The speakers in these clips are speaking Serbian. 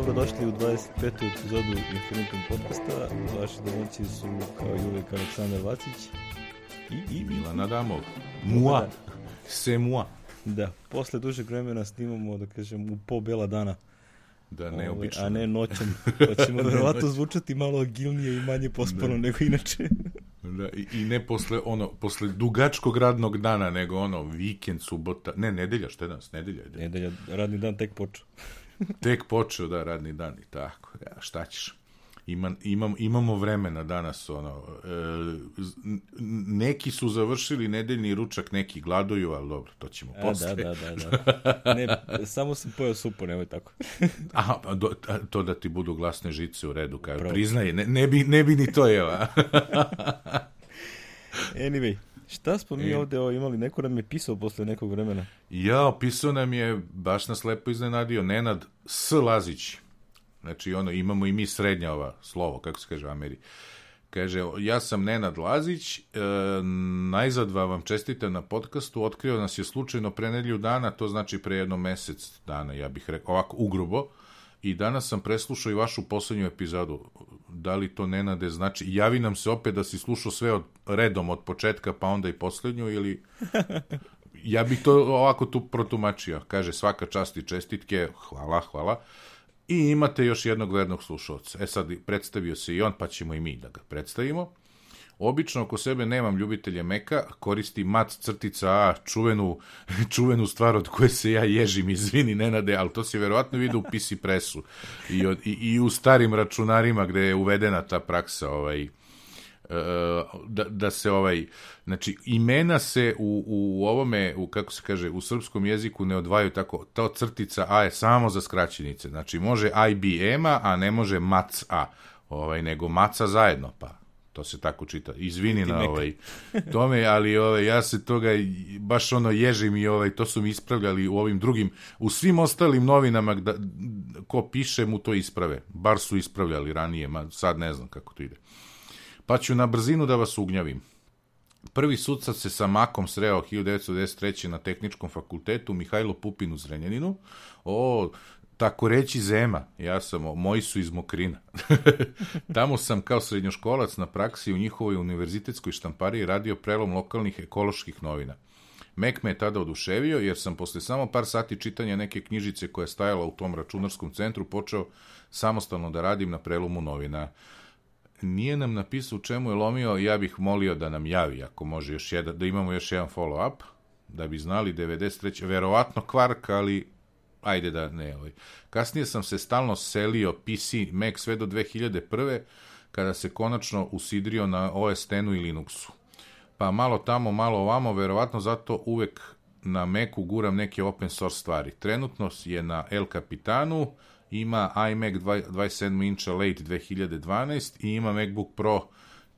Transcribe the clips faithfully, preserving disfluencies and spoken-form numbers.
Dobrodošli u dvadeset petu epizodu Infinitum podcasta. Vaši domaći su kao i uvijek Aleksandar Vacić i, i Milan Adamov. Mua, se mua. Da, posle dužeg vremena snimamo, da kažem, u po bela dana. Da, neobično. A ne noćom. Pa ćemo verovatno zvučati malo agilnije i manje pospano nego inače. Da, i, i ne posle ono, posle dugačkog radnog dana, nego ono, vikend, subota, ne, nedelja, što je danas, nedelja? Je nedelja, radni dan tek počeo. Tek počeo, da, radni dan i tako, ja, šta ćeš? Ima, imam, imamo vremena danas, ono, e, neki su završili nedeljni ručak, neki gladuju, ali dobro, to ćemo posle. A, da, da, da, da. Ne, samo sam pojao supu, nemoj tako. Aha, do, to da ti budu glasne žice u redu, kao priznaje, ne, ne, bi, ne bi ni to jela. Anyway, šta smo mi ovde o, imali, neko nam je pisao posle nekog vremena? Ja, pisao nam je, baš nas lepo iznenadio, Nenad S. Lazić. Znači, ono, imamo i mi srednja ova slovo, kako se kaže u Ameri. Kaže, ja sam Nenad Lazić, e, najzad vam čestitam na podcastu, otkrio nas je slučajno pre nedelju dana, to znači pre jedno mesec dana, ja bih rekao, ovako ugrubo, i danas sam preslušao i vašu poslednju epizodu. Da li to, Nenade, znači, javi nam se opet da si slušao sve od, redom od početka, pa onda i poslednju, ili... Ja bih to ovako tu protumačio. Kaže, svaka čast i čestitke, hvala, hvala. I imate još jednog vernog slušalca. E sad, predstavio se i on, pa ćemo i mi da ga predstavimo. Obično oko sebe nemam ljubitelje Meka, koristim mat crtica A, čuvenu, čuvenu stvar od koje se ja ježim, izvini Nenade, ali to se verovatno vidi u P C Pressu i, od, i, i u starim računarima gde je uvedena ta praksa, ovaj, da, da se ovaj, znači imena se u, u ovome, u, kako se kaže, u srpskom jeziku ne odvajaju tako, ta crtica A je samo za skraćenice, znači može I B M-a, a ne može Mac A, ovaj, nego Maca zajedno, pa to se tako čita, izvini na ovaj tome, ali ovaj, ja se toga baš ono ježim i ovaj, to su mi ispravljali u ovim drugim, u svim ostalim novinama da, ko piše mu to isprave, bar su ispravljali ranije, ma sad ne znam kako to ide. Pa ću na brzinu da vas ugnjavim. Prvi sudac se sa Makom sreo hiljadu devetsto devedeset treće na Tehničkom fakultetu Mihajlo Pupin u Zrenjaninu. O, tako reći zema, ja sam, moji su iz Mokrina. Tamo sam kao srednjoškolac na praksi u njihovoj univerzitetskoj štampariji radio prelom lokalnih ekoloških novina. Mek me je tada oduševio, jer sam posle samo par sati čitanja neke knjižice koja je stajala u tom računarskom centru počeo samostalno da radim na prelomu novina. Nije nam napisao u čemu je lomio, ja bih molio da nam javi, ako može još jedan, da imamo još jedan follow-up, da bi znali devedeset treće verovatno kvark, ali ajde da ne. Ovaj. Kasnije sam se stalno selio P C, Mac sve do dve hiljade prve, kada se konačno usidrio na O S X-u i Linuxu. Pa malo tamo, malo ovamo, verovatno zato uvek na Macu guram neke open source stvari. Trenutno je na El Capitanu, ima iMac dvadeset sedam inča late dve hiljade dvanaeste i ima MacBook Pro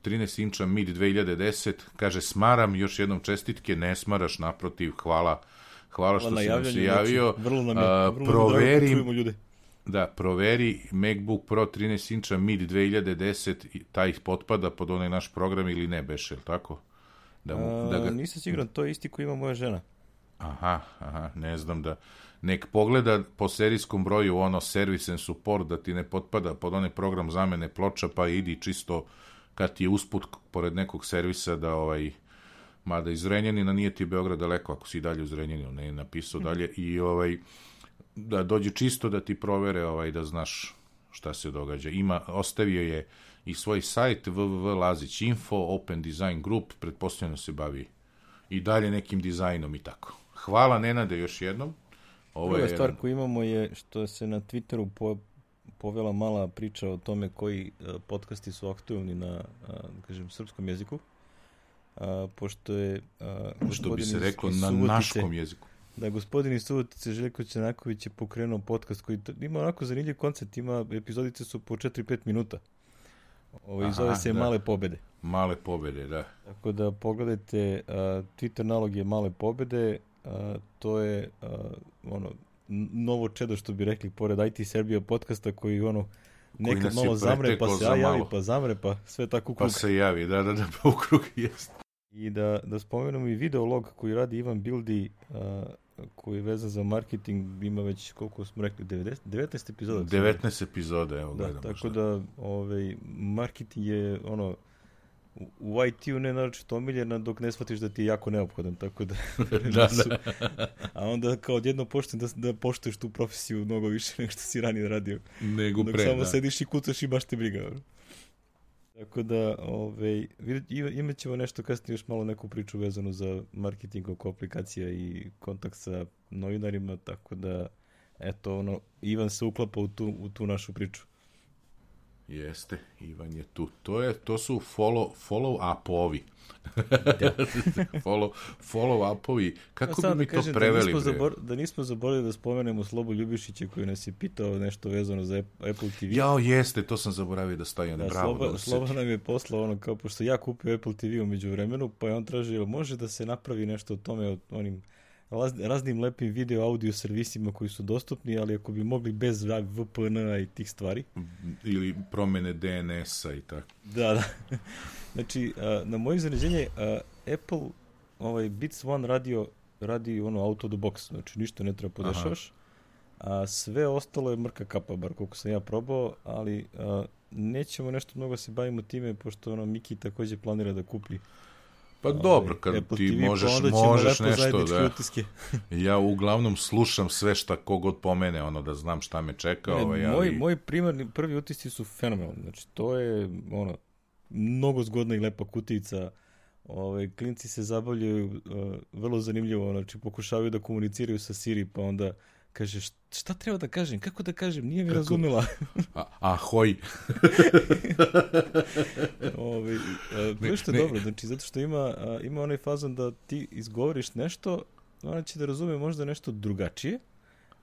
trinaest inča mid dve hiljade desete. Kaže, smaram, još jednom čestitke, ne smaraš, naprotiv, hvala, hvala što si nam se javio. Vrlo nam je, vrlo proveri, čujemo ljude. Da, proveri MacBook Pro trinaest inča mid dve hiljade desete, taj potpada pod onaj naš program ili ne, Bešel, tako? Da mu, da ga... Nisam siguran, to je isti koji ima moja žena. Aha, aha, ne znam da... Nek pogleda po serijskom broju ono service and support da ti ne potpada pod onaj program zamene ploča, pa idi čisto kad ti je usput pored nekog servisa da ovaj, mada iz Zrenjanina nije ti Beograd daleko ako si dalje u Zrenjaninu, ne je napisao dalje i ovaj, da dođe čisto da ti provere ovaj, da znaš šta se događa. Ima, ostavio je i svoj sajt w w w Lazić info, Open Design Group, pretpostavljeno se bavi i dalje nekim dizajnom i tako. Hvala Nenade još jednom. Ovo Prva je stvar jedan... koju imamo je što se na Twitteru po, povela mala priča o tome koji uh, podcasti su aktualni na uh, kažem, srpskom jeziku. Uh, pošto je... Uh, što bi se reklo na Subotice, naškom jeziku. Da, gospodin iz Subotice Željko Čanaković je pokrenuo podcast koji ima onako zanimljiv koncept, ima, epizodice su po četiri do pet minuta. Ovo zove se da. Male pobede. Male pobede, da. Tako da pogledajte, uh, Twitter nalog je Male pobede, uh, to je uh, ono novo čedo što bi rekli pored I T Serbia podcasta koji ono nekad koji malo zamre pa se javi pa zamre pa sve tako u krug. Pa se javi, da, da, da, pa u krug jest. I da, da spomenemo i videolog koji radi Ivan Bildi, uh, koji je vezan za marketing, ima već, koliko smo rekli, devedeset, devetnaest epizoda. devetnaest epizoda, evo da, gledam. Tako da, ovaj, marketing je, ono, u I T-u ne naročito omiljena dok ne shvatiš da ti je jako neophodan, tako da... da, da. A onda kao odjedno počne da, da poštuješ tu profesiju mnogo više nego što si ranije radio. Nego dok pre, samo da. sediš i kucaš i baš te briga. Tako da, ovaj, imat ćemo nešto kasnije još malo neku priču vezanu za marketing oko aplikacija i kontakt sa novinarima, tako da, eto, ono, Ivan se uklapa u tu, u tu našu priču. Jeste, Ivan je tu. To, je, to su follow, follow-upovi. follow, follow-upovi. Kako no, bi mi to kažem, preveli? Da nismo, zabor, da nismo zaboravili da spomenemo Slobu Ljubišića koji nas je pitao nešto vezano za Apple T V. Jao, jeste, to sam zaboravio da stavim. Da, bravo, Sloba, Sloba nam je poslao ono kao, pošto ja kupio Apple T V umeđu vremenu, pa je on tražio, može da se napravi nešto o tome, o onim raznim lepim video audio servisima koji su dostupni, ali ako bi mogli bez V P N-a i tih stvari. Ili promene D N S-a i tako. Da, da. Znači, na moje iznenađenje, Apple ovaj Beats One radio radi ono auto the box, znači ništa ne treba podešavaš, a sve ostalo je mrka kapa, bar koliko sam ja probao, ali a, nećemo nešto mnogo se bavimo time, pošto ono Miki takođe planira da kupi. Pa dobro, kad Apple ti T V, možeš, pa možeš nešto, da. Utiske. Ja uglavnom slušam sve šta kogod pomene, ono da znam šta me čeka. Ne, ovaj, moj, ali... moj primarni, prvi utisci su fenomenalni, znači to je ono, mnogo zgodna i lepa kutijica, ovaj, klinci se zabavljaju, uh, vrlo zanimljivo, znači pokušavaju da komuniciraju sa Siri, pa onda kaže, šta treba da kažem, kako da kažem, nije mi kako? razumela. A, ahoj. Ove, a, što je dobro, znači, zato što ima, a, ima onaj fazon da ti izgovoriš nešto, ona će da razume možda nešto drugačije,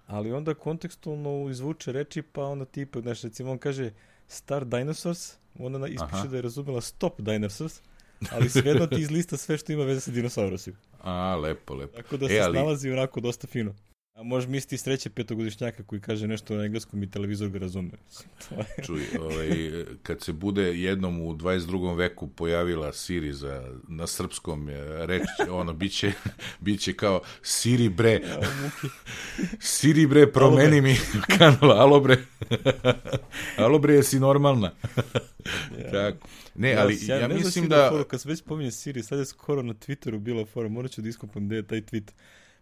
ali onda kontekstualno izvuče reči, pa onda ti ipak, znači, recimo on kaže Star Dinosaurs, onda ispiše Aha. da je razumela Stop Dinosaurs, ali svejedno ti izlista sve što ima veze sa dinosaurusima. A, lepo, lepo. Tako da se e, ali... snalazi onako dosta fino. A može misliti sreće petogodišnjaka koji kaže nešto na engleskom i televizor ga razume. Čuj, ovaj, kad se bude jednom u dvadeset drugom veku pojavila Siri za, na srpskom reč, ono, biće, biće kao Siri bre, Siri bre, promeni mi kanal, alo bre, alo bre, jesi normalna. Ja. Tako. Ne, ali ja, ja, ja mislim da... da... Kad se već pominje Siri, sad je skoro na Twitteru bila fora, morat ću da iskopam gde je taj tweet,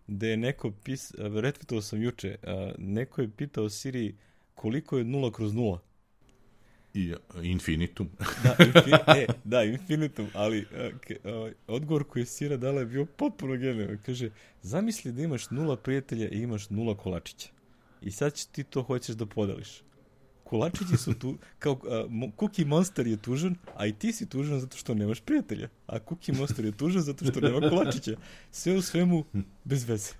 gde je neko pis, retweetovao sam juče, a, neko je pitao Siri koliko je nula kroz nula. I infinitum. Da, infin, e, da, infinitum, ali a, ke, a, odgovor koji je Sira dala je bio potpuno genijalan. Kaže, zamisli da imaš nula prijatelja i imaš nula kolačića. I sad će ti to hoćeš da podeliš. Kolačići su tu, kao uh, Cookie Monster je tužan, a i ti si tužan zato što nemaš prijatelja. A Cookie Monster je tužan zato što nema kolačića. Sve u svemu, bez veze.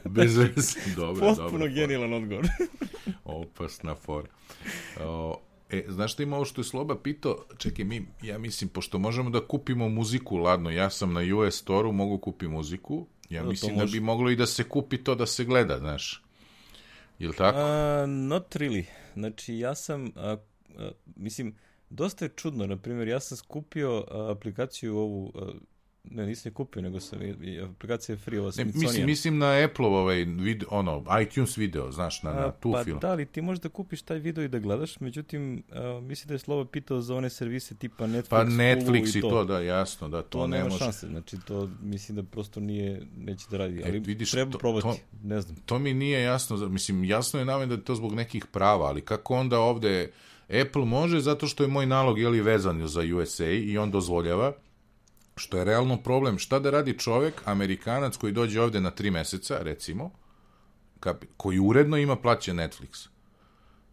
Bez veze, dobro, dobro. Potpuno genijalan odgovor. Opasna fora. O, e, znaš šta ima ovo što je Sloba pitao? Čekaj, mi, ja mislim, pošto možemo da kupimo muziku, ladno, ja sam na U S Store-u, mogu kupi muziku, ja da, mislim da bi moglo i da se kupi to da se gleda, znaš. Jel tako? Uh, not really. Znači, ja sam, a, a, mislim, dosta je čudno, na primjer, ja sam skupio a, aplikaciju ovu, a, ne, nisam je kupio, nego sam, i, aplikacija je free, ova Smithsonian. Mislim, mislim na Apple ovaj video, ono, iTunes video, znaš, na, na tu pa film. Pa da, ali ti možeš da kupiš taj video i da gledaš, međutim, a, mislim da je Slobo pitao za one servise tipa Netflix, pa Netflix i i to. to, da, jasno, da, to, to ne nema može. šanse, znači to mislim da prosto nije, neće da radi, ali e, vidiš, treba to, probati, to, ne znam. To mi nije jasno, mislim, jasno je namen da je to zbog nekih prava, ali kako onda ovde Apple može, zato što je moj nalog, jeli, vezan za U S A i on dozvoljava, što je realno problem. Šta da radi čovek, Amerikanac koji dođe ovde na tri meseca, recimo, kapi, koji uredno ima plaćen Netflix.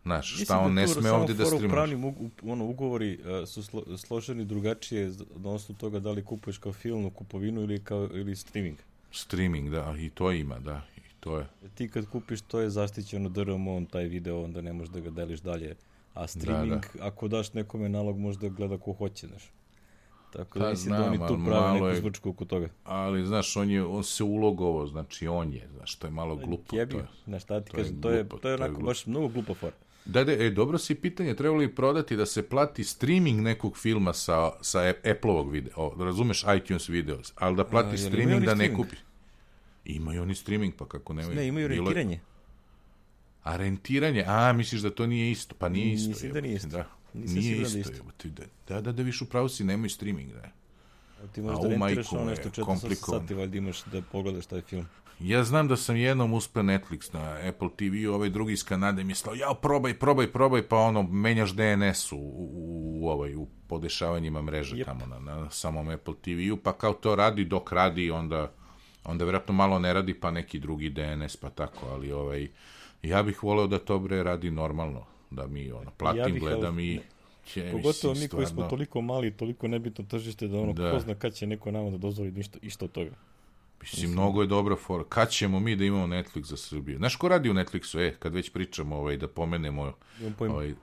Znaš, šta on ne sme ovde da streamuje. Pravni u, ono, ugovori uh, su slo, složeni drugačije na osnovu toga da li kupuješ kao filmnu kupovinu ili, kao, ili streaming. Streaming, da, i to ima, da, i to je. Ti kad kupiš, to je zaštićeno D R M on, taj video, onda ne možeš da ga deliš dalje. A streaming, da, da. Ako daš nekome nalog, može da gleda ko hoće, znaš. Tako da, mislim da oni tu prave neku zvučku oko toga. Ali, znaš, on, je, on se ulogovao, znači on je, znaš, to je malo glupo. Jebi, znaš, šta ti kažem, to je, to je onako baš mnogo glupo for. Da, da, e, dobro si pitanje, trebalo li prodati da se plati streaming nekog filma sa, sa Apple-ovog videa, o, razumeš, iTunes videos, ali da plati A, streaming da ne kupi. Imaju oni streaming, pa kako nemaju? Ne, imaju rentiranje. A rentiranje? A, misliš da to nije isto? Pa nije isto. Mislim da nije isto. Da. Nije isto. isto. Da, da, da, viš u pravu si, nemaju streaming, da. A ti možeš da rentiraš ono nešto četrdeset sati, valjda imaš da pogledaš taj film. Ja znam da sam jednom uspeo Netflix na Apple te ve, ovaj drugi iz Kanade mi je slao, ja, probaj, probaj, probaj, pa ono, menjaš de en es u, u, u, ovaj, u podešavanjima mreže yep. tamo na, na samom Apple te ve, pa kao to radi, dok radi, onda, onda vjerojatno malo ne radi, pa neki drugi de en es, pa tako, ali ovaj, ja bih voleo da to bre radi normalno, da mi ono, platim, ja gledam i... Će, pogotovo mi koji smo toliko mali, toliko nebitno tržište da ono, da. Ko zna kad će neko nama da dozvoli ništa, išto od toga. Mislim, mnogo je dobra fora. Kad ćemo mi da imamo Netflix za Srbiju? Znaš ko radi u Netflixu? E, kad već pričamo, ovaj, da pomenemo ovaj, uh,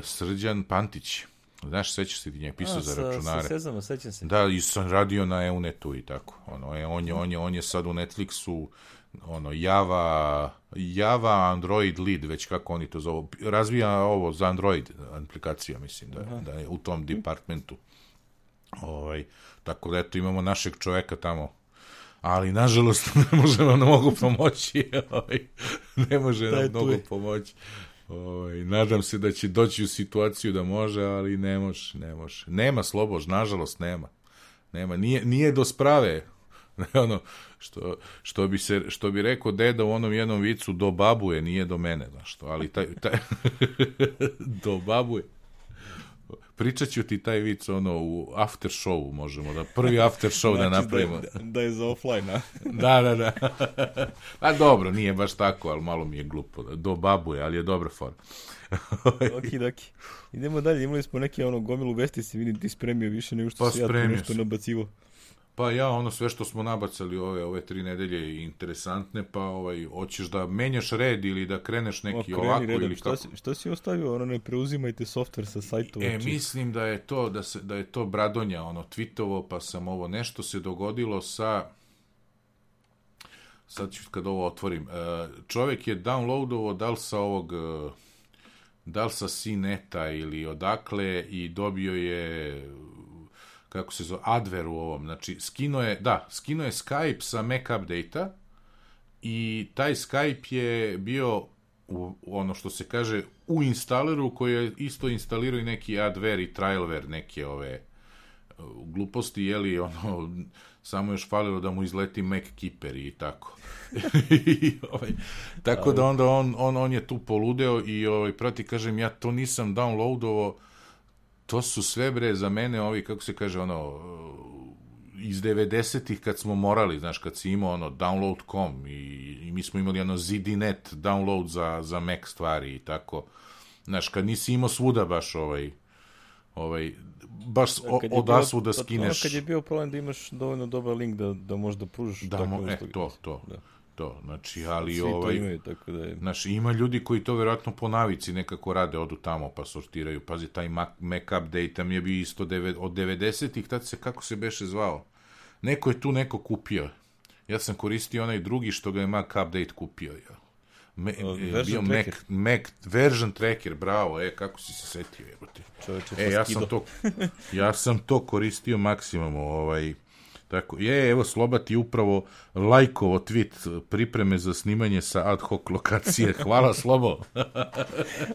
Srđan Pantić. Znaš, sećaš se ti njeg, pisao za računare. Sa Sezama, sećam se. Da, i sam radio na EUNET-u i tako. Ono, e, on, je, on, je, on je sad u Netflixu ono, Java, Java Android lead, već kako oni to zovu. Razvija ovo za Android aplikacija, mislim, da, da je u tom departmentu. Ovaj, tako da, eto, imamo našeg čoveka tamo, ali nažalost ne može nam mnogo pomoći, ne može nam mnogo pomoći. Ovaj, nadam se da će doći u situaciju da može, ali ne može, ne može. Nema Slobož, nažalost nema. Nema, nije, nije do sprave. ono, što, što, bi se, što bi rekao deda u onom jednom vicu, do babuje, nije do mene, znaš što, ali taj, taj do babuje. Pričat ću ti taj vic ono u after showu, možemo da prvi after show znači da napravimo. Da, da je za offline, a? da, da, da. A dobro, nije baš tako, ali malo mi je glupo. Do babuje, ali je dobra fora. Oki, doki. Idemo dalje, imali smo neke ono gomilu vesti, si vidim ti spremio više nego što pa si ja tu nešto nabacivo. Pa ja, ono sve što smo nabacali ove ove tri nedelje interesantne, pa ovaj hoćeš da menjaš red ili da kreneš neki o, ovako redom. Ili kako? Šta si, šta si ostavio? Ono, ne preuzimajte softver sa sajtova. E, či... mislim da je to da se da je to Bradonja ono tvitovo, pa sam ovo nešto se dogodilo sa sad ću kad ovo otvorim. Čovjek je downloadovao da li sa ovog da li sa Sineta ili odakle i dobio je kako se zove, adware u ovom, znači, skino je, da, skino je Skype sa Mac update-a i taj Skype je bio, u, ono što se kaže, u instaleru koji je isto instalirao i neki adware i trialware, neke ove gluposti, jeli, ono, samo još falilo da mu izleti Mac Keeper i tako. I, ovaj, tako da onda on, on, on je tu poludeo i, ovaj, proti, kažem, ja to nisam downloadovao. To su sve, bre, za mene ovi, kako se kaže, ono, iz devedesetih kad smo morali, znaš, kad si imao, ono, download dot com i, i mi smo imali, ono, Z D net download za, za Mac stvari i tako. Znaš, kad nisi imao svuda baš, ovaj, ovaj, baš odasvu da skineš. Ono kad je bio problem da imaš dovoljno dobar link da, da možda pružiš. Da, tako mo, e, nešto, to, to. Da. To, znači, ali svi ovaj, to imaju, tako da je... Znači, ima ljudi koji to vjerojatno po navici nekako rade, odu tamo pa sortiraju. Pazi, taj Mac, Mac update tam je bio isto deve, od devedesetih, tad se, kako se beše zvao? Neko je tu neko kupio. Ja sam koristio onaj drugi što ga je Mac update kupio. Ja. Me, uh, je bio Mac, Mac version tracker, bravo, e, kako si se setio, jebote. Čovječe, e, ja sam, to, ja sam to koristio maksimum, ovaj... Tako, je, evo, Sloba ti upravo lajkovo tweet pripreme za snimanje sa ad hoc lokacije. Hvala, Slobo.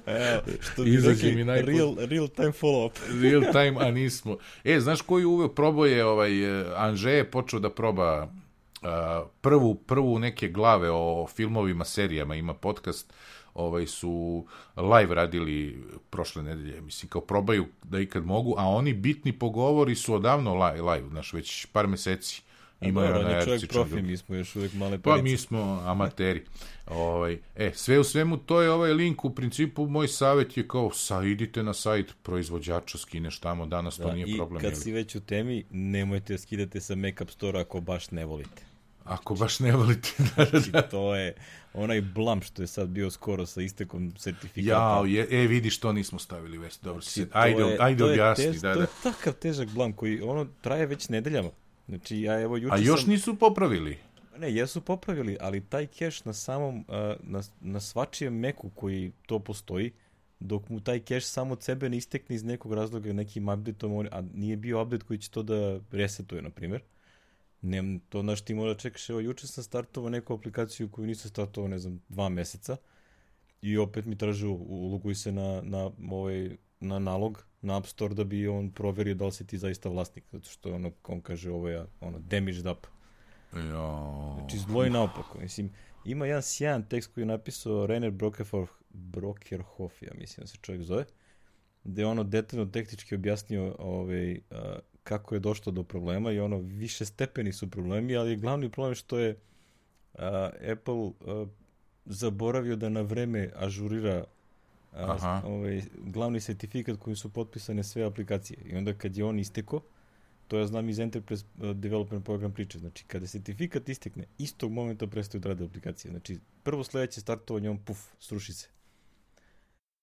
Evo, što bi rekli, mi najpod... real, real time follow-up. Real time, a nismo. E, znaš koji uveo probao je, ovaj, Anže je počeo da proba uh, prvu, prvu neke glave o filmovima, serijama, ima podcast, ovaj su live radili prošle nedelje, mislim, kao probaju da ikad mogu, a oni bitni pogovori su odavno live, live znaš, već par meseci imaju na R C. Profi, mi smo još uvijek male parice. Pa mi smo amateri. ovaj, e, sve u svemu, to je ovaj link, u principu moj savjet je kao, sa, idite na sajt proizvođača, skineš tamo, danas da, to nije i problem. I kad jeli. si već u temi, nemojte skidati sa Mac App Store ako baš ne volite. Ako baš ne volite. Znači, to je onaj blam što je sad bio skoro sa istekom sertifikata. Jao, je, e, vidiš, to nismo stavili vesti. Dobro, znači, ajde, je, ajde objasni. Tež, da, to da. je takav težak blam koji ono traje već nedeljama. Znači, ja evo juče A još sam... nisu popravili? Ne, jesu popravili, ali taj cache na samom, na, na svačijem Macu koji to postoji, dok mu taj cache samo od sebe ne istekne iz nekog razloga nekim updateom, a nije bio update koji će to da resetuje, na primjer. Nem, to znaš ti mora čekaš, evo juče sam startovao neku aplikaciju koju nisam startovao, ne znam, dva meseca i opet mi traži uloguj se na, na, ovaj, na nalog, na App Store da bi on proverio da li si ti zaista vlasnik, zato što ono, on kaže ovo je ono, damaged up. Jo. Znači zlo i naopako, mislim, ima jedan sjajan tekst koji je napisao Rainer Brokerhoff, ja mislim da se čovjek zove, gde je ono detaljno tehnički objasnio ovaj, uh, kako je došlo do problema i ono više stepeni su problemi, ali je glavni problem što je uh, Apple uh, zaboravio da na vreme ažurira uh, ovaj, glavni sertifikat kojim su potpisane sve aplikacije i onda kad je on isteko, to ja znam iz Enterprise Development Program priče, znači kada sertifikat istekne, istog momenta prestaju da rade aplikacije, znači prvo sledeće startovanje on puf, sruši se.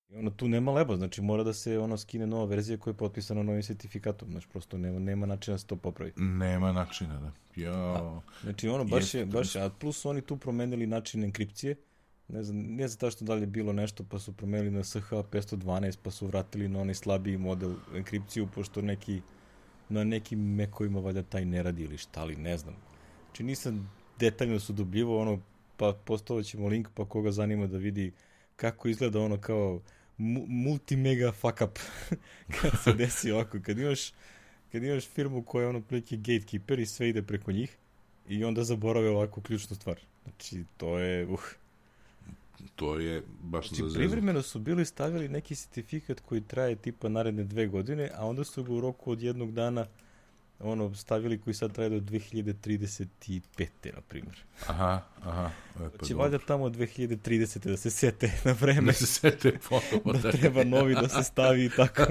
I ono, tu nema leba, znači mora da se ono skine nova verzija koja je potpisana novim sertifikatom, znači prosto nema, nema načina da se to popravi. Nema načina, da. Jo. A, znači ono, baš je, baš je, a plus su oni tu promenili način enkripcije, ne znam, ne znam tašto da li je bilo nešto, pa su promenili na S H petsto dvanaest, pa su vratili na onaj slabiji model enkripciju, pošto neki, na nekim mekovima valjda taj ne radi ili šta li, ne znam. Znači nisam detaljno su dubljivo, ono, pa postavit ćemo link, pa koga zanima da vidi kako izgleda ono kao multi-mega fuck up kad se desi ovako, kad imaš kad imaš firmu koja je ono prilike gatekeeper i sve ide preko njih i onda zaborave ovako ključnu stvar. Znači, to je uh. To je baš znači, za zezu. privremeno su bili stavili neki sertifikat koji traje tipa naredne dve godine, a onda su ga u roku od jednog dana ono stavili koji sad traje do dve hiljade trideset pete na primjer. Aha, aha. E, pa znači, valjda tamo dve hiljade tridesete da se sete na vreme. Da se sete ponovo. Da treba novi da se stavi i tako.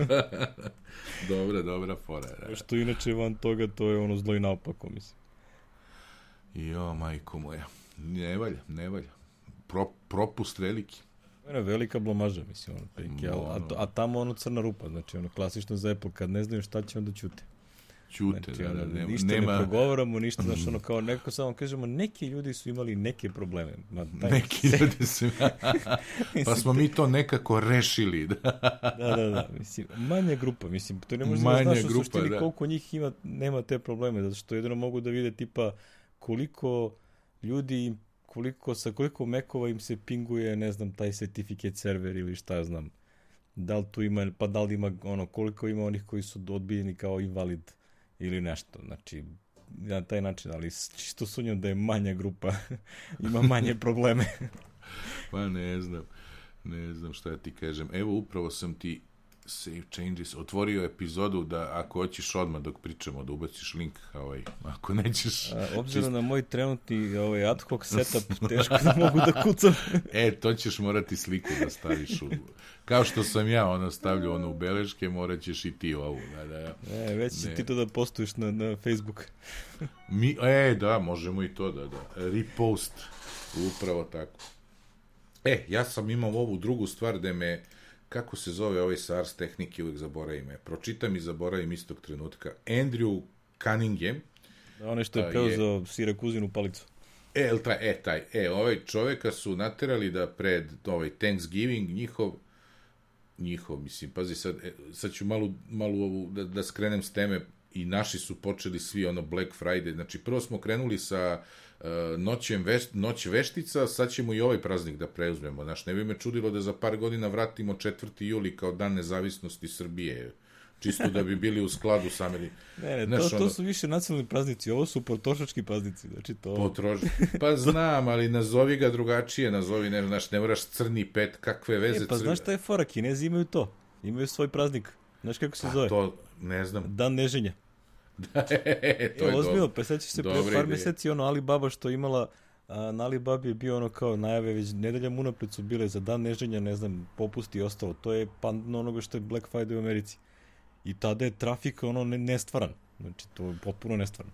Dobra, dobra fora. Da. Što inače van toga, to je ono zlo i naopako, mislim. Jo, majko moja. Ne valja, ne valja. Pro, propust veliki. To je velika blomaža, mislim, ono, prike, a, a, a tamo ono crna rupa, znači ono klasično za Apple, kad ne znaju šta će, onda ćute. Ćute, znači, da, da, nema, ništa nema... ne progovaramo, ništa, znači ono kao neko samo kažemo, neki ljudi su imali neke probleme. Ma, taj, neki ljudi su, pa smo mi to nekako rešili. Da, da, da, da, mislim, manja grupa, mislim, to ne može da znaš u suštini da. Koliko njih ima, nema te probleme, zato što jedino mogu da vide tipa koliko ljudi koliko, sa koliko mekova im se pinguje, ne znam, taj certificate server ili šta ja znam. Da li tu ima, pa da li ima, ono, koliko ima onih koji su odbijeni kao invalid ili nešto. Znači, na taj način, ali čisto sumnjam da je manja grupa, ima manje probleme. Pa ne znam, ne znam šta ja ti kažem. Evo, upravo sam ti Save Changes otvorio epizodu da ako hoćeš odmah dok pričamo da ubaciš link, ovaj, ako nećeš... A, obzirom čist... na moj trenutni ovaj, ad hoc setup, teško da mogu da kucam. E, to ćeš morati sliku da staviš u... Kao što sam ja ono stavljao ono u beleške, morat ćeš i ti ovu. Da, da, e, već si ti to da postuješ na, na Facebook. Mi, e, da, možemo i to da, da. Repost, upravo tako. E, ja sam imao ovu drugu stvar da me... Kako se zove ovaj sa Ars Tehnike, uvijek zaboravim me. Pročitam i zaboravim istog trenutka. Andrew Cunningham. Da, onaj što je preuzeo Sirakuzinu palicu. E, taj, e, taj. E, ovaj čoveka su naterali da pred ovaj Thanksgiving njihov, njihov, mislim, pazi, sad, e, sad ću malo, malo ovu, da, da skrenem s teme, i naši su počeli svi ono Black Friday. Znači, prvo smo krenuli sa uh, noćem veš, noć veštica, sad ćemo i ovaj praznik da preuzmemo. Znaš, ne bi me čudilo da za par godina vratimo četvrti juli kao dan nezavisnosti Srbije. Čisto da bi bili u skladu sa meni. Ne, ne, znaš, to, to ono, su više nacionalni praznici, ovo su potrošački praznici. Znači to... Potroš... Pa znam, ali nazovi ga drugačije, nazovi, ne, znaš, ne moraš crni pet, kakve veze. E, pa znaš šta je fora, Kinezi imaju to, imaju svoj praznik. Znaš kako se pa, zove? To, ne znam. Dan neženja. Da, e, to je, je ozbiljno, pa sećaš se pre par ideje. Meseci ono Alibaba što imala, a, na Alibabi je bio ono kao najave, već nedeljama unapred su bile za dan neženja, ne znam, popusti i ostalo. To je pandno onoga što je Black Friday u Americi. I tada je trafik ono ne, nestvaran. Znači, to je potpuno nestvaran.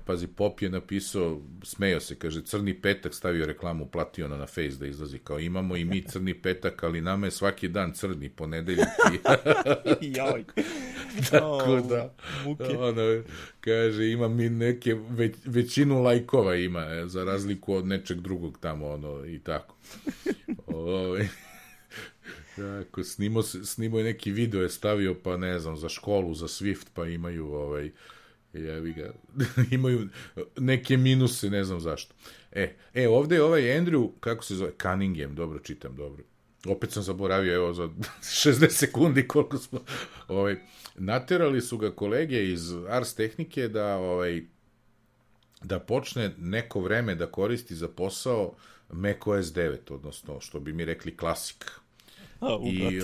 Pazi, Pop je napisao, smejao se, kaže, crni petak, stavio reklamu, platio na Face da izlazi, kao imamo i mi crni petak, ali nama je svaki dan crni, ponedeljak. Joj. Tako da, ono, kaže, ima mi neke, već, većinu lajkova ima, za razliku od nečeg drugog tamo, ono, i tako. Ovo, tako, snimo, snimo je neki video, je stavio, pa ne znam, za školu, za Swift, pa imaju, ovaj, Jevi ga. Imaju neke minuse, ne znam zašto. E, e, ovde je ovaj Andrew, kako se zove, Cunningham, dobro čitam, dobro. Opet sam zaboravio, evo, za šezdeset sekundi koliko smo, ovaj, naterali su ga kolege iz Ars Tehnike da, ovaj, da počne neko vreme da koristi za posao macOS devet, odnosno, što bi mi rekli, klasik. A, I,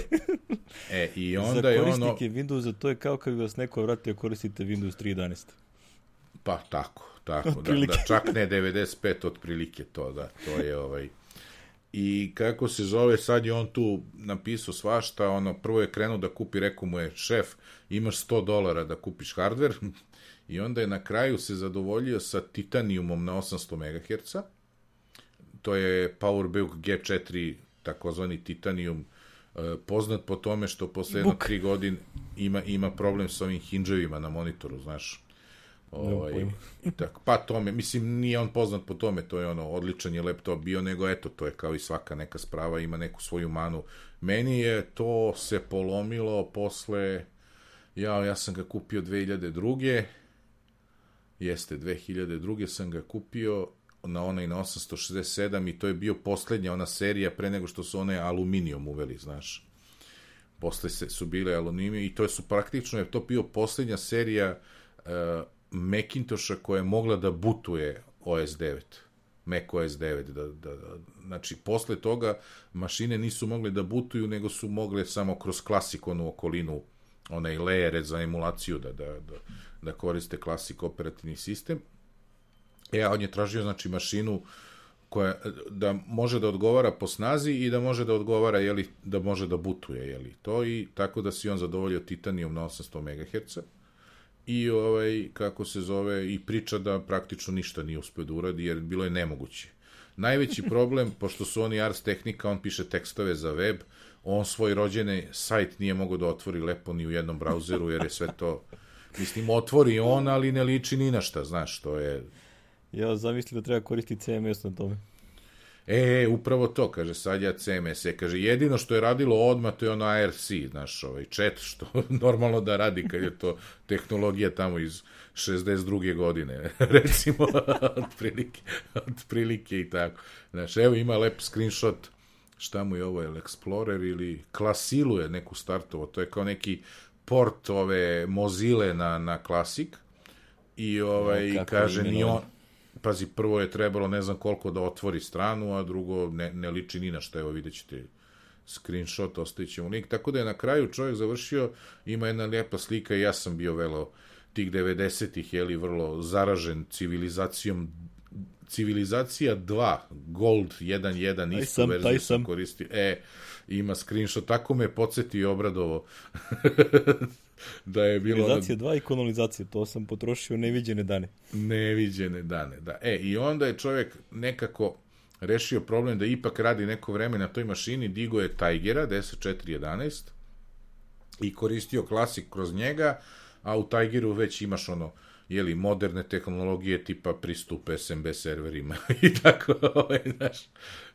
e, i onda za je ono... Za korisnike Windowsa to je kao kad vas neko vratio koristite Windows tri jedanaest. Pa tako, tako, da, da, čak ne devedeset pet otprilike to, da, to je ovaj... I kako se zove, sad je on tu napisao svašta, ono, prvo je krenuo da kupi, rekao mu je šef, imaš sto dolara da kupiš hardver, i onda je na kraju se zadovoljio sa Titaniumom na osamsto megaherca, to je PowerBook G četiri, takozvani Titanium, poznat po tome što posle jedno tri godine ima, ima problem sa ovim hinđevima na monitoru, znaš. Ovaj, i tako, pa tome, mislim, nije on poznat po tome, to je ono, odličan je laptop bio, nego eto, to je kao i svaka neka sprava, ima neku svoju manu. Meni je to se polomilo posle, ja, ja sam ga kupio dve hiljade druge. Jeste, dve hiljade druge sam ga kupio na onaj na osamsto šezdeset sedam i to je bio poslednja ona serija pre nego što su one aluminijum uveli, znaš. Posle se, su bile aluminijum i to su praktično, je to bio poslednja serija uh, Macintosha koja je mogla da butuje O S devet. macOS devet. Da, da, da, znači, posle toga mašine nisu mogle da butuju, nego su mogle samo kroz klasikonu okolinu, onaj lejere za emulaciju da, da, da, da koriste klasik operativni sistem. E, a on je tražio, znači, mašinu koja da može da odgovara po snazi i da može da odgovara, jeli, da može da butuje, jeli, to, i tako da si on zadovoljio Titanium na osamsto megaherca i, ovaj, kako se zove, i priča da praktično ništa nije uspio da uradi, jer bilo je nemoguće. Najveći problem, pošto su oni Ars Technica, on piše tekstove za web, on svoj rođeni sajt nije mogao da otvori lepo ni u jednom brauzeru, jer je sve to, mislim, otvori on, ali ne liči ni na šta, znaš, to je... Ja zamislio da treba koristiti C M S na tome. E, upravo to, kaže, sad ja C M S, je, kaže, jedino što je radilo odmah, to je ono A R C, znaš, ovaj chat, što normalno da radi, kad je to tehnologija tamo iz šezdeset druge godine, recimo, otprilike, otprilike i tako. Znaš, evo ima lep screenshot, šta mu je ovo, je Explorer ili Classilu je neku startovo, to je kao neki port ove Mozile na, na Classic, i ovaj, no, kaže, ni on, pazi, prvo je trebalo ne znam koliko da otvori stranu, a drugo ne, ne liči ni na što, evo vidjet ćete screenshot, ostavit ćemo link, tako da je na kraju čovjek završio, ima jedna lijepa slika i ja sam bio velo tih devedesetih, jeli, vrlo zaražen civilizacijom, civilizacija dva, Gold jedan jedan, istu sam, verziju sam koristi, e, ima screenshot, tako me podsjeti i obradovo. Da je bilo... Civilizacija dva i kolonizacija, to sam potrošio neviđene dane. Neviđene dane, da. E, i onda je čovjek nekako rešio problem da ipak radi neko vreme na toj mašini, digo je Tigera deset četiri jedanaest i koristio klasik kroz njega, a u Tigeru već imaš ono, jeli, moderne tehnologije tipa pristup S M B serverima i tako, znaš,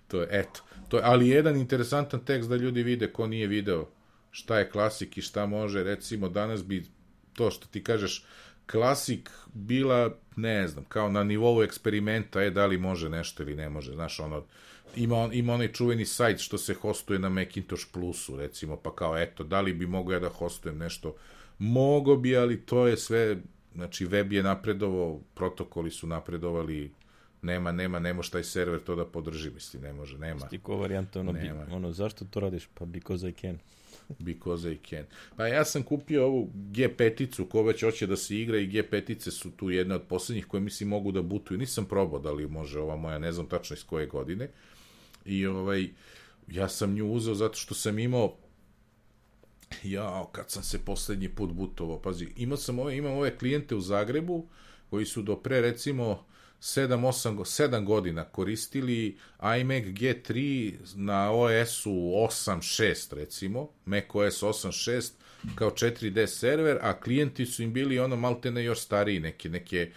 to je, eto. To je, ali jedan interesantan tekst da ljudi vide ko nije video šta je klasik i šta može, recimo danas bi to što ti kažeš klasik bila, ne znam, kao na nivou eksperimenta, je da li može nešto ili ne može, znaš, ono, ima, on, ima onaj čuveni sajt što se hostuje na Macintosh Plusu, recimo, pa kao, eto, da li bi mogo ja da hostujem nešto, mogo bi, ali to je sve, znači, web je napredovao, protokoli su napredovali, nema, nema, ne može taj server to da podrži, misli, ne može, nema. Stiko varijanta, ono, bi, ono, zašto to radiš? Pa because I can. Because I can. Pa ja sam kupio ovu G pet-icu, ko već hoće da se igra, i G pet-ice su tu jedne od poslednjih koje mislim mogu da butuju. Nisam probao da li može ova moja, ne znam tačno iz koje godine. I ovaj, ja sam nju uzeo zato što sam imao, jao, kad sam se poslednji put butovao, pazi, imao sam ove, imam ove klijente u Zagrebu koji su do pre, recimo, sedam osam, sedam godina koristili iMac G tri na O S-u osam šest, recimo, macOS osam šest kao četiri D server, a klijenti su im bili ono maltene još stariji, neke, neke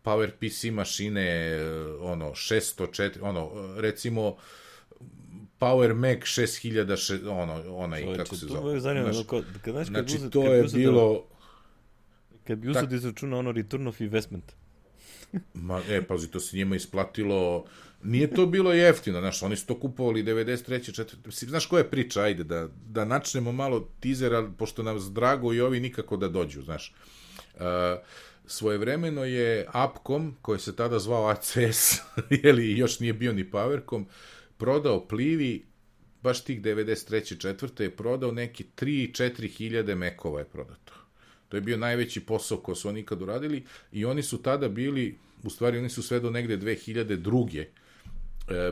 PowerPC mašine, ono, šesto četiri, ono, recimo, Power Mac šest hiljada, ono, onaj, Čovječe, kako se to zove. Zanima, Znaš, kad, kad, znaš, znači, uzet, to je bilo... Kad bi uzeo da izračuna ono return of investment. Ma, e, pazi, to se njima isplatilo, nije to bilo jeftino, znaš, oni su to kupovali devedeset treće četvrte Znaš koja je priča, ajde, da, da načnemo malo tizera, pošto nam drago i ovi nikako da dođu, znaš. Uh, svojevremeno je Upcom, koji se tada zvao A C S, jeli, još nije bio ni Powercom, prodao Plivi, baš tih devedeset treće četvrte je prodao neki tri četiri hiljade mekova je prodato. To je bio najveći posao koji su oni ikad uradili i oni su tada bili, u stvari oni su sve do negde dve hiljade druge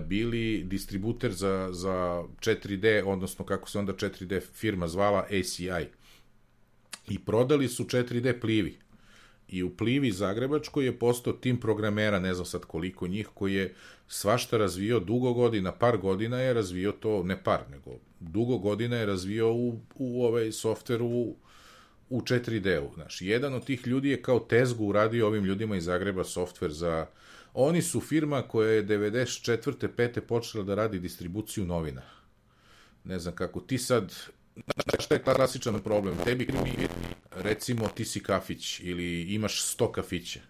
bili distributer za, za četiri D, odnosno kako se onda četiri D firma zvala A C I. I prodali su četiri D Plivi. I u Plivi Zagrebačkoj je postao tim programera, ne znam sad koliko njih, koji je svašta razvio dugo godina, par godina je razvio to, ne par, nego dugo godina je razvio u, u ovaj softver u, u četiri D-u. Znaš, jedan od tih ljudi je kao tezgu uradio ovim ljudima iz Zagreba softver za... Oni su firma koja je devedeset četvrte pete počela da radi distribuciju novina. Ne znam kako, ti sad... Znaš šta je klasičan problem? Tebi mi, recimo, ti si kafić ili imaš sto kafića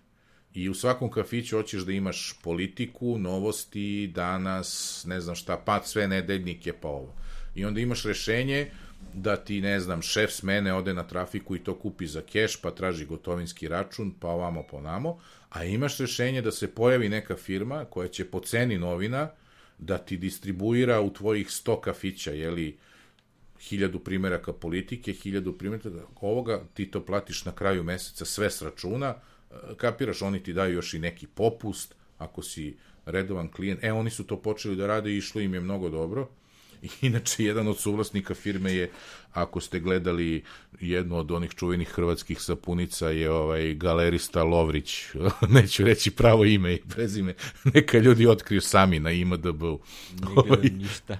i u svakom kafiću hoćeš da imaš politiku, novosti, danas, ne znam šta, pa sve nedeljnike, pa ovo. I onda imaš rešenje da ti, ne znam, šef smene ode na trafiku i to kupi za keš, pa traži gotovinski račun, pa ovamo po namo, a imaš rešenje da se pojavi neka firma koja će po ceni novina da ti distribuira u tvojih sto kafića, jeli, hiljadu primjeraka politike, hiljadu primjeraka ovoga, ti to platiš na kraju meseca sve s računa, kapiraš, oni ti daju još i neki popust, ako si redovan klijent. E, oni su to počeli da rade i išlo im je mnogo dobro. I inače, jedan od suvlasnika firme je, ako ste gledali jednu od onih čuvenih hrvatskih sapunica, je ovaj galerista Lovrić, neću reći pravo ime i prezime, neka ljudi otkriju sami na I M D B-u. Ne gledam ništa.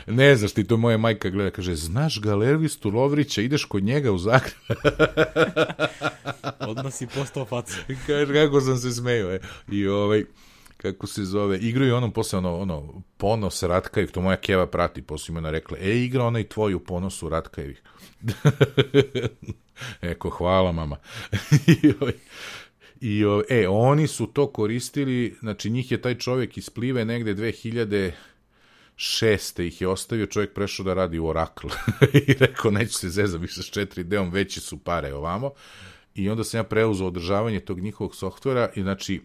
Ne znaš, ti to moja majka gleda, kaže, znaš galeristu Lovrića, ideš kod njega u Zagreb. Odmah si postao faca. Kaže, kako sam se smeo, e. I ovaj, kako se zove, igraju onom posle, ono, ono, Ponos Ratkajevih, to moja keva prati, posle im ona rekla, e, igra onaj tvoj u Ponosu Ratkajevih. Eko, hvala, mama. I ovaj, i ovaj, e, oni su to koristili, znači, njih je taj čovjek iz Plive negde dve hiljade šeste ih je ostavio, čovjek prešao da radi u Oracle i rekao, neću se zezati više s četiri D-om, veći su pare ovamo, i onda sam ja preuzeo održavanje tog njihovog softvera i znači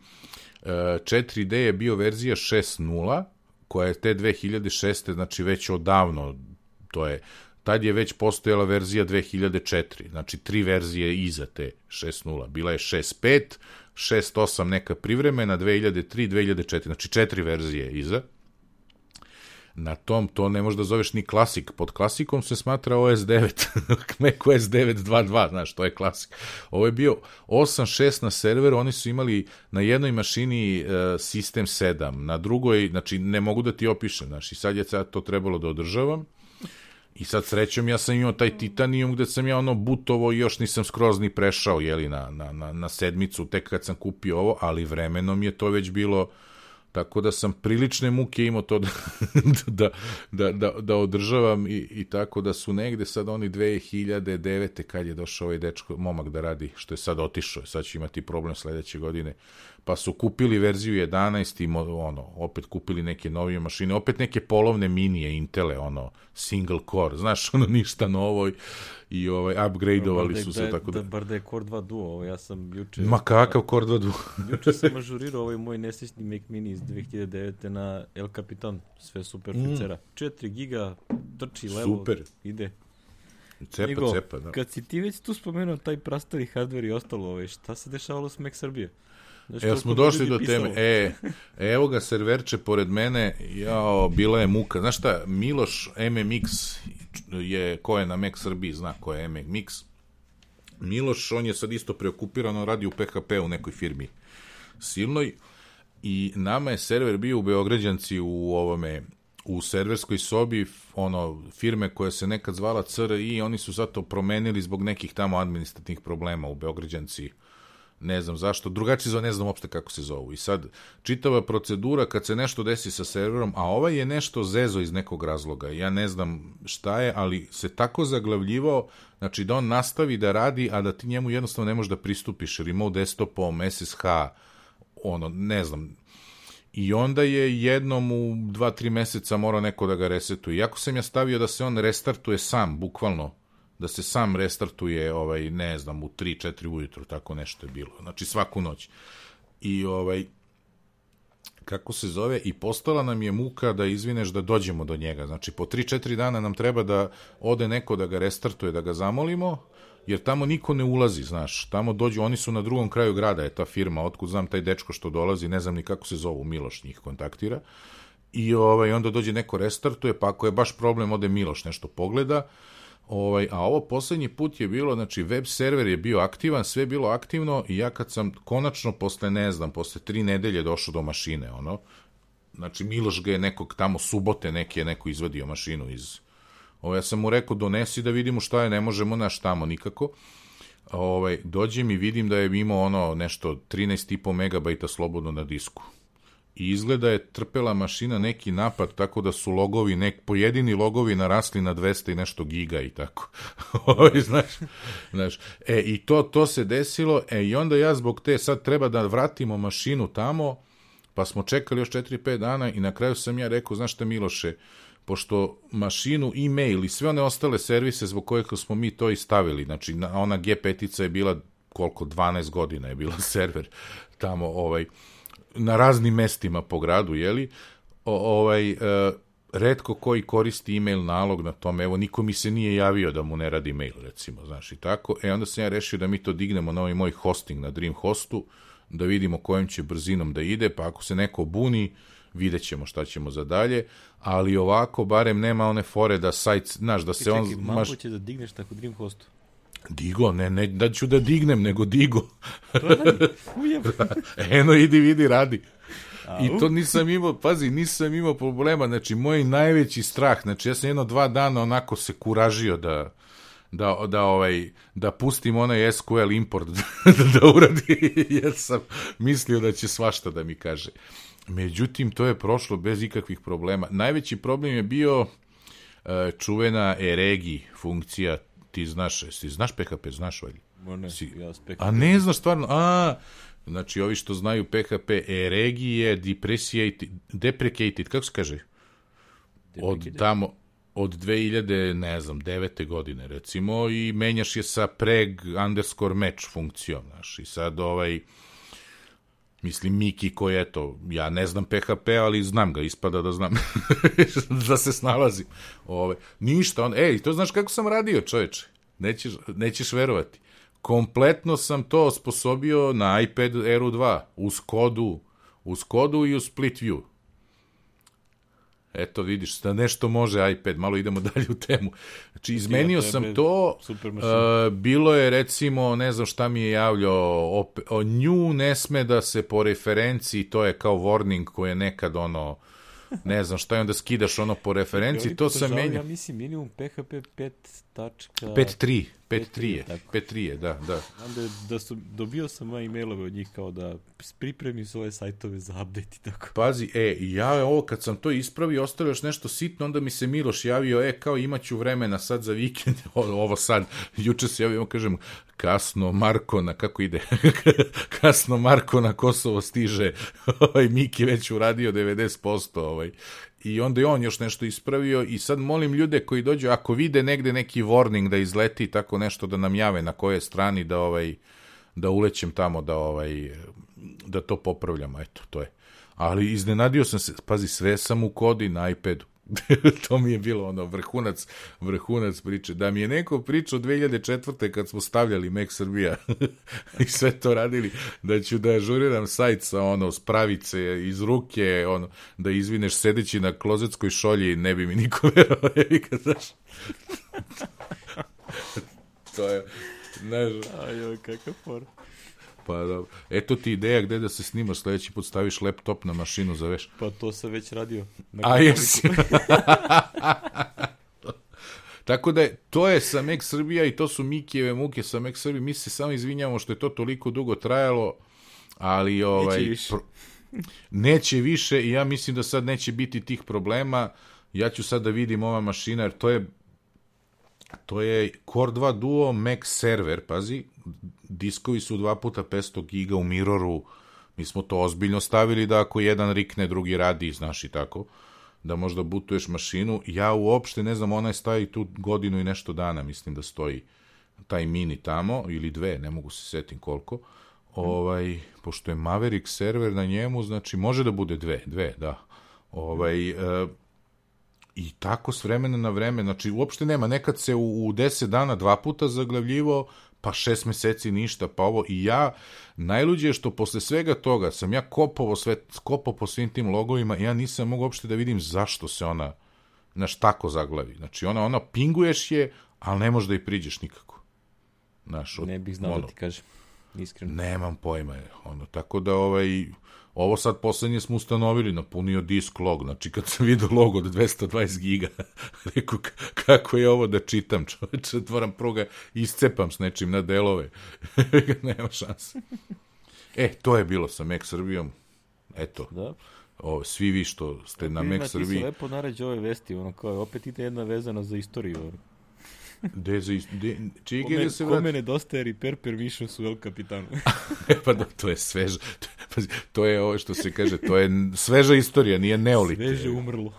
četiri D je bio verzija šest nula, koja je te dve hiljade šeste, znači već odavno, to je, tad je već postojala verzija dve hiljade četiri, znači tri verzije iza te šest nula, bila je šest pet, šest osam neka privremena, dve hiljade tri, dve hiljade četiri, znači četiri verzije iza. Na tom, to ne možeš da zoveš ni klasik. Pod klasikom se smatra O S devet. Mac O S devet dva dva, znaš, to je klasik. Ovo je bio osam šest na serveru, oni su imali na jednoj mašini uh, sistem sedam, na drugoj, znači, ne mogu da ti opišem, znaš, i sad je sad to trebalo da održavam. I sad srećom ja sam imao taj Titanium gde sam ja ono butovo i još nisam skroz ni prešao, jeli, na, na, na, na sedmicu, tek kad sam kupio ovo, ali vremenom je to već bilo... Tako da sam prilične muke imao to da, da, da, da, da održavam i, i tako da su negde sad oni dve hiljade devete kad je došao ovaj dečko, momak da radi, što je sad otišao, sad će imati problem sledeće godine, pa su kupili verziju jedanaest i ono, opet kupili neke novije mašine, opet neke polovne minije Intele, ono, single core, znaš, ono, ništa novo i ovaj, upgradeovali su se, tako da... Bar da je Core dva Duo, ovo ja sam juče... Ma kakav Core dva Duo? Juče sam ažurirao ovaj moj nesrećni Mac Mini iz dve hiljade devete na El Capitan, sve super ficera. Mm. četiri giga, trči levo, super. Ide. Cepa, Nego, cepa, da. Kad si ti već tu spomenuo taj prastari hardware i ostalo, ovaj, šta se dešavalo s Mac Srbije? Znači, evo smo došli do pisalo. teme. E, evo ga serverče pored mene, jao, bila je muka. Znaš šta, Miloš M M X je, ko je na Mac Srbiji, zna ko je M M X. Miloš, on je sad isto preokupiran, on radi u P H P u nekoj firmi silnoj i nama je server bio u Beograđanci u ovome, u serverskoj sobi, ono, firme koja se nekad zvala C R I, oni su zato promenili zbog nekih tamo administrativnih problema u Beograđanci. ne znam zašto, drugačije zove, ne znam uopšte kako se zovu. I sad, čitava procedura kad se nešto desi sa serverom, a ovaj je nešto zezo iz nekog razloga, ja ne znam šta je, ali se tako zaglavljivao, znači da on nastavi da radi, a da ti njemu jednostavno ne možeš da pristupiš remote desktopom, S S H, ono, ne znam. I onda je jednom u dva, tri meseca morao neko da ga resetuje. Iako sam ja stavio da se on restartuje sam, bukvalno, da se sam restartuje, ovaj, ne znam, u tri, četiri ujutru, tako nešto je bilo. Znači, svaku noć. I, ovaj, kako se zove, i postala nam je muka da izvineš da dođemo do njega. Znači, po tri, četiri dana nam treba da ode neko da ga restartuje, da ga zamolimo, jer tamo niko ne ulazi, znaš. Tamo dođu, oni su na drugom kraju grada, je ta firma, otkud znam taj dečko što dolazi, ne znam ni kako se zovu, Miloš njih kontaktira. I ovaj, onda dođe neko restartuje, pa ako je baš problem, ode Miloš nešto pogleda. Ovaj, a ovo poslednji put je bilo, znači web server je bio aktivan, sve je bilo aktivno i ja kad sam konačno posle, ne znam, posle tri nedelje došao do mašine, ono, znači Miloš ga je nekog tamo subote neki je neko izvadio mašinu iz, ovo, ja sam mu rekao donesi da vidimo šta je, ne možemo naš tamo nikako, ovaj, dođem i vidim da je imao ono nešto trinaest i po megabajta slobodno na disku. I izgleda je trpela mašina neki napad, tako da su logovi, nek, pojedini logovi narasli na dvesta i nešto giga i tako. znaš, znaš. E, i to, to se desilo, e, i onda ja zbog te, sad treba da vratimo mašinu tamo, pa smo čekali još četiri pet dana i na kraju sam ja rekao, znaš šta Miloše, pošto mašinu, e-mail i sve one ostale servise zbog kojeg smo mi to i stavili, znači ona G pet-ica je bila, koliko, dvanaest godina je bila server tamo, ovaj, na raznim mestima po gradu, jeli, o, ovaj, e, retko koji koristi e-mail nalog na tome, evo, niko mi se nije javio da mu ne radi mail, recimo, znaš, i tako, e, onda sam ja rešio da mi to dignemo na ovaj moj hosting na Dreamhostu, da vidimo kojom će brzinom da ide, pa ako se neko buni, vidjet ćemo šta ćemo za dalje, ali ovako, barem nema one fore da sajt, znaš, da se čekaj, on... Čekaj, malo maš... će da digneš tako Dreamhostu? Digo, ne, ne da ću da dignem, nego digo. Eno, idi, vidi, radi. Au. I to nisam imao, pazi, nisam imao problema, znači, moj najveći strah, znači, ja sam jedno dva dana onako se kuražio da, da, da, ovaj, da pustim onaj S Q L import da, da uradi, jer sam mislio da će svašta da mi kaže. Međutim, to je prošlo bez ikakvih problema. Najveći problem je bio uh, čuvena eregi funkcija. Ti znaš, ti znaš P H P, znaš valjda? Ne, si... ja s P H P. A ne znaš stvarno, a, znači ovi što znaju P H P, eregi je depreciated, deprecated, kako se kaže? Od tamo, od dve hiljade, ne znam, devete godine, recimo, i menjaš je sa preg underscore match funkcijom, znaš, i sad ovaj, mislim, Miki koji, eto, ja ne znam P H P, ali znam ga, ispada da znam, da se snalazim. Ove, ništa, on, ej, to znaš kako sam radio, čoveče, nećeš, nećeš verovati. Kompletno sam to osposobio na iPad Air dva, uz kodu, uz kodu i uz split view. Eto, vidiš, da nešto može iPad, malo idemo dalje u temu. Znači, izmenio sam to, uh, bilo je, recimo, ne znam šta mi je javljao, op, o, nju ne sme da se po referenciji, to je kao warning koji je nekad, ono, ne znam šta je, onda skidaš ono po referenciji, to sam menio. Ja mislim, minimum P H P pet tačka... pet tri, pet tri je, pet tri je, da, da. Onda da su, dobio sam e-mailove od njih kao da pripremi svoje sajtove za update i tako. Pazi, e, ja ovo kad sam to ispravio, ostalo još nešto sitno, onda mi se Miloš javio, e, kao imaću vremena sad za vikend, ovo sad, juče se javio, kažem, kasno Marko na, kako ide, kasno Marko na Kosovo stiže, ovaj Miki već uradio devedeset posto, ovaj, i onda je on još nešto ispravio i sad molim ljude koji dođu, ako vide negde neki warning da izleti tako nešto, da nam jave na kojoj strani da ovaj da ulećem tamo da ovaj da to popravljamo, eto, to je. Ali iznenadio sam se, pazi, sve sam u kodi na iPadu. To mi je bilo ono vrhunac, vrhunac priče. Da mi je neko pričao dve hiljade četvrte kad smo stavljali Mac Srbija i sve to radili, da ću da ažuriram sajt sa ono spravice iz ruke, ono, da izvineš sedeći na klozetskoj šolji, ne bi mi niko verovao. To je, znaš... Ajoj, kakav for. Pa da, eto ti ideja gde da se snimaš, sledeći put staviš laptop na mašinu, zaveš. Pa to sam već radio. A jesi. Tako da je, to je sa Mac Srbija i to su Mikijeve muke sa Mac Srbija. Mi se samo izvinjamo što je to toliko dugo trajalo, ali ovaj, neće više. Pro, neće više i ja mislim da sad neće biti tih problema. Ja ću sad da vidim ova mašina, jer to je to je Core dva Duo Mac server, pazi, diskovi su dva puta petsto giga u Mirroru, mi smo to ozbiljno stavili da ako jedan rikne, drugi radi, znaš i tako, da možda bootuješ mašinu. Ja uopšte ne znam, ona je stavi tu godinu i nešto dana, mislim da stoji taj mini tamo, ili dve, ne mogu se setim koliko, ovaj, pošto je Maverick server na njemu, znači može da bude dve, dve, da, ovaj, uh, i tako s vremena na vreme, znači uopšte nema, nekad se u, u deset dana dva puta zaglavljivo, pa šest meseci ništa, pa ovo, i ja, najluđe je što posle svega toga sam ja kopao, sve, kopao po svim tim logovima i ja nisam mogu uopšte da vidim zašto se ona, znaš, tako zaglavi. Znači ona, ona pinguješ je, ali ne možeš da i priđeš nikako. Znaš, od, ne bih znao ono, da ti kažem, iskreno. Nemam pojma, ono, tako da ovaj... Ovo sad poslednje smo ustanovili, napunio disk log, znači kad sam vidio log od dvesta dvadeset giga, rekao kako je ovo da čitam, čoveče, otvaram pruga, iscepam s nečim na delove, nema šanse. E, to je bilo sa Mac Srbijom, eto, da. O, svi vi što ste ja, na Mac Srbiji. Ti se lepo naređe ove vesti, ono kao, opet ide jedna vezana za istoriju, ono. De za de, čige kome, da se vrati? Kome nedostaje repair permissions u El Capitanu? Pa da, to je sveža, to, to je ovo što se kaže, to je sveža istorija, nije neolit. Sveže umrlo.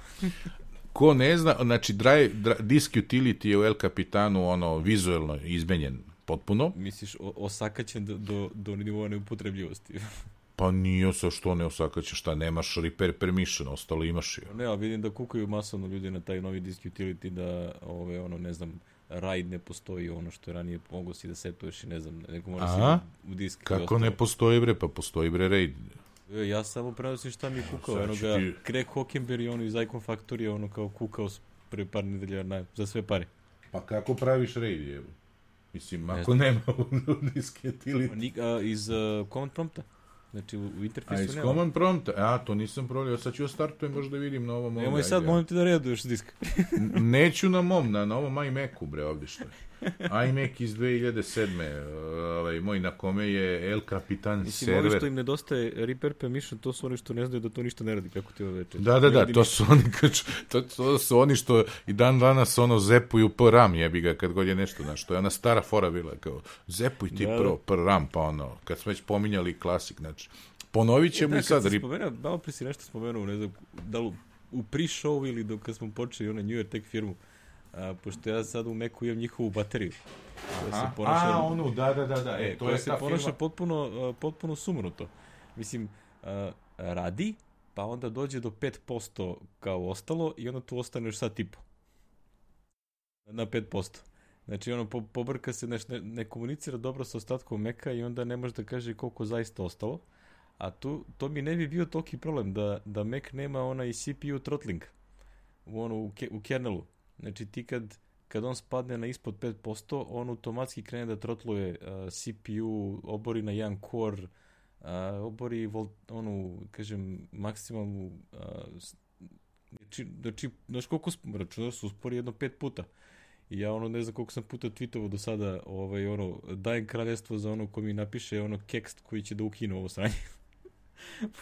Ko ne zna, znači drive, drive, disk utility je u El Capitanu ono vizuelno izmenjen potpuno. Misliš o, osakaćen do, do, do nivoa neupotrebljivosti? Pa nije sa što ne osakaćen, šta nemaš repair permission, ostalo imaš je. Ne, a vidim da kukaju masovno ljudi na taj novi disk utility, da ove, ono, ne znam, RAID ne postoji, ono što je ranije mogo si da setuješ i ne znam, neko mora si u disk. Kako ne postoji bre, pa postoji bre RAID. Ja samo prenosim šta mi je kukao, no, ono ga, ti... Craig Hockenberry, ono iz Icon Factory, ono kao kukao pre par nedelja na, za sve pare. Pa kako praviš RAID, je? Mislim, ne ako znam. Nema u disk utility. Iz uh, command prompta. Znači, u, u interfejsu nema. A iz command prompta? A, to nisam provjerio. Sad ću da startujem, možda vidim na ovom... Nemoj sad, molim ti da reduješ disk. Neću na mom, na, na ovom iMacu, bre, ovdje što je. iMac iz dve hiljade sedme. Ovaj, moj na kome je El Capitan Mislim, server. Mislim, ovi što im nedostaje repair permission, to su oni što ne znaju da to ništa ne radi, kako ti ovo veče. Da, da, da, to su, oni, to, to su oni što i dan danas ono zepuju P RAM, jebi ga, kad god je nešto, znaš, to je ona stara fora bila, kao, zepuj ti da, pro, P RAM, pa ono, kad smo već pominjali klasik, znači, ponovit ćemo i sad. Da, kad sam spomenuo, malo prije si nešto spomenuo, ne znam, da li u pre-show ili dok kad smo počeli onaj New York Tech firmu, a, pošto ja sad u Macu imam njihovu bateriju. Aha, se ponaša, a, onu, da, da, da, da, e, to je se ta ponaša firma. potpuno, uh, potpuno sumnuto. Mislim, uh, radi, pa onda dođe do pet posto kao ostalo i onda tu ostaneš sat i po. Na pet posto. Znači, ono, po, pobrka se, neš, ne, ne komunicira dobro sa ostatkom Maca i onda ne može da kaže koliko zaista ostalo. A tu, to mi ne bi bio toliki problem da, da Mac nema onaj C P U throttling u, ono, u, ke, u kernelu. Znači, ti kad, kad on spadne na ispod pet posto, on automatski krene da trotluje uh, C P U, obori na jedan core, uh, obori vol, onu, kažem, maksimalnu, uh, znači, znači, znaš koliko računaš su uspori jedno pet puta. I ja ono ne znam koliko sam puta tweetovao do sada, ovaj, ono, dajem kraljestvo za ono ko mi napiše ono kekst koji će da ukine ovo sranje.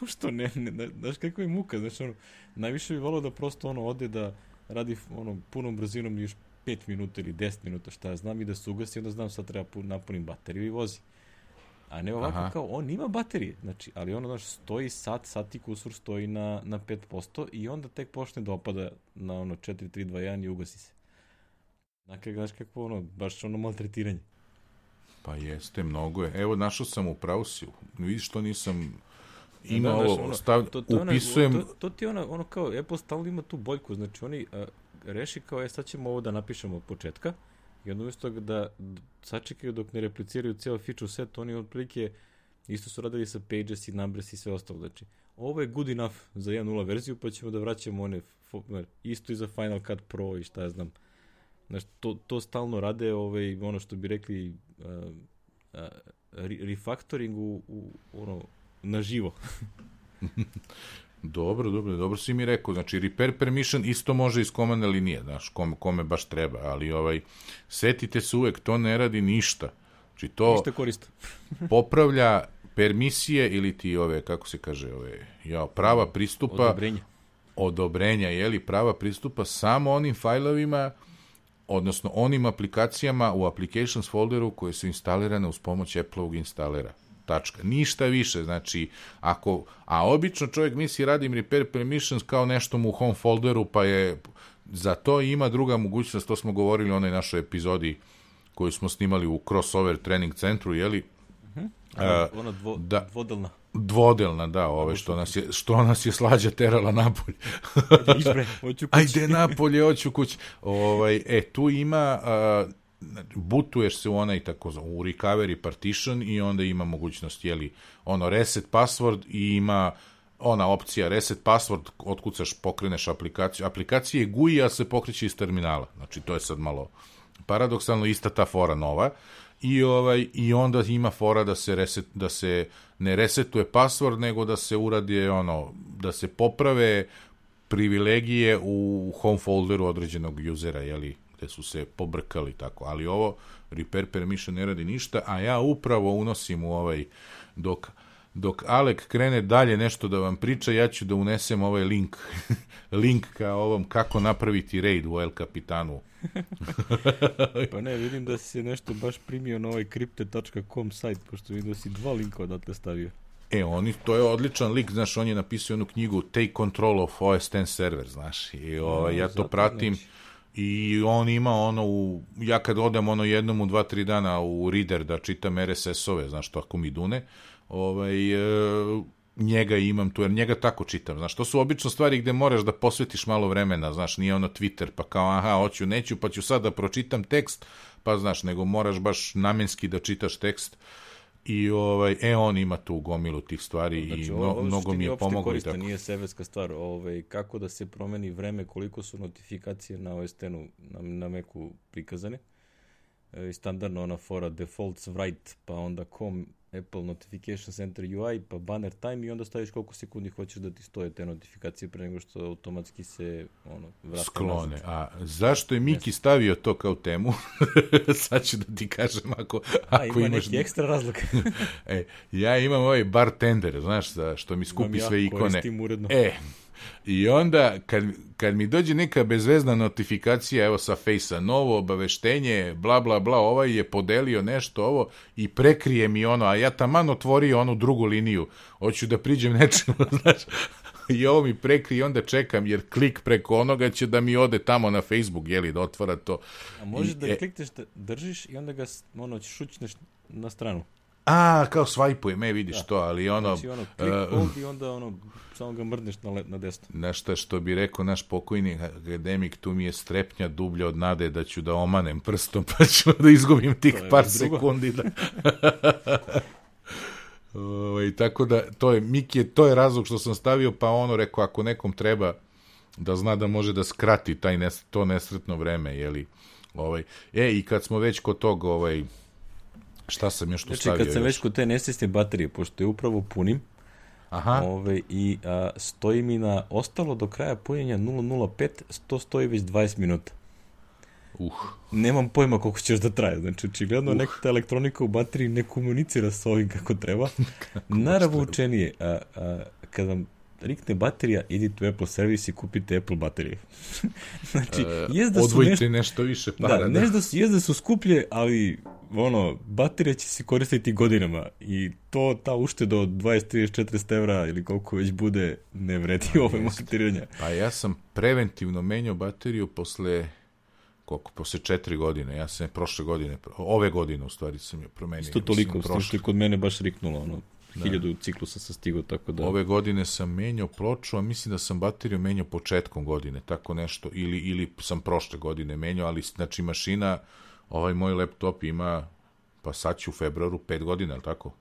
Pošto ne, ne, znaš kakva je muka, znaš ono, najviše bi volao da prosto ono ode da radi ono punom brzinom još pet minuta ili deset minuta, šta ja znam, i da se ugasi, onda znam sad treba napunim bateriju i vozi. A ne ovako Aha. kao, on ima baterije, znači, ali ono, znaš, stoji sat, sat i kusur stoji na, na pet posto i onda tek počne da opada na ono četiri tri dva jedan i ugasi se. Dakle, znaš kako ono, baš ono maltretiranje. Pa jeste, mnogo je. Evo, našao sam u Prausiju, vidiš što nisam... Ima da, ovo, ono, stav, to, to upisujem... Ona, to, to ti ono, ono kao, Apple stalno ima tu boljku, znači oni a, reši kao, je sad ćemo ovo da napišemo od početka, i onda umjesto da sačekaju dok ne repliciraju cijel feature set, oni otprilike isto su radili sa Pages i Numbers i sve ostalo, znači ovo je good enough za jedan nula verziju, pa ćemo da vraćamo one, isto i za Final Cut Pro i šta ja znam, znači to, to stalno rade, ovaj, ono što bi rekli uh, uh, refactoring u, u ono, na živo. Dobro, dobro, dobro si mi rekao. Znači, repair permission isto može iz komandne linije, znaš, kome, kome baš treba, ali ovaj, setite se uvek, to ne radi ništa. Znači, to ništa korista. popravlja permisije ili ti ove, kako se kaže, ove, ja, prava pristupa, odobrenja, odobrenja, jeli, prava pristupa samo onim fajlovima, odnosno onim aplikacijama u applications folderu koje su instalirane uz pomoć Apple-ovog instalera. Tačka. Ništa više, znači, ako, a obično čovjek misli radim repair permissions kao nešto mu u home folderu, pa je, za to ima druga mogućnost, to smo govorili u onoj našoj epizodi koju smo snimali u crossover trening centru, jeli? Uh-huh. A, uh, ona dvo, da, dvodelna. Dvodelna, da, ove, što nas je, što nas je slađa terala napolje. Ajde, hoću kući. Ajde napolje, hoću kući. Ovaj, e, tu ima... Uh, butuješ se u onaj tako u recovery partition i onda ima mogućnost, jeli, ono reset password i ima ona opcija reset password, otkucaš, pokreneš aplikaciju. Aplikacija je G U I, a se pokreće iz terminala. Znači, to je sad malo paradoksalno, ista ta fora nova. I ovaj i onda ima fora da se reset, da se ne resetuje password, nego da se uradi ono, da se poprave privilegije u home folderu određenog usera, jeli, gde su se pobrkali tako, ali ovo repair permission ne radi ništa, a ja upravo unosim u ovaj, dok, dok Alek krene dalje nešto da vam priča, ja ću da unesem ovaj link, link ka ovom kako napraviti raid u El Capitanu. Pa ne, vidim da si se nešto baš primio na ovaj crypte tačka com sajt, pošto vidim da si dva linka odatle stavio. E, oni, to je odličan lik, znaš, on je napisao jednu knjigu Take Control of O S X server, znaš, i ovaj, ja to pratim. Znači. I on ima ono, u, ja kad odem ono jednom u dva, tri dana u Reader da čitam R S S-ove, znaš, to ako mi dune, ovaj, e, njega imam tu, jer njega tako čitam, znaš, to su obično stvari gde moraš da posvetiš malo vremena, znaš, nije ono Twitter, pa kao, aha, hoću, neću, pa ću sad da pročitam tekst, pa znaš, nego moraš baš namenski da čitaš tekst. I ovaj, e, on ima tu gomilu tih stvari, znači, i no, mnogo mi je pomoglo. Korista, nije sevetska stvar, ovaj, kako da se promeni vreme, koliko su notifikacije na O S X-u, na, na Macu prikazane. E, standardno ona fora defaults write, pa onda com Apple Notification Center U I, pa banner time i onda staviš koliko sekundi hoćeš da ti stoje te notifikacije pre nego što automatski se ono, vrate sklone. nazad. A zašto je Miki stavio to kao temu? Sad ću da ti kažem ako, ako A, ima imaš... neki ekstra razlog. e, ja imam ovaj bartender, znaš, što mi skupi ja, sve ikone. koristim uredno. E, i onda kad, kad mi dođe neka bezvezna notifikacija, evo sa Face-a, novo obaveštenje, bla bla bla, ovaj je podelio nešto ovo i prekrije mi ono, a ja taman otvorio onu drugu liniju, hoću da priđem nečemu, znaš, i ovo mi prekrije i onda čekam, jer klik preko onoga će da mi ode tamo na Facebook, jeli, da otvara to. A možeš I, da e, klikneš, da držiš i onda ga ono, šućneš na stranu. A, kao swajpuje, me vidiš da. To, ali ono... Znači ono, klik uh, hold i onda ono, samo ga mrdneš na, na desno. Nešto što bi rekao naš pokojni akademik, tu mi je strepnja dublja od nade da ću da omanem prstom, pa ću da izgubim tih par sekundi. Da... o, tako da, to je, Miki, to je razlog što sam stavio, pa ono rekao, ako nekom treba da zna da može da skrati taj nes, to nesretno vreme, jeli, ovaj, e, i kad smo već kod tog, ovaj, šta sam još tu znači, stavio? Znači, kad sam još? već kod te nesvjesne baterije, pošto je upravo punim, aha. Ove, i a, stoji mi na ostalo do kraja punjenja nula nula pet, to stoji već dvadeset minuta. Uh. Nemam pojma koliko će još da traje. Znači, očigledno uh. neka ta elektronika u bateriji ne komunicira sa ovim kako treba. Naravučenije, a, a, kad vam rikne baterija, idite u Apple servis i kupite Apple baterije. Znači, uh, jezda odvojite su nešto, nešto više para. Da, da. Su, jezda su skuplje, ali ono, baterija će se koristiti godinama i to, ta ušteda od dvadeset, trideset, četrdeset evra ili koliko već bude, ne vredi ove materionja. Pa ja sam preventivno menjao bateriju posle koliko, posle četiri godine, ja sam prošle godine, ove godine u stvari sam je promenio. Isto toliko, s tim što je kod mene baš riknulo, ono, da. hiljadu ciklusa sam stigao, tako da... Ove godine sam menjao ploču, a mislim da sam bateriju menjao početkom godine, tako nešto, ili, ili sam prošle godine menjao, ali znači mašina, ovaj moj laptop ima, pa sad će u februaru pet godina, ali tako?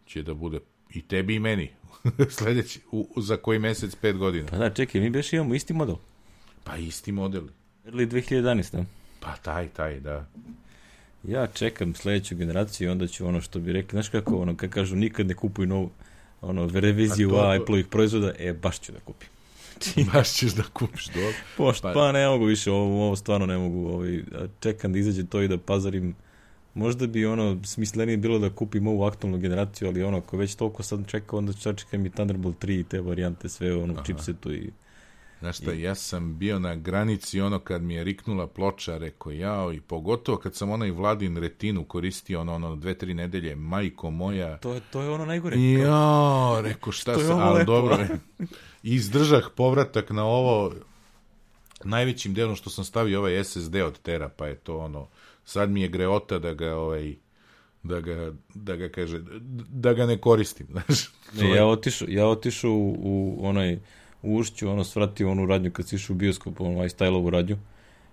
Će da bude i tebi i meni, sledeći, u, za koji mesec pet godina. Pa da, čekaj, mi beš imamo isti model. Pa isti model. Ili dve hiljade jedanaeste. Pa taj, taj, da. Ja čekam sledeću generaciju i onda ću ono što bi rekli, znaš kako, ono, kad kažu nikad ne kupuj novu, ono, reviziju to... Apple-ovih proizvoda, e, baš ću da kupim. Baš ćeš da kupiš, dobro. Pošto, pa... pa ne mogu više, ovo, ovo stvarno ne mogu, ovaj, čekam da izađe to i da pazarim. Možda bi ono smislenije bilo da kupim ovu aktualnu generaciju, ali ono, ako već toliko sad čekao, onda ću čekam i Thunderbolt tri i te varijante, sve ono, u chipsetu i... Znaš šta, ja sam bio na granici ono kad mi je riknula ploča, rekao jao, i pogotovo kad sam onaj Vladin retinu koristio ono, ono dve, tri nedelje, majko moja. To, to je ono najgore. Jao, rekao šta sam, ali lepo. Dobro. Izdržah povratak na ovo najvećim delom što sam stavio ovaj es es de od Tera, pa je to ono, sad mi je greota da ga ovaj, da ga, da ga kaže, da ga ne koristim, znaš. Ne, ja otišao, ja otišao u, u onaj u Ušću, ono, svratio onu radnju kad si išao u bioskop, ono, iStyle-ovu radnju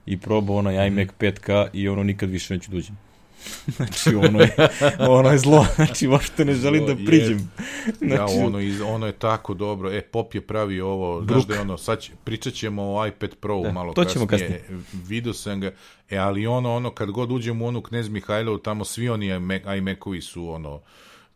i probao onaj iMac pet ka i ono, nikad više neću dođem. Znači, ono je, ono je zlo, znači, uopšte ne želim da priđem. Znači, ja, ono, iz, ono je tako dobro, e, Pop je pravio ovo, znaš da je ono, sad će, pričat ćemo o iPad Pro da, malo kasnije, kasnije, vidio sam ga, e, ali ono, ono, kad god uđem u onu Knez Mihajlovu, tamo svi oni iMac-ovi su, ono,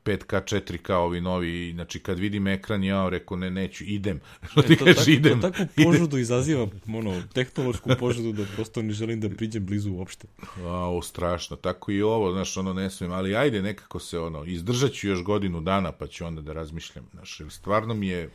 pet ka, četiri ka, ovi novi, znači kad vidim ekran, ja rekao, ne, neću, idem. E, to, tako, idem, to takvu požudu izaziva, ono, tehnološku požudu da prosto ne želim da priđem blizu uopšte. Ao, strašno, tako i ovo, znaš, ono, ne smijem, ali ajde, nekako se, ono, izdržat ću još godinu dana, pa ću onda da razmišljam, znaš, jer stvarno mi je...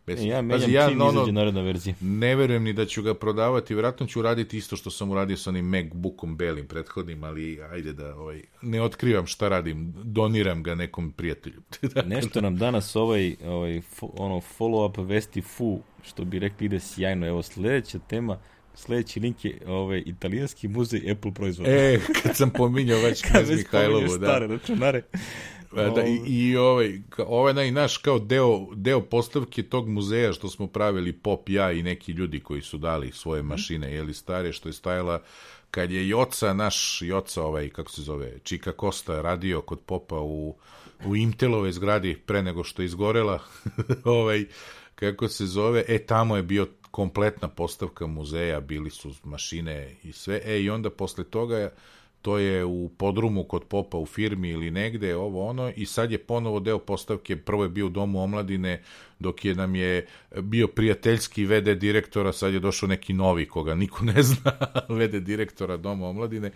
Bez... E, ja menjam ja, čim ono, izađe naredna verzija. Ne verujem ni da ću ga prodavati, vjerojatno ću raditi isto što sam uradio sa onim MacBookom belim prethodnim, ali ajde da ovaj, ne otkrivam šta radim, doniram ga nekom prijatelju. Nešto nam danas ovaj, ovaj ono follow-up vesti fu, što bi rekli, ide sjajno. Evo, sljedeća tema, sljedeći link je ovaj, italijanski muzej Apple proizvoda. E, kad sam pominjao već Knez Mihajlovu, da. Stare računare. Da, i, i ovaj, ovaj naj, naš kao deo, deo postavke tog muzeja što smo pravili Pop, ja i neki ljudi koji su dali svoje mašine, jeli stare, što je stajala kad je Joca, naš Joca, ovaj, kako se zove, Čika Kosta radio kod Popa u, u Intelove zgradi pre nego što je izgorela, ovaj, kako se zove, e, tamo je bio kompletna postavka muzeja, bili su mašine i sve, e, i onda posle toga to je u podrumu kod Popa u firmi ili negde, ovo ono, i sad je ponovo deo postavke, prvo je bio u Domu omladine, dok je nam je bio prijateljski ve de direktora, sad je došao neki novi, koga niko ne zna, ve de direktora Doma omladine,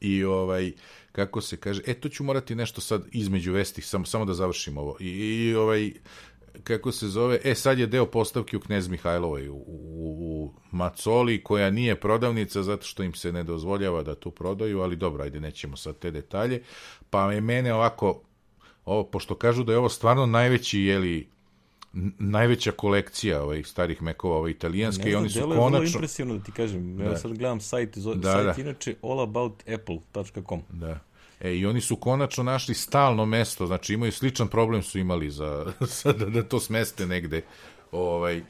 i ovaj, kako se kaže, e, to ću morati nešto sad između vesti, samo, samo da završim ovo, i, i ovaj, kako se zove, e, sad je deo postavke u Knez Mihajlovoj, u, u, u Macoli, koja nije prodavnica, zato što im se ne dozvoljava da tu prodaju, ali dobro, ajde, nećemo sad te detalje, pa je mene ovako, ovo, pošto kažu da je ovo stvarno najveći, jeli, najveća kolekcija ovih starih mekova, ove italijanske, znam, i oni su konačno... Ne znam, delo je vrlo impresivno da ti kažem, ja sad gledam sajt, zove, da, sajt da. Inače all about apple dot com. Da. E, i oni su konačno našli stalno mesto, znači imaju sličan problem su imali za, za da, da to smeste negde, ovaj,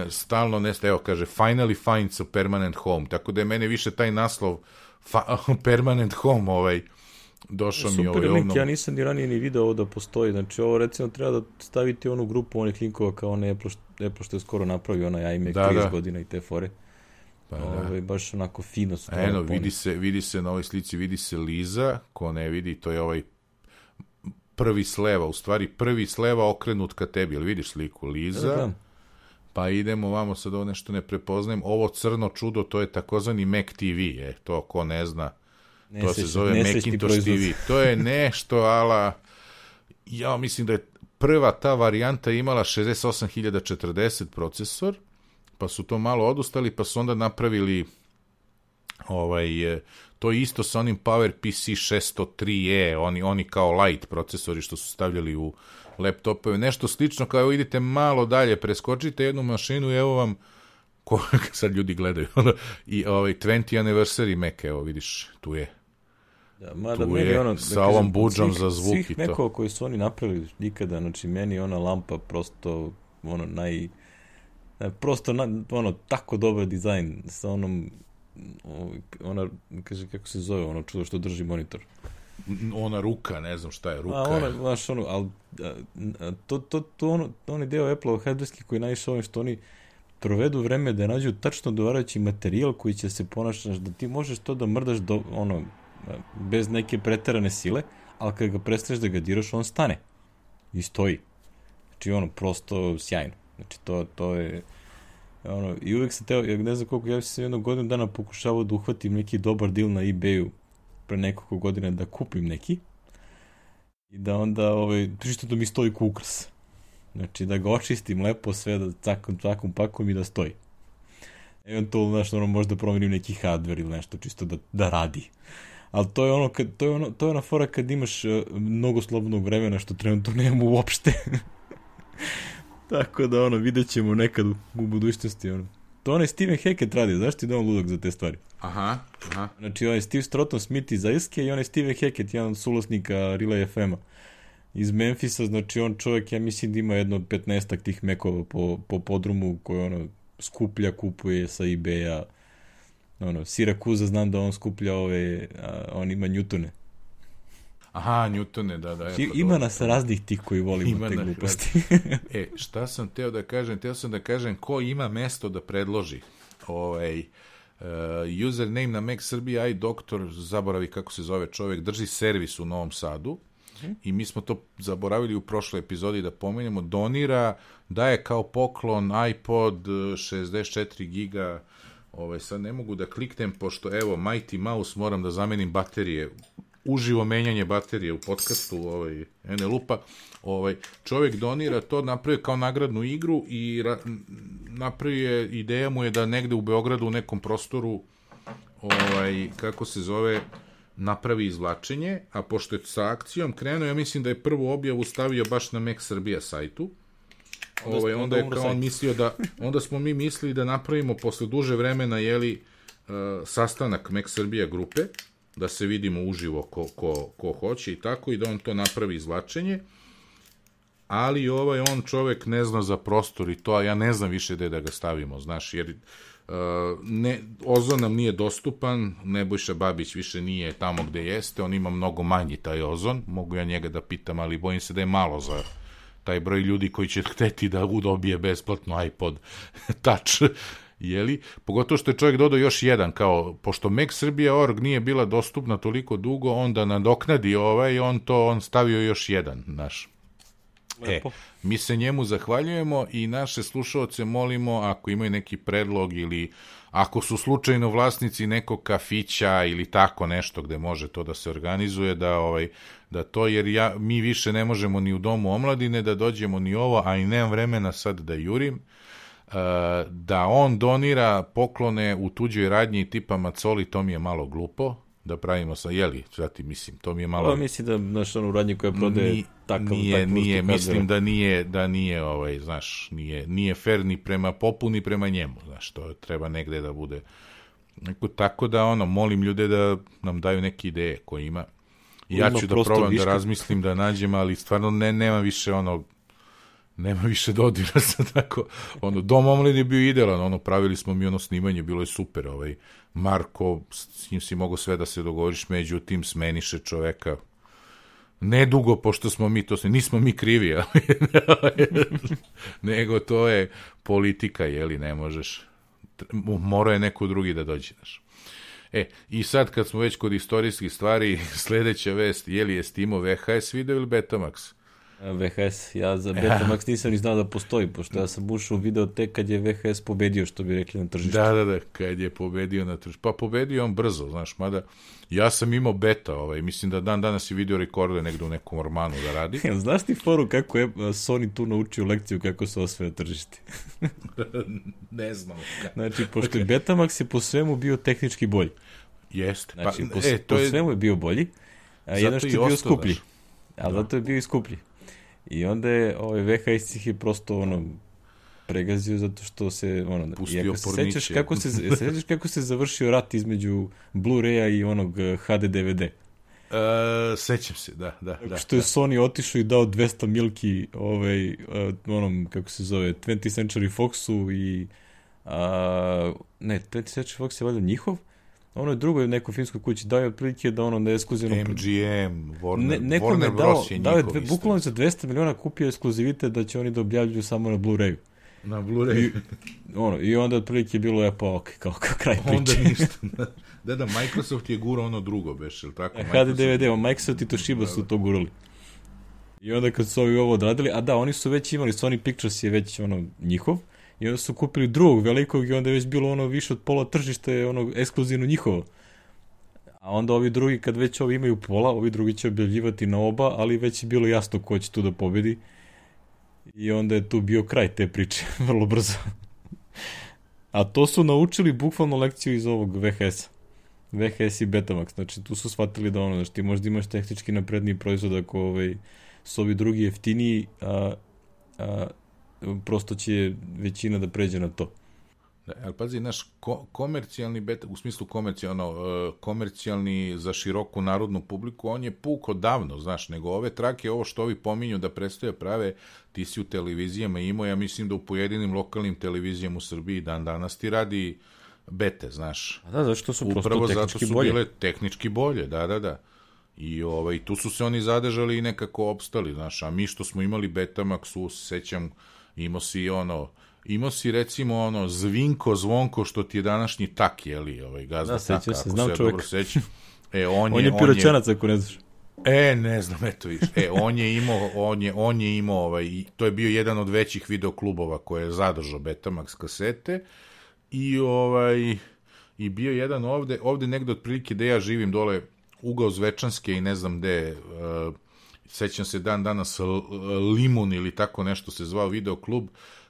stalno neste, evo kaže, finally finds a permanent home, tako da je mene više taj naslov fa, permanent home, ovaj, došao mi ovaj link, ovnom... ja nisam ni ranije ni video ovo da postoji, znači ovo recimo treba da staviti onu grupu onih linkova kao one Apple, Apple što je skoro napravio, onaj iMac da, trideset da. godina i te fore. Pa, Ove, baš onako fino su. Eno, vidi se, vidi se na ovoj slici, vidi se Liza, ko ne vidi, to je ovaj prvi sleva, u stvari prvi sleva okrenut ka tebi, jel vidiš sliku Liza? Da, da. Pa idemo vamo, sad ovo nešto ne prepoznajem, ovo crno čudo, to je takozvani Mac ti vi, je, to ko ne zna, ne to se zove Macintosh ti vi, to je nešto, ala, ja mislim da je prva ta varijanta imala šezdeset osam hiljada četrdeset procesor, pa su to malo odustali, pa su onda napravili ovaj, to isto sa onim PowerPC šesto tri e, oni, oni kao light procesori što su stavljali u laptopove, nešto slično, kao idete malo dalje, preskočite jednu mašinu i evo vam, ko, sad ljudi gledaju, i ovaj dvadeseti anniversary Mac, evo vidiš, tu je. Da, mada tu je, ono, sa da ovom budžom za zvuk i to. Svih Macova koji su oni napravili nikada, znači meni ona lampa prosto, ono, naj... prosto na, ono tako dobar dizajn sa onom ona kaže kako se zove ono čudo što drži monitor, ona ruka, ne znam šta je ruka, a ona baš ono, al to to to ono onaj deo Apple hardverski koji najviše ovim što oni provedu vreme da nađu tačno odgovarajući materijal koji će se ponašati da ti možeš to da mrdaš do, ono bez neke preterane sile, ali kad ga prestaneš da ga diraš on stane i stoji. Znači, ono, prosto sjajno. Znači, to, to je... Ono, i uvek sam teo, ja ne znam koliko, ja sam jednog godinu dana pokušavao da uhvatim neki dobar deal na eBayu pre nekoliko godina da kupim neki i da onda, ovaj, čisto da mi stoji kukrs. Znači, da ga očistim lepo sve, da cakom, cakom pakom i da stoji. Eventualno, znaš, ono, možda promenim neki hardware ili nešto, čisto da, da radi. Ali to je ono, kad, to je ono, to je ona fora kad imaš uh, mnogo slobodnog vremena, što trenutno nemamo uopšte. Tako da, ono, vidjet ćemo nekad u, u budućnosti, ono. To onaj Steven Hackett radi, znaš ti da je on ludak za te stvari? Aha, aha. Znači, onaj Steve Stroughton Smith iz Irske i onaj Steven Hackett, jedan od suvlasnika Relay F M-a iz Memfisa, znači on čovjek, ja mislim da ima jedno petnaestak tih mekova po, po podrumu koje ono skuplja, kupuje sa eBaya. Ono, Sirakuza, znam da on skuplja ove, a, on ima Newtone. Aha, Newtone, da, da. I, ima nas raznih tih koji volimo te gluposti. E, šta sam teo da kažem? Teo sam da kažem ko ima mesto da predloži. Ovaj, uh, username na Mac Srbija i doktor, zaboravi kako se zove čovjek, drži servis u Novom Sadu. I mi smo to zaboravili u prošloj epizodi da pomenemo, donira, daje kao poklon iPod šezdeset četiri giga, ovaj, sad ne mogu da kliknem, pošto evo, Mighty Mouse, moram da zamenim baterije, uživo menjanje baterije u podcastu, ovaj, ene lupa, ovaj, čovjek donira to, napravio kao nagradnu igru i ra, napravio, ideja mu je da negde u Beogradu u nekom prostoru, ovaj, kako se zove, napravi izvlačenje, a pošto je sa akcijom krenuo, ja mislim da je prvu objavu stavio baš na Mac Srbija sajtu. Onda, ovaj, onda je kao on mislio da, onda smo mi mislili da napravimo posle duže vremena, jeli, uh, sastanak Mac Srbija grupe, da se vidimo uživo ko, ko, ko hoće i tako, i da on to napravi izvlačenje, ali ovaj on čovek ne zna za prostor i to, a ja ne znam više gde da ga stavimo, znaš, jer Uh, ne, ozon nam nije dostupan, Nebojša Babić više nije tamo gde jeste, on ima mnogo manji taj ozon, mogu ja njega da pitam, ali bojim se da je malo za taj broj ljudi koji će hteti da udobije besplatno iPod Touch, jeli? Pogotovo što je čovjek dodao još jedan, kao, pošto Mac Srbija punkt org nije bila dostupna toliko dugo, onda nadoknadi ovaj, on to, on stavio još jedan, naš. E, mi se njemu zahvaljujemo i naše slušaoce molimo, ako imaju neki predlog ili ako su slučajno vlasnici nekog kafića ili tako nešto gde može to da se organizuje, da ovaj da to, jer ja, mi više ne možemo ni u domu omladine da dođemo ni ovo, a i nemam vremena sad da jurim, da on donira poklone u tuđoj radnji tipa Macoli, to mi je malo glupo. Da pravimo sa, jeli, zati, mislim, to mi je malo... Pa mislim da, znaš, ono, u radnji koja prodaje Ni, takav, nije, takav nije, mislim da nije, da nije, ovaj, znaš, nije, nije fair ni prema popu, ni prema njemu, znaš, to treba negde da bude. Neko, tako da, ono, molim ljude da nam daju neke ideje koje ima. Ja ću da probam viška. Da razmislim, da nađem, ali stvarno ne, nema više, ono, nema više dodira sa tako, ono, Dom omladine je bio idealan, ono, pravili smo mi ono snimanje, bilo je super, ovaj, Marko, s njim si mogo sve da se dogovoriš, međutim, smeniše čoveka, nedugo, pošto smo mi, to se, nismo mi krivi, ali, nego to je politika, jeli, ne možeš, mora je neko drugi da dođe, znaš. E, i sad kad smo već kod istorijskih stvari, sledeća vest, je li je Steamov V H S video ili Betamax? V H S, ja za Betamax nisam ni znao da postoji, pošto ja sam ušao u video tek kad je V H S pobedio, što bi rekli na tržištu. Da, da, da, kad je pobedio na tržištu. Pa pobedio on brzo, znaš, mada ja sam imao beta, ovaj, mislim da dan danas i video rekorde negde u nekom ormanu da radi. Znaš ti foru kako je Sony tu naučio lekciju kako se osvaja tržište? Ne znam. Znači, pošto je Betamax je po svemu bio tehnički bolji. Jeste. Znači, pa, po, e, to po je... svemu je bio bolji, a jedno što je bio skuplji. Daš. Ali da. Zato je bio i skuplji. I onda je ovaj V H S ih je prosto ono pregazio zato što se ono pustio se sećaš kako se sećaš kako se završio rat između Blu-raya i onog H D D V D. Uh, sećam se, da, da, da. Što je Sony otišao i dao dvesta milki ovaj uh, onom kako se zove twentieth Century Foxu i uh, ne, twentieth Century Fox je valjda njihov. Ono je drugo neko finskoj kući dao je otprilike da ono da je ekskluzivno M G M, Warner, ne, nekom Warner Bros je dao je dve, bukvalno za dvesta miliona kupio ekskluzivitet da će oni da objavljuju samo na Blu-rayu. Na Blu-rayu. I, ono, i onda otprilike je bilo je pa ok, kao, kao kraj priče. Onda ništa. Da, da, Microsoft je gurao ono drugo, beš, ili tako? H D D V D, Microsoft i Toshiba su to gurali. I onda kad su ovi ovo odradili, a da, oni su već imali, Sony Pictures je već ono njihov, i onda su kupili drugog velikog i onda je već bilo ono više od pola tržišta je ono ekskluzivno njihovo. A onda ovi drugi, kad već ovi imaju pola, ovi drugi će objavljivati na oba, ali već je bilo jasno ko će tu da pobedi. I onda je tu bio kraj te priče, vrlo brzo. A to su naučili bukvalno lekciju iz ovog V H S-a. V H S i Betamax, znači tu su shvatili da ono, znači ti možda imaš tehnički napredniji proizvod ako ovaj, su ovi drugi jeftiniji, a, a prosto će većina da pređe na to. Da, ali pazi, naš ko, komercijalni beta, u smislu komercijalno, uh, komercijalni za široku narodnu publiku, on je puk odavno, znaš, nego ove trake, ovo što ovi pominju da predstoje prave, ti si u televizijama imao, ja mislim da u pojedinim lokalnim televizijama u Srbiji dan danas ti radi bete, znaš. A da, zašto su prosto upravo tehnički zato su bolje. bile tehnički bolje, da, da, da. I ovaj, tu su se oni zadržali i nekako opstali, znaš, a mi što smo imali Betamax, sećam, imao si ono, imao si recimo ono Zvinko, Zvonko, što ti je današnji tak, jeli, ovaj, gazda da, taka, se, ako znam se čovjek. dobro sećam. E, on, on je, je piroćanac, ako ne znaš. E, ne znam, eto viš. E, on je imao, on je, on je imao, ovaj, to je bio jedan od većih videoklubova koje je zadržao Betamax kasete i ovaj, i bio jedan ovde, ovde negde otprilike gde ja živim dole, ugao Zvečanske i ne znam gde, uh, sećam se dan danas Limun ili tako nešto se zvao videoklub.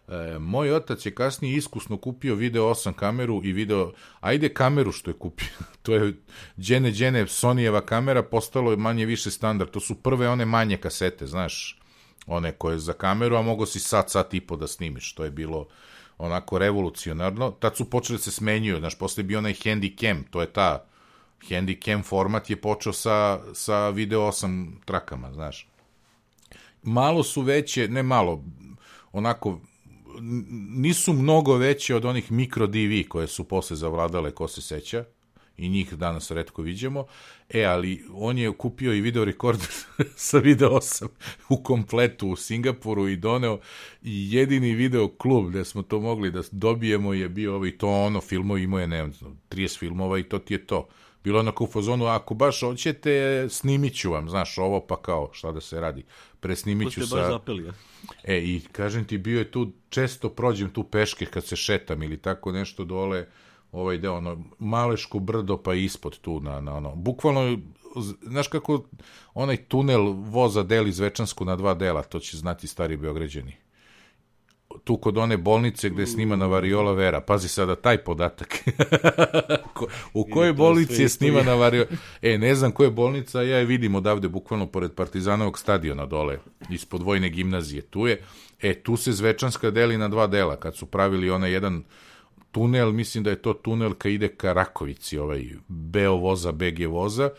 E, moj otac je kasnije iskusno kupio video osam kameru i video, ajde kameru što je kupio, to je džene džene Sonyjeva kamera, postalo je manje više standard, to su prve one manje kasete, znaš, one koje za kameru, a mogo si sat, sat i po da snimiš, to je bilo onako revolucionarno, tad su počeli da se smenjuju, znaš, posle je bio onaj Handycam, to je ta Handycam format je počeo sa, sa video osam trakama, znaš. Malo su veće, ne malo, onako, nisu mnogo veće od onih mikro D V koje su posle zavladale, ko se seća, i njih danas retko viđemo, e, ali on je kupio i video rekorder sa video osam u kompletu u Singapuru i doneo, i jedini video klub gde smo to mogli da dobijemo je bio ovaj, to ono, filmovi imao je, ne znam, trideset filmova i to ti je to. Bilo onako u fazonu, ako baš hoćete, snimit ću vam, znaš, ovo pa kao, šta da se radi, presnimit ću sa... baš zapeli, ja. E, i kažem ti, bio je tu, često prođem tu peške kad se šetam ili tako nešto dole, ovaj deo, ono, Maleško brdo pa ispod tu, na, na ono, bukvalno, znaš kako onaj tunel voza deli Zvečansku na dva dela, to će znati stari Beograđani. Tu kod one bolnice gde je snimana Variola Vera. Pazi sada taj podatak. U kojoj bolnici je snimana Variola? E, ne znam koja je bolnica, ja je vidim odavde, bukvalno pored Partizanovog stadiona dole, ispod vojne gimnazije. Tu je, e, tu se Zvečanska deli na dva dela, kad su pravili onaj jedan tunel, mislim da je to tunel ka ide ka Rakovici, ovaj Beo voza, B G voza,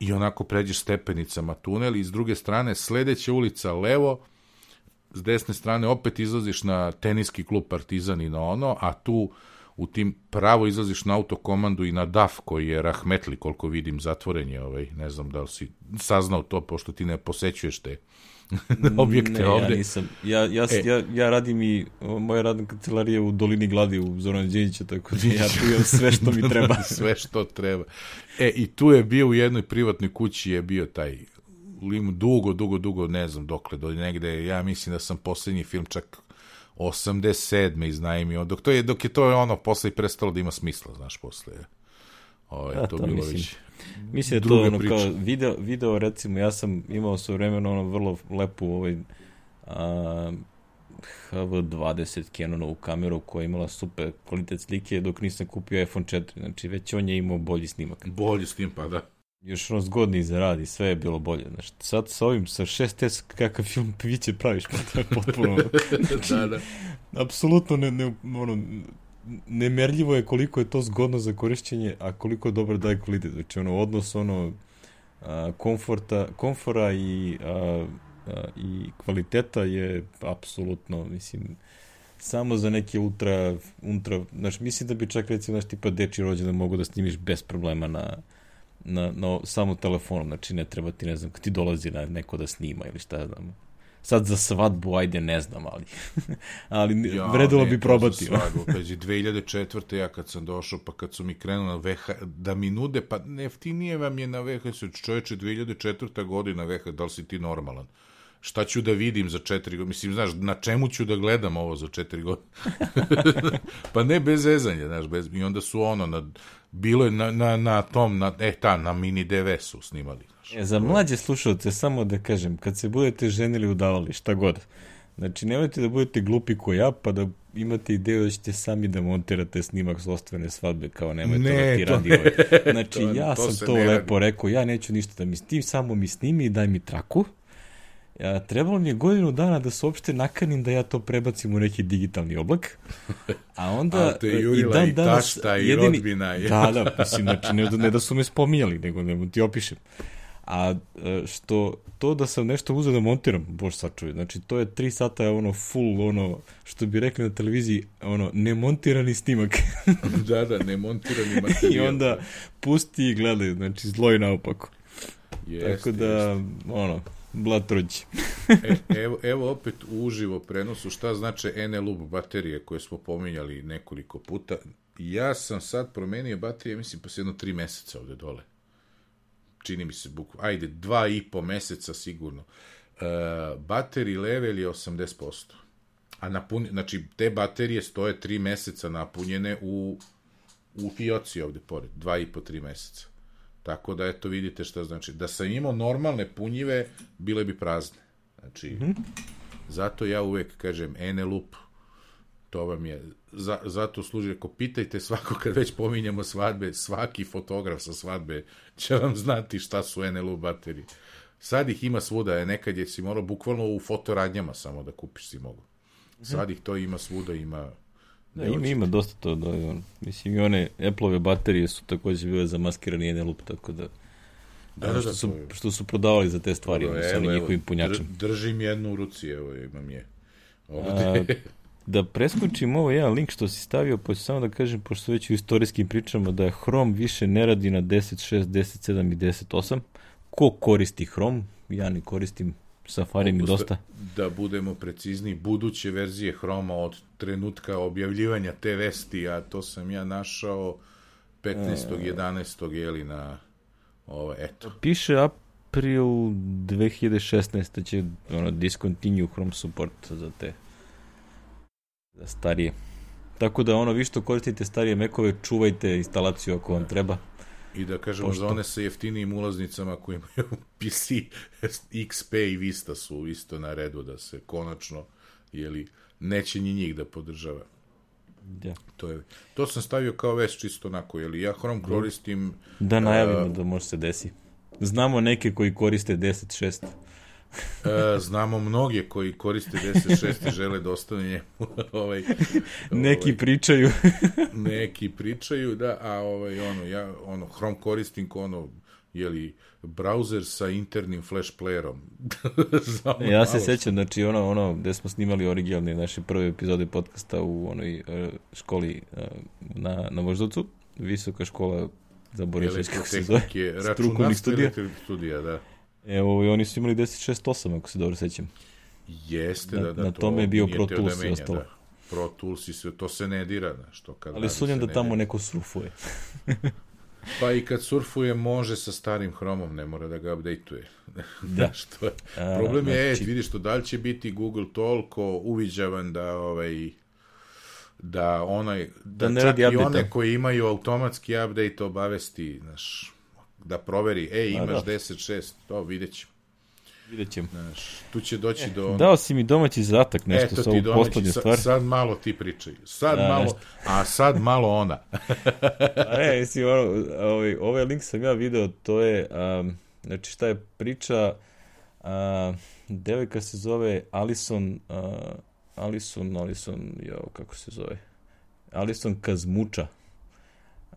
i onako pređeš stepenicama tunel, i s druge strane sledeća ulica levo, s desne strane opet izlaziš na teniski klub Partizan i na ono, a tu u tim pravo izlaziš na autokomandu i na D A F koji je rahmetli, koliko vidim, zatvoren je, ovaj, ne znam da li si saznao to, pošto ti ne posećuješ te objekte ne, ovde. Ja nisam. Ja, ja, e. ja, ja radim i moja radna kancelarija u Dolini Gladi u Zorana Đinđića, tako da ja tu imam sve što mi treba. Sve što treba. E, i tu je bio u jednoj privatnoj kući je bio taj lim, dugo, dugo, dugo, ne znam dokle, do negde, ja mislim da sam poslednji film čak osamdeset sedme iznajmio, dok, to je, dok je to ono posle i prestalo da ima smisla, znaš, posle ovo je to, to bilo mislim. već mislim da to ono priča. Kao video, video, recimo, ja sam imao sve vremena ono vrlo lepu ovaj a, H V dvadeset Canonovu kameru koja je imala super kvalitet slike dok nisam kupio iPhone četiri, znači već on je imao bolji snimak. Bolji snim, pa da. Još ono zgodniji za rad i sve je bilo bolje. Znači, sad sa ovim, sa šest S, kakav film piće praviš, pa to je potpuno... da, da. Apsolutno ne, ne, ono, nemerljivo je koliko je to zgodno za korišćenje, a koliko je dobro daje kvalitet. Znači, ono, odnos, ono, a, komforta, komfora i, a, a, i kvaliteta je apsolutno, mislim, samo za neke ultra, ultra, znači, mislim da bi čak, recimo, znači, tipa deči rođendan mogu da snimiš bez problema na na, na samo telefonom, znači ne treba ti, ne znam, kad ti dolazi na neko da snima ili šta znam. Sad za svadbu, ajde, ne znam, ali ali ja, vredilo bi probati. Ja, svadbu, peđi, dve hiljade četvrte ja kad sam došao, pa kad su mi krenuli na V H, da mi nude, pa neftinije vam je na V H S, čoveče, dve hiljade četvrta godina V H S, da li si ti normalan? šta ću da vidim za četiri godine, mislim, znaš, na čemu ću da gledam ovo za četiri godine? Pa ne bez zezanja, znaš, bez, i onda su ono, na, bilo je na, na, na tom, na, e, ta, na mini D V su snimali. Znaš. E, za mlađe slušalce, samo da kažem, kad se budete ženili udavali, šta god, znači, nemojte da budete glupi ko ja, pa da imate ideju da ćete sami da montirate snimak sostvene svadbe, kao nemojte ne, da ti radi ne. ovaj. Znači, to, ja to sam to lepo radi. rekao, ja neću ništa da mi s tim, samo mi snimi i daj mi traku. Ja, trebalo mi je godinu dana da se uopšte nakanim da ja to prebacim u neki digitalni oblak. A onda a te jurila i, dan i tašta i jedini... rodbina. Je. Da, da, mislim, znači, ne, ne da su me spominjali, nego ne ti opišem. A što to da sam nešto uzeo da montiram, bož sačuj, znači to je tri sata ono full, ono, što bi rekli na televiziji, ono, nemontirani snimak. da, da, nemontirani materijal. I onda pusti i gledaj, znači zlo i naopako. Jest, tako da, jest. ono, blatruđi. e, evo, evo opet u uživo prenosu šta znače N L U P baterije koje smo pominjali nekoliko puta. Ja sam sad promenio baterije, mislim, pa se jedno tri meseca ovde dole. Čini mi se, bukva, ajde, dva i po meseca sigurno. Uh, battery level je osamdeset posto. A napun, znači, te baterije stoje tri meseca napunjene u, u fioci ovde pored. Dva i po, tri meseca. Tako da, eto, vidite šta znači. Da sam imao normalne punjive, bile bi prazne. Znači, mm-hmm. zato ja uvek kažem N L U P. To vam je, za, zato služi, ako pitajte svako kad već pominjamo svadbe, svaki fotograf sa svadbe će vam znati šta su N L U baterije. Sad ih ima svuda, nekad je si morao bukvalno u fotoradnjama samo da kupiš si mogu. Sad ih to ima svuda, ima... Da, ima, ima dosta to, da, on, mislim i one Apple-ove baterije su također bile zamaskirani N L U P, tako da... Da, da, što, da, su, je... što su prodavali za te stvari, ono, sa njihovim punjačem. Držim jednu u ruci, evo, imam je. Ovdje... A... Da preskočim ovo jedan link što si stavio, pa ću samo da kažem, pošto već u istorijskim pričama, da Chrome više ne radi na deset šest, deset sedam i deset osam. Ko koristi Chrome? Ja ne koristim, Safari mi dosta. Da budemo precizni, buduće verzije Chroma od trenutka objavljivanja te vesti, a to sam ja našao petnaestog jedanaestog jeli na ovo, eto. Piše april dve hiljade šesnaeste će ono, discontinue Chrome support za te za starije. Tako da ono, vi što koristite starije Macove, čuvajte instalaciju ako vam treba. I da kažemo, pošto... za one sa jeftinijim ulaznicama koji imaju P C, X P i Vista su isto na redu da se konačno, jeli, neće ni njih da podržava. Ja. To, je, to sam stavio kao vest čisto onako, jeli, ja Chrome koristim... Da najavimo uh, da može se desi. Znamo neke koji koriste deset šest. E, znamo mnoge koji koriste deset šest i žele da ostane njemu. ovaj, neki ovaj, pričaju. neki pričaju, da, a ovaj, ono, ja ono, Chrome koristim ko ono, jeli, browser sa internim flash playerom. Ja se sećam, znači ono, ono, gde smo snimali originalne naše prve epizode podcasta u onoj uh, školi uh, na, na Voždovcu, visoka škola za Borišeć, kako se zove, strukovnih studija. studija, da. Evo, i oni su imali deset šest osam, ako se dobro sećam. Jeste, na, da, da. Na to tome je bio Pro Tools i ostalo. Da. Pro Tools i sve, to se ne dira, što kad... Ali sumnjam da tamo neko surfuje. Pa i kad surfuje, može sa starim Chromom, ne mora da ga update-uje. Da. što je. Problem je, znači... vidiš to, da li će biti Google toliko uviđavan da ovaj... da onaj... da, da čak i one koji imaju automatski update obavesti, znaš... da proveri, ej, imaš da. deset šest, to vidjet ćemo. Vidjet ćemo. Znaš, tu će doći do... On... Dao si mi domaći zadatak, nešto sa ovu poslednju stvar. Sad malo ti pričaju. Sad a, malo, nešto. A sad malo ona. a ne, mislim, ono, ovaj, ovaj link sam ja video, to je, um, znači šta je priča, uh, devojka se zove Alison, uh, Alison, Alison, jo, kako se zove, Alison Kazmuča.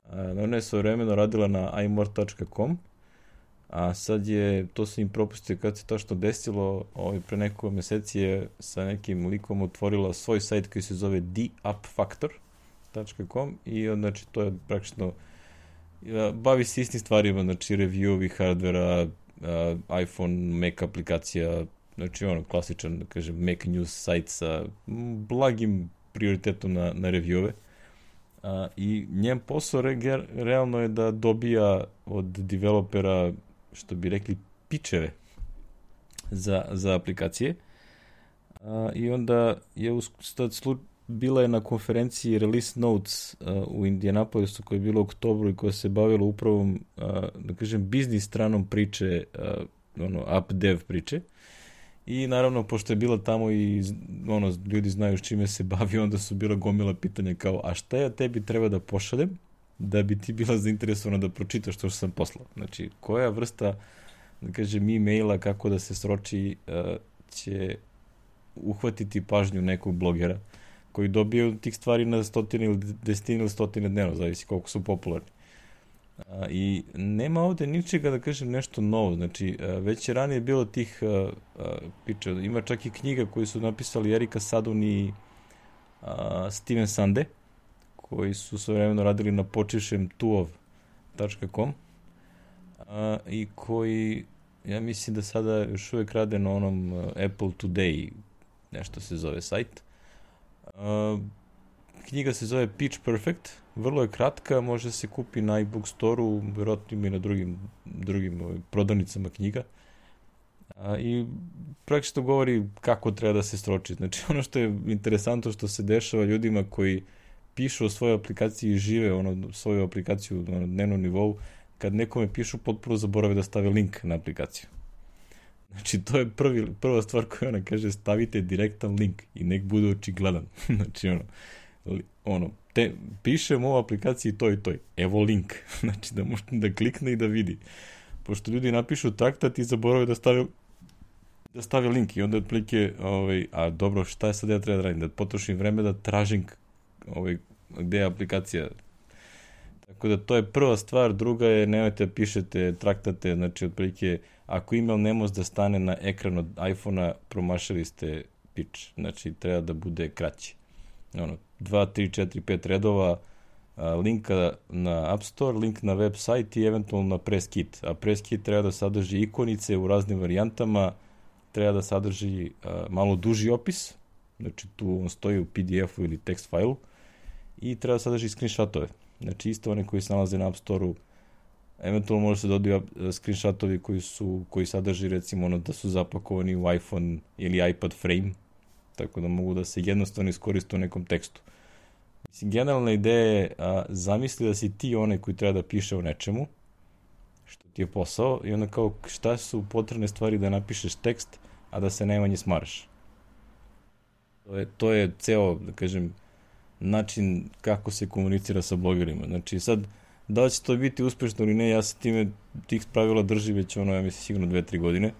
Uh, ona je svojevremeno radila na i more dot com, a sad je, to se im propustio kad se to što desilo, ovaj, pre nekoliko meseci je sa nekim likom otvorila svoj sajt koji se zove the up factor dot com i znači to je praktično bavi se istim stvarima, znači review-ovi hardvera, uh, iPhone, Mac aplikacija, znači ono klasičan, da kažem, Mac news sajt sa blagim prioritetom na, na review-ove. Uh, i njen posao re, realno je da dobija od developera, što bi rekli, pičeve. za, za aplikacije. A, I onda je u, slu, bila je na konferenciji Release Notes a, u Indianapolisu koja je bila u oktobru i koja se bavila upravo, a, da kažem, biznis stranom priče, a, ono, app dev priče. I naravno, pošto je bila tamo i ono, ljudi znaju s čime se bavi, onda su bila gomila pitanja kao, a šta ja tebi treba da pošaljem da bi ti bila zainteresovana da pročitaš to što sam poslao? Znači, koja vrsta, da kažem, e-maila kako da se sroči uh, će uhvatiti pažnju nekog blogera koji dobije tih stvari na stotine ili desetine ili stotine dnevno, zavisi koliko su popularni. A, I nema ovde ničega, da kažem, nešto novo. Znači, a, već je ranije bilo tih a, a, piča. Ima čak i knjiga koju su napisali Erika Sadun i a, Steven Sande, koji su svojevremeno radili na počivšem tuov tačka com a, i koji, ja mislim da sada još uvijek rade na onom a, Apple Today, nešto se zove sajt. A, knjiga se zove Pitch Perfect, vrlo je kratka, može se kupi na iBook Store-u, vjerojatno i na drugim, drugim ovaj, prodavnicama knjiga. A, I praktično govori kako treba da se sroči. Znači, ono što je interesantno što se dešava ljudima koji pišu o svojoj aplikaciji i žive ono, svoju aplikaciju na dnevnom nivou, kad nekome pišu, potpuno zaborave da stave link na aplikaciju. Znači, to je prvi, prva stvar koju ona kaže, stavite direktan link i nek bude očigledan. Znači, ono, ono, te, pišem u aplikaciji to i to. Evo link. Znači, da možete da klikne i da vidi. Pošto ljudi napišu traktat i zaborave da stave da stave link i onda otprilike, ovaj, a dobro, šta je sad ja treba da radim? Da potrošim vreme da tražim ovaj, gde je aplikacija. Tako da to je prva stvar. Druga je, nemojte da pišete traktate, znači otprilike, ako email ne može da stane na ekran od iPhone-a, promašali ste pitch. Znači, treba da bude kraći. Ono, dva, tri, četiri, pet redova, a, linka na App Store, link na web sajt i eventualno na press kit. A press kit treba da sadrži ikonice u raznim varijantama, treba da sadrži a, malo duži opis, znači tu on stoji u P D F-u ili text failu, i treba da sadrži screenshotove. Znači isto one koji se nalaze na App Store-u, eventualno može se dodaju screenshotovi koji su, koji sadrži recimo ono da su zapakovani u iPhone ili iPad frame, tako da mogu da se jednostavno iskoriste u nekom tekstu. Mislim, generalna ideja je a, zamisli da si ti onaj koji treba da piše o nečemu, što ti je posao, i onda kao šta su potrebne stvari da napišeš tekst, a da se najmanje smaraš. To je, to je ceo, da kažem, način kako se komunicira sa blogerima. Znači sad, da li će to biti uspešno ili ne, ja se time tih pravila drži već ono, ja mislim, sigurno dve, tri godine.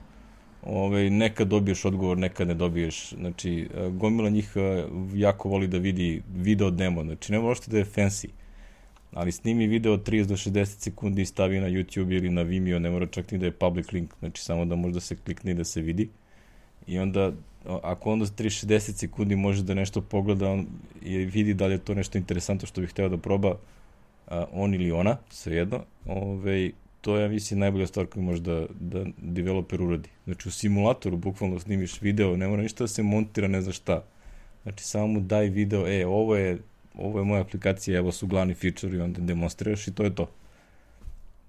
Ove, nekad dobiješ odgovor, nekad ne dobiješ. Znači, gomila njih jako voli da vidi video demo. Znači, ne možete da je fancy, ali snimi video od trideset do šezdeset sekundi i stavi na YouTube ili na Vimeo, ne mora čak ni da je public link, znači samo da može da se klikne i da se vidi. I onda, ako onda trideset do šezdeset sekundi može da nešto pogleda on, i vidi da li je to nešto interesantno što bih hteo da proba, a, on ili ona, svejedno, ove, to je, ja mislim, najbolja stvar koju može da, da developer uradi. Znači, u simulatoru bukvalno snimiš video, ne mora ništa da se montira, ne zna šta. Znači, samo mu daj video, e, ovo je, ovo je moja aplikacija, evo su glavni feature i onda demonstriraš i to je to.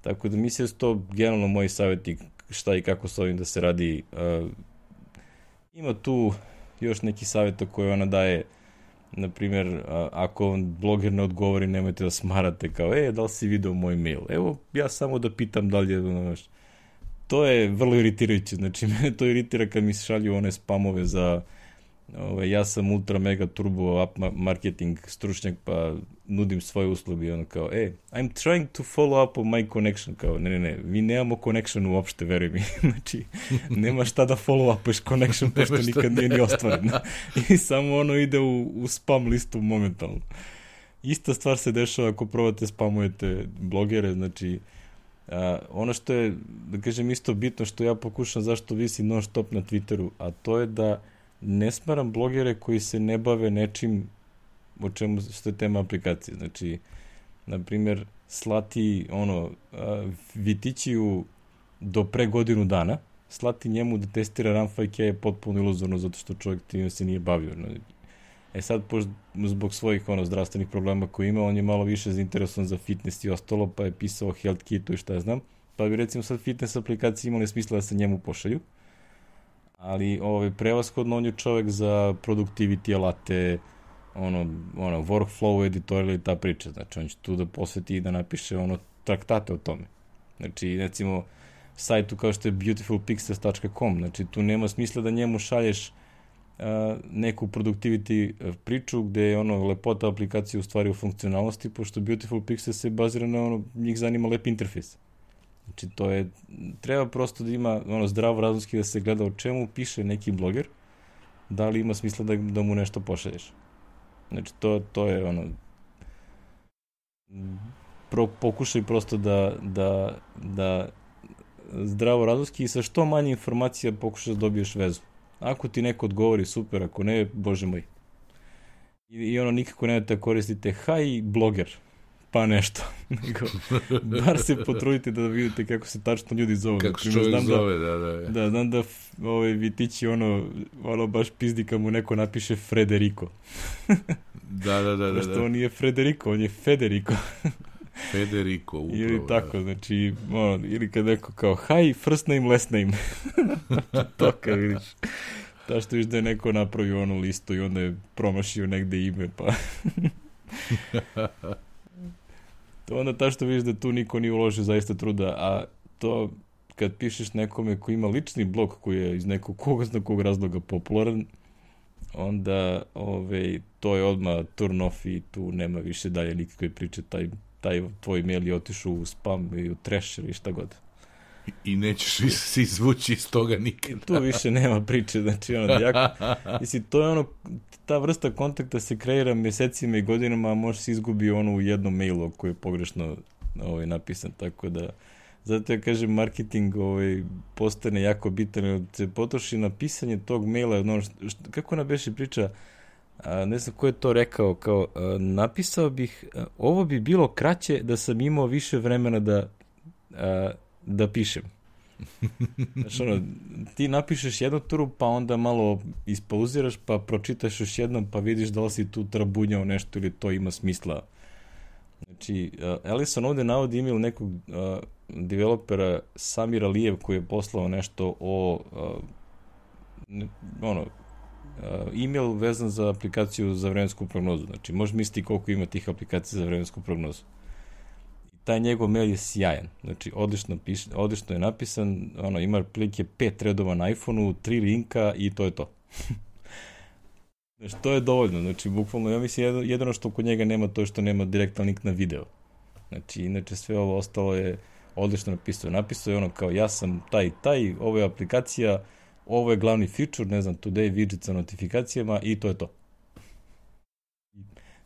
Tako da mislim da su to generalno moji savjeti šta i kako s ovim da se radi. Uh, ima tu još neki savjeta koje ona daje, na primjer, uh, ako bloger ne odgovori, nemojte da smarate kao, e, da li si video moj mail? Evo, ja samo da pitam da li je, znaš, to je vrlo iritirajuće, znači mene to iritira kad mi se šalju one spamove za Ove, ja sam ultra mega turbo app marketing stručnjak pa nudim svoje usluge i ono kao, e, I'm trying to follow up on my connection, kao, ne, ne, ne, vi nemamo connection uopšte, veruj mi, znači, nema šta da follow upuješ connection, pošto nikad nije ni ostvaren, i samo ono ide u, u spam listu momentalno. Ista stvar se dešava ako probate spamujete blogere, znači, a, ono što je, da kažem, isto bitno što ja pokušam zašto visi non stop na Twitteru, a to je da ne smaram blogere koji se ne bave nečim o čemu što je tema aplikacije. Znači, na primjer, slati ono, Vitićiju do pre godinu dana, slati njemu da testira Runfike je potpuno iluzorno zato što čovjek time se nije bavio. E sad, zbog svojih ono, zdravstvenih problema koje ima, on je malo više zainteresovan za fitness i ostalo, pa je pisao Health Kitu i šta ja znam. Pa bi recimo sad fitness aplikacije imali smisla da se njemu pošalju. Ali ovaj, prevashodno on je čovek za productivity alate, ono, ono, workflow editor ili ta priča. Znači, on će tu da posveti i da napiše ono traktate o tome. Znači, recimo, sajtu kao što je beautiful pixels dot com, znači, tu nema smisla da njemu šalješ uh, neku productivity priču gde je ono lepota aplikacije u stvari u funkcionalnosti, pošto Beautiful Pixels se bazira na ono, njih zanima lep interfejs. Znači, to je, treba prosto da ima ono zdravo razumski da se gleda o čemu piše neki bloger, da li ima smisla da, da mu nešto pošalješ. Znači, to, to je ono, pro, pokušaj prosto da, da, da zdravo razumski i sa što manje informacija pokušaš da dobiješ vezu. Ako ti neko odgovori, super, ako ne, bože moj. I, i ono, nikako ne da koristite hi bloger, pa nešto. Nego, bar se potrudite da vidite kako se tačno ljudi zove. Kako se čovjek zove, da, da. Da, da znam da ovaj, Vitići ono, ono baš pizdi kad mu neko napiše Frederico. Da, da, da. Pošto da, da. on nije Frederico, on je Federico. Federico, upravo. Ili tako, da. Znači, ono, ili kad neko kao hi, first name, last name. To kad vidiš. Ta što viš da je neko napravio onu listu i onda je promašio negde ime, pa... To onda ta što vidiš da tu niko nije uložio zaista truda, a to kad pišeš nekome ko ima lični blog koji je iz nekog koga zna kog razloga popularan, onda ove, to je odmah turn off i tu nema više dalje nikakve priče, taj, taj tvoj mail je otišao u spam i u trash ili šta god. I nećeš se izvući iz toga nikada. I tu više nema priče, znači ono, jako, mislim, to je ono, ta vrsta kontakta se kreira mjesecima i godinama, a može se izgubi ono u jednom mailu koji je pogrešno ovaj, napisan, tako da, zato ja kažem, marketing ovaj, postane jako bitan, jer se potroši na pisanje tog maila, ono, što, kako ona beše priča, a, ne znam ko je to rekao, kao, a, napisao bih, a, ovo bi bilo kraće da sam imao više vremena da a, da pišem. Znaš, ono, ti napišeš jednu turu, pa onda malo ispauziraš, pa pročitaš još jednom, pa vidiš da li si tu trabunjao nešto ili to ima smisla. Znači, uh, Ellison ovde navodi email nekog uh, developera Samir Alijev koji je poslao nešto o uh, ne, ono, uh, email vezan za aplikaciju za vremensku prognozu. Znači, možeš misliti koliko ima tih aplikacija za vremensku prognozu. Taj njegov mail je sjajan. Znači, odlično, piš, odlično je napisan, ono, ima prilike pet redova na iPhoneu, tri linka i to je to. Znači, to je dovoljno. Znači, bukvalno, ja mislim, jedino što kod njega nema, to je što nema direktan link na video. Znači, inače, sve ovo ostalo je odlično napisao. Napisao je ono kao, ja sam taj taj, ovo je aplikacija, ovo je glavni feature, ne znam, today widget sa notifikacijama i to je to.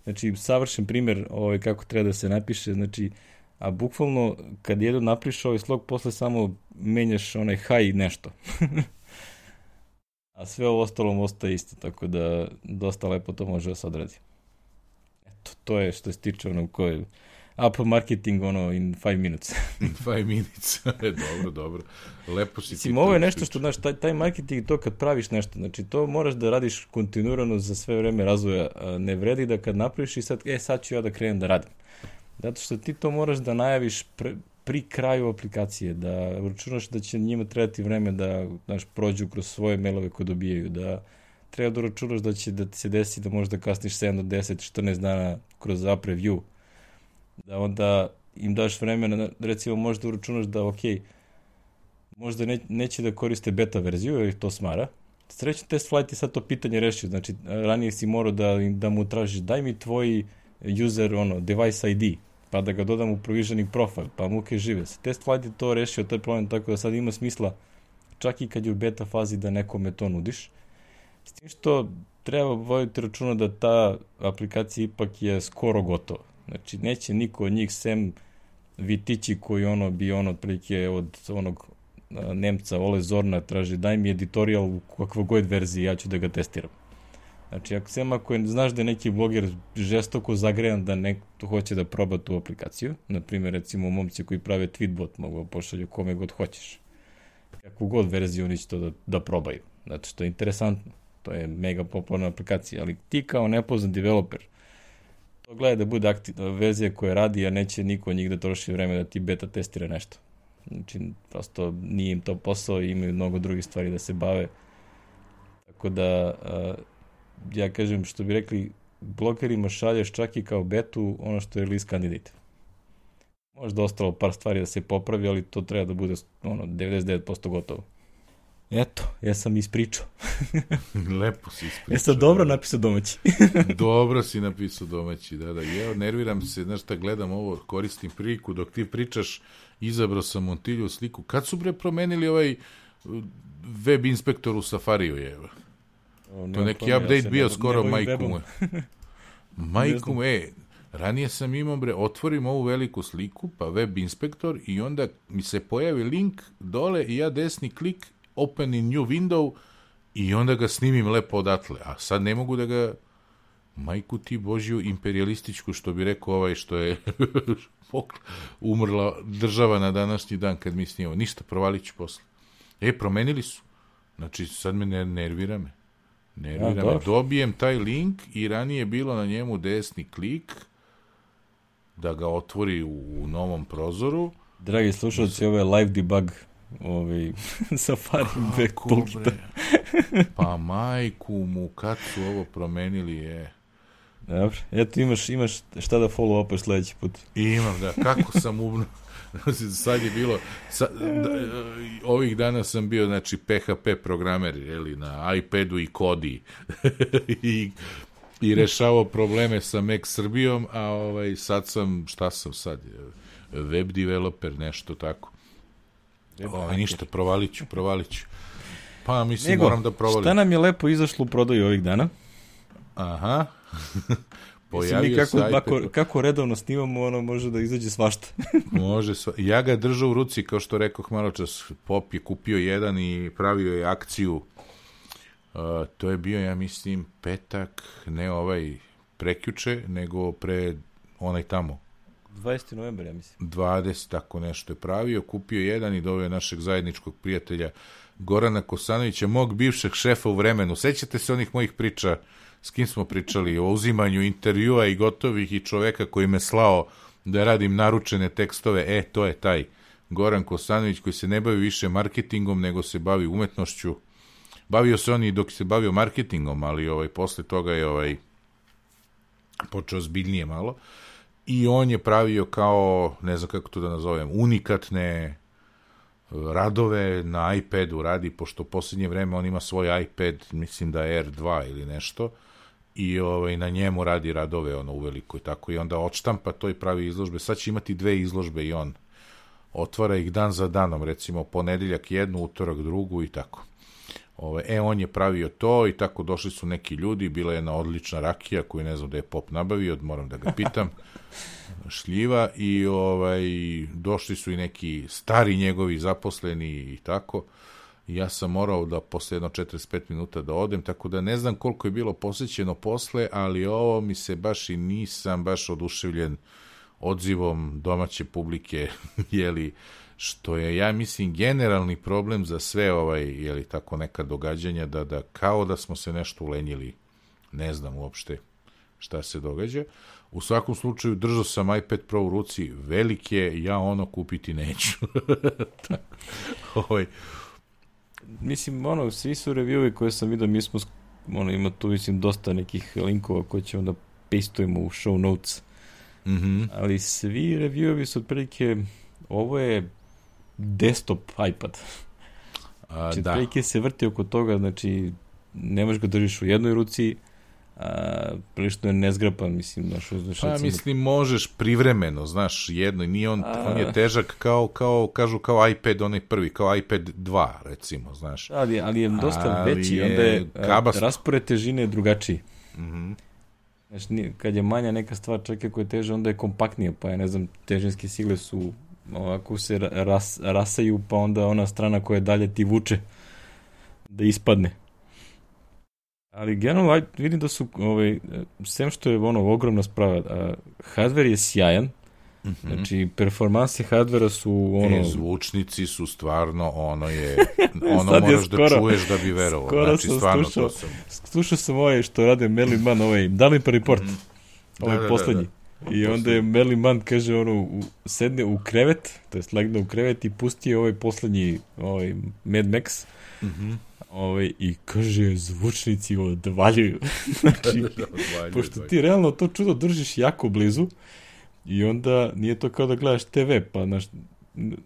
Znači, savršen primjer ovaj, kako treba da se napiše, znači, a bukvalno, kad jedno napišeš ovaj slog, posle samo menjaš onaj hi nešto. A sve ovo ostalo ostaje isto, tako da dosta lepo to može da se odradi. Eto, to je što se tiče ono koje up marketing ono in five minutes. In five minutes, dobro, dobro. Lepo si Mislim, ovo je nešto što, znaš, taj, taj marketing, to kad praviš nešto, znači to moraš da radiš kontinuirano za sve vreme razvoja, ne vredi da kad napraviš i sad, e, sad ću ja da krenem da radim. Zato što ti to moraš da najaviš pre, pri kraju aplikacije, da računaš da će njima trebati vreme da, znaš, prođu kroz svoje mailove koje dobijaju, da treba da računaš da će da ti se desi da možeš da kasniš sedam do deset, četrnaest dana kroz app review, da onda im daš vremena, recimo možeš da računaš da, ok, možda ne, neće da koriste beta verziju, jer ih to smara. Srećno test flight je sad to pitanje rešio, znači ranije si morao da, da mu tražiš daj mi tvoj user, ono, device I D, pa da ga dodam u provisioning profile, pa muke žive se. Test flight je to rešio, taj problem, tako da sad ima smisla, čak i kad je u beta fazi, da nekome to nudiš. S tim što treba voditi računa da ta aplikacija ipak je skoro gotova. Znači, neće niko od njih, sem Vitići koji ono bi ono otprilike od onog a, Nemca Ole Zorna traži daj mi editorial u kakvoj god verziji, ja ću da ga testiram. Znači, ako sem ako je, znaš da je neki bloger žestoko zagrejan da neko hoće da proba tu aplikaciju, na primjer, recimo, momci koji prave tweetbot mogu pošalju kome god hoćeš. Kakvu god verziju oni će to da, da probaju. Znači, što je interesantno. To je mega popularna aplikacija, ali ti kao nepoznan developer, to gleda da bude aktivna verzija koja radi, a neće niko od njih da troši vreme da ti beta testira nešto. Znači, prosto nije im to posao i imaju mnogo drugih stvari da se bave. tako da uh, ja kažem, što bi rekli, blogerima šalješ čak i kao betu ono što je release candidate. Možda ostalo par stvari da se popravi, ali to treba da bude ono, devedeset devet posto gotovo. Eto, ja sam ispričao. Lepo si ispričao. Ja sam dobro napisao domaći. Dobro si napisao domaći, da, da. Ja nerviram se, znaš šta, gledam ovo, koristim priliku, dok ti pričaš, izabrao sam Montilju sliku. Kad su bre promenili ovaj web inspektor u Safariju, je? O, to neki update ja bio ne, skoro majku. Majku, e, ranije sam imao, bre, otvorim ovu veliku sliku, pa web inspektor, i onda mi se pojavi link dole i ja desni klik, open in new window, i onda ga snimim lepo odatle. A sad ne mogu da ga, majku ti Božju imperialističku, što bi rekao ovaj što je umrla država na današnji dan kad mi snimamo. Ništa, provalit ću posle. E, promenili su. Znači, sad me ne, nervira me. Nervira ja, me. Dobijem taj link i ranije je bilo na njemu desni klik da ga otvori u, u novom prozoru. Dragi slušalci, ovo je live debug ovaj Safari back toolkita. Pa majku mu, kad su ovo promenili je. Dobro, eto imaš, imaš šta da follow-upaš sledeći put. Imam, da, kako sam umno. Sad je bilo, sad, da, ovih dana sam bio, znači, P H P programer, jeli, na iPadu i Kodi. I, i rešavao probleme sa Mac Srbijom, a ovaj, sad sam, šta sam sad, web developer, nešto tako. Ovaj, ništa, provalit ću, provalit ću. Pa, mislim, Nego, moram da provalim. Šta nam je lepo izašlo u prodaju ovih dana? Aha. Pojavio mi kako, kako, kako redovno snimamo, ono može da izađe svašta. Može, sva... ja ga držao u ruci, kao što rekoh malo čas, Pop je kupio jedan i pravio je akciju. Uh, to je bio, ja mislim, petak, ne ovaj prekjuče, nego pre onaj tamo. dvadesetog novembra, ja mislim. dvadeset, tako nešto je pravio, kupio jedan i doveo našeg zajedničkog prijatelja Gorana Kosanovića, mog bivšeg šefa u Vremenu. Sećate se onih mojih priča, s kim smo pričali, o uzimanju intervjua i gotovih, i čoveka koji me slao da radim naručene tekstove? E, to je taj Goran Kosanović, koji se ne bavi više marketingom, nego se bavi umetnošću. Bavio se on i dok se bavio marketingom, ali ovaj, posle toga je ovaj, počeo zbiljnije malo. I on je pravio kao, ne znam kako to da nazovem, unikatne radove na iPadu radi, pošto u posljednje vreme on ima svoj iPad, mislim da je R dva ili nešto, i ovaj, na njemu radi radove ono uveliko i tako, i onda odštampa to i pravi izložbe. Sad će imati dve izložbe i on otvara ih dan za danom, recimo ponedeljak jednu, utorak drugu i tako. Ove, e, on je pravio to i tako došli su neki ljudi, bila je jedna odlična rakija koju ne znam da je Pop nabavio, moram da ga pitam, šljiva, i ovaj, došli su i neki stari njegovi zaposleni i tako. I ja sam morao da posle jedno četrdeset pet minuta da odem, tako da ne znam koliko je bilo posjećeno posle, ali ovo mi se baš i nisam baš oduševljen odzivom domaće publike, jeli, što je, ja mislim, generalni problem za sve ovaj, jeli, tako neka događanja, da, da kao da smo se nešto ulenjili, ne znam uopšte šta se događa. U svakom slučaju, držao sam iPad Pro u ruci, velik je, ja ono kupiti neću. ovaj. Mislim, ono, svi su reviewi koje sam vidio, mi smo, ono, ima tu, mislim, dosta nekih linkova koje ćemo da pastujemo u show notes. Mm-hmm. Ali svi reviewovi su otprilike, ovo je desktop iPad. A, znači, da. otprilike se vrti oko toga, znači, ne možeš ga držiš u jednoj ruci, a prilično je nezgrapan, mislim, znaš, znaš, pa recimo, mislim, možeš privremeno, znaš, jedno, nije on, a... on je težak kao, kao, kažu, kao iPad, onaj prvi, kao iPad dva, recimo, znaš. Ali, ali je dosta ali veći, je onda je kabast... raspored težine drugačiji. Mhm. Znači, kad je manja neka stvar, čak ako je teže, onda je kompaktnija, pa ja ne znam, težinske sile su ovako se ras, rasaju, pa onda ona strana koja dalje ti vuče da ispadne. Ali generalno vidim da su, ovaj, sem što je ono ogromna sprava, a, hardware je sjajan, mm-hmm. znači performanse hardvera su ono... E, zvučnici su stvarno, ono je, ono moraš skoro, da čuješ da bi verovao. Skoro znači, sam stvarno slušao, to sam. Slušao sam ovaj što rade Merlin Mann, ovaj Developer Report, mm-hmm. ovaj da, da, poslednji. Da, da. I onda je Merlin Mann, kaže, ono, u, sedne u krevet, to jest legne u krevet i pusti ovaj poslednji, ovaj Mad Max, mm-hmm. Ovaj, i kaže, zvučnici odvaljuju. Znači, odvaljuju, pošto ti realno to čudo držiš jako blizu i onda nije to kao da gledaš te ve, pa znaš,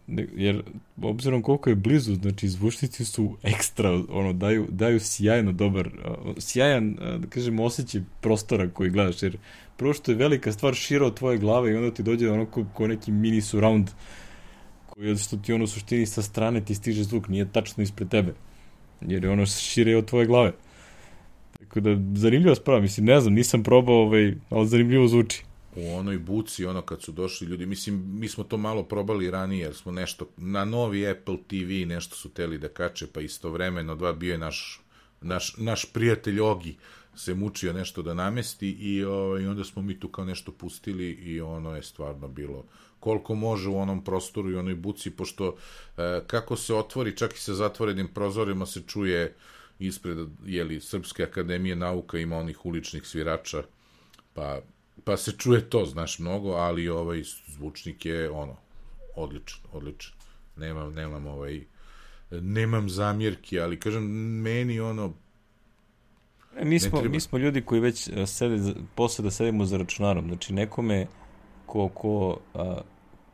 ne, jer obzirom koliko je blizu, znači zvučnici su ekstra, ono, daju, daju sjajno dobar, sjajan, da kažem, osjećaj prostora koji gledaš, jer prvo što je velika stvar šira od tvoje glave i onda ti dođe ono ko, ko neki mini surround koji što ti ono suštini sa strane ti stiže zvuk, nije tačno ispred tebe. Jer je ono šire od tvoje glave. Tako da, zanimljiva sprava, mislim, ne znam, nisam probao, ovaj, ali zanimljivo zvuči. U onoj buci, ono kad su došli ljudi, mislim, mi smo to malo probali ranije, jer smo nešto, na novi Apple te ve nešto su teli da kače, pa istovremeno dva bio je naš, naš, naš prijatelj Ogi, se mučio nešto da namesti i, o, i onda smo mi tu kao nešto pustili i ono je stvarno bilo koliko može u onom prostoru i onoj buci, pošto e, kako se otvori, čak i sa zatvorenim prozorima se čuje ispred, jeli, Srpske akademije nauka ima onih uličnih svirača, pa, pa se čuje to, znaš, mnogo, ali ovaj zvučnik je, ono, odličan, odličan. Nemam, nemam, ovaj, nemam zamjerki, ali, kažem, meni, ono, e, mi, smo, mi smo ljudi koji već sede, posle da sedimo za računarom, znači nekome ko, ko a,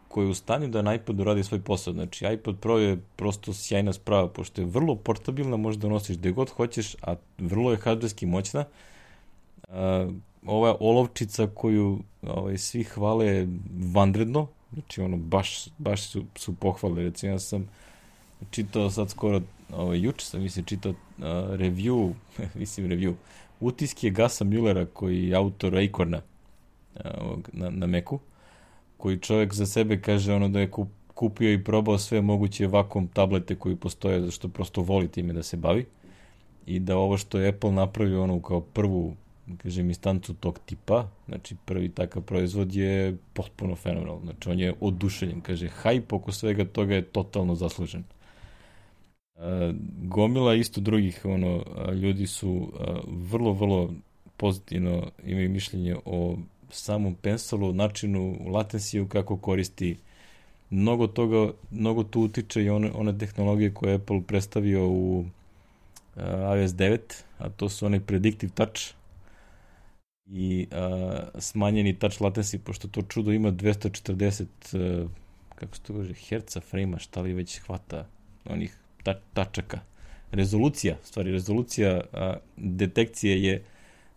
koji je u stanju da na iPadu radi svoj posao. Znači, iPad Pro je prosto sjajna sprava, pošto je vrlo portabilna, možeš da nosiš gde god hoćeš, a vrlo je hardverski moćna. A, ova olovčica koju ovaj, svi hvale je vanredno, znači ono, baš, baš su, su pohvale. Recimo, ja sam čitao sad skoro, ovaj, juče sam, mislim, čitao uh, review, mislim, review, utiske Gasa Müllera, koji je autor Acorna uh, na, na Macu, koji čovjek za sebe kaže ono da je kup, kupio i probao sve moguće vakuum tablete koji postoje, zašto prosto voli time da se bavi i da ovo što je Apple napravio ono kao prvu, kažem, instancu tog tipa, znači prvi takav proizvod je potpuno fenomenal, znači on je oduševljen, kaže, hype oko svega toga je totalno zaslužen. Uh, gomila isto drugih ono, uh, ljudi su uh, vrlo, vrlo pozitivno imaju mišljenje o samom Pencilu, načinu latensiju, kako koristi. Mnogo toga, mnogo tu utiče i one, one tehnologije koje je Apple predstavio u uh, iOS devet, a to su onaj predictive touch i uh, smanjeni touch latency, pošto to čudo ima dvesta četrdeset uh, kako se to kaže, herca frame-a, šta li već hvata onih ta, tačaka. Rezolucija, stvari, rezolucija uh, detekcije je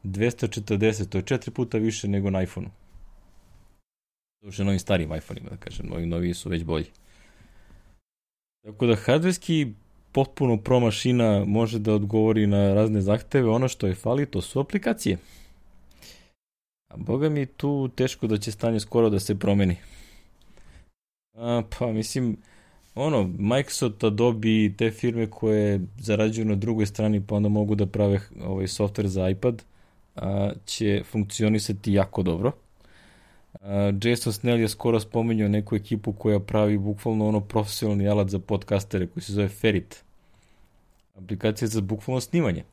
dvesta četrdeset, to je četiri puta više nego na iPhone-u. To je novim starim iPhone-ima, da kažem, novi, novi su već bolji. Tako da, hardverski potpuno pro mašina može da odgovori na razne zahteve, ono što je fali, to su aplikacije. A boga mi tu teško da će stanje skoro da se promeni. A, pa, mislim, ono, Microsoft, Adobe, te firme koje zarađuju na drugoj strani, pa onda mogu da prave ovaj software za iPad, a, će funkcionisati jako dobro. A, Jason Snell je skoro spomenuo neku ekipu koja pravi bukvalno ono profesionalni alat za podcastere koji se zove Ferrit. Aplikacija za bukvalno snimanje.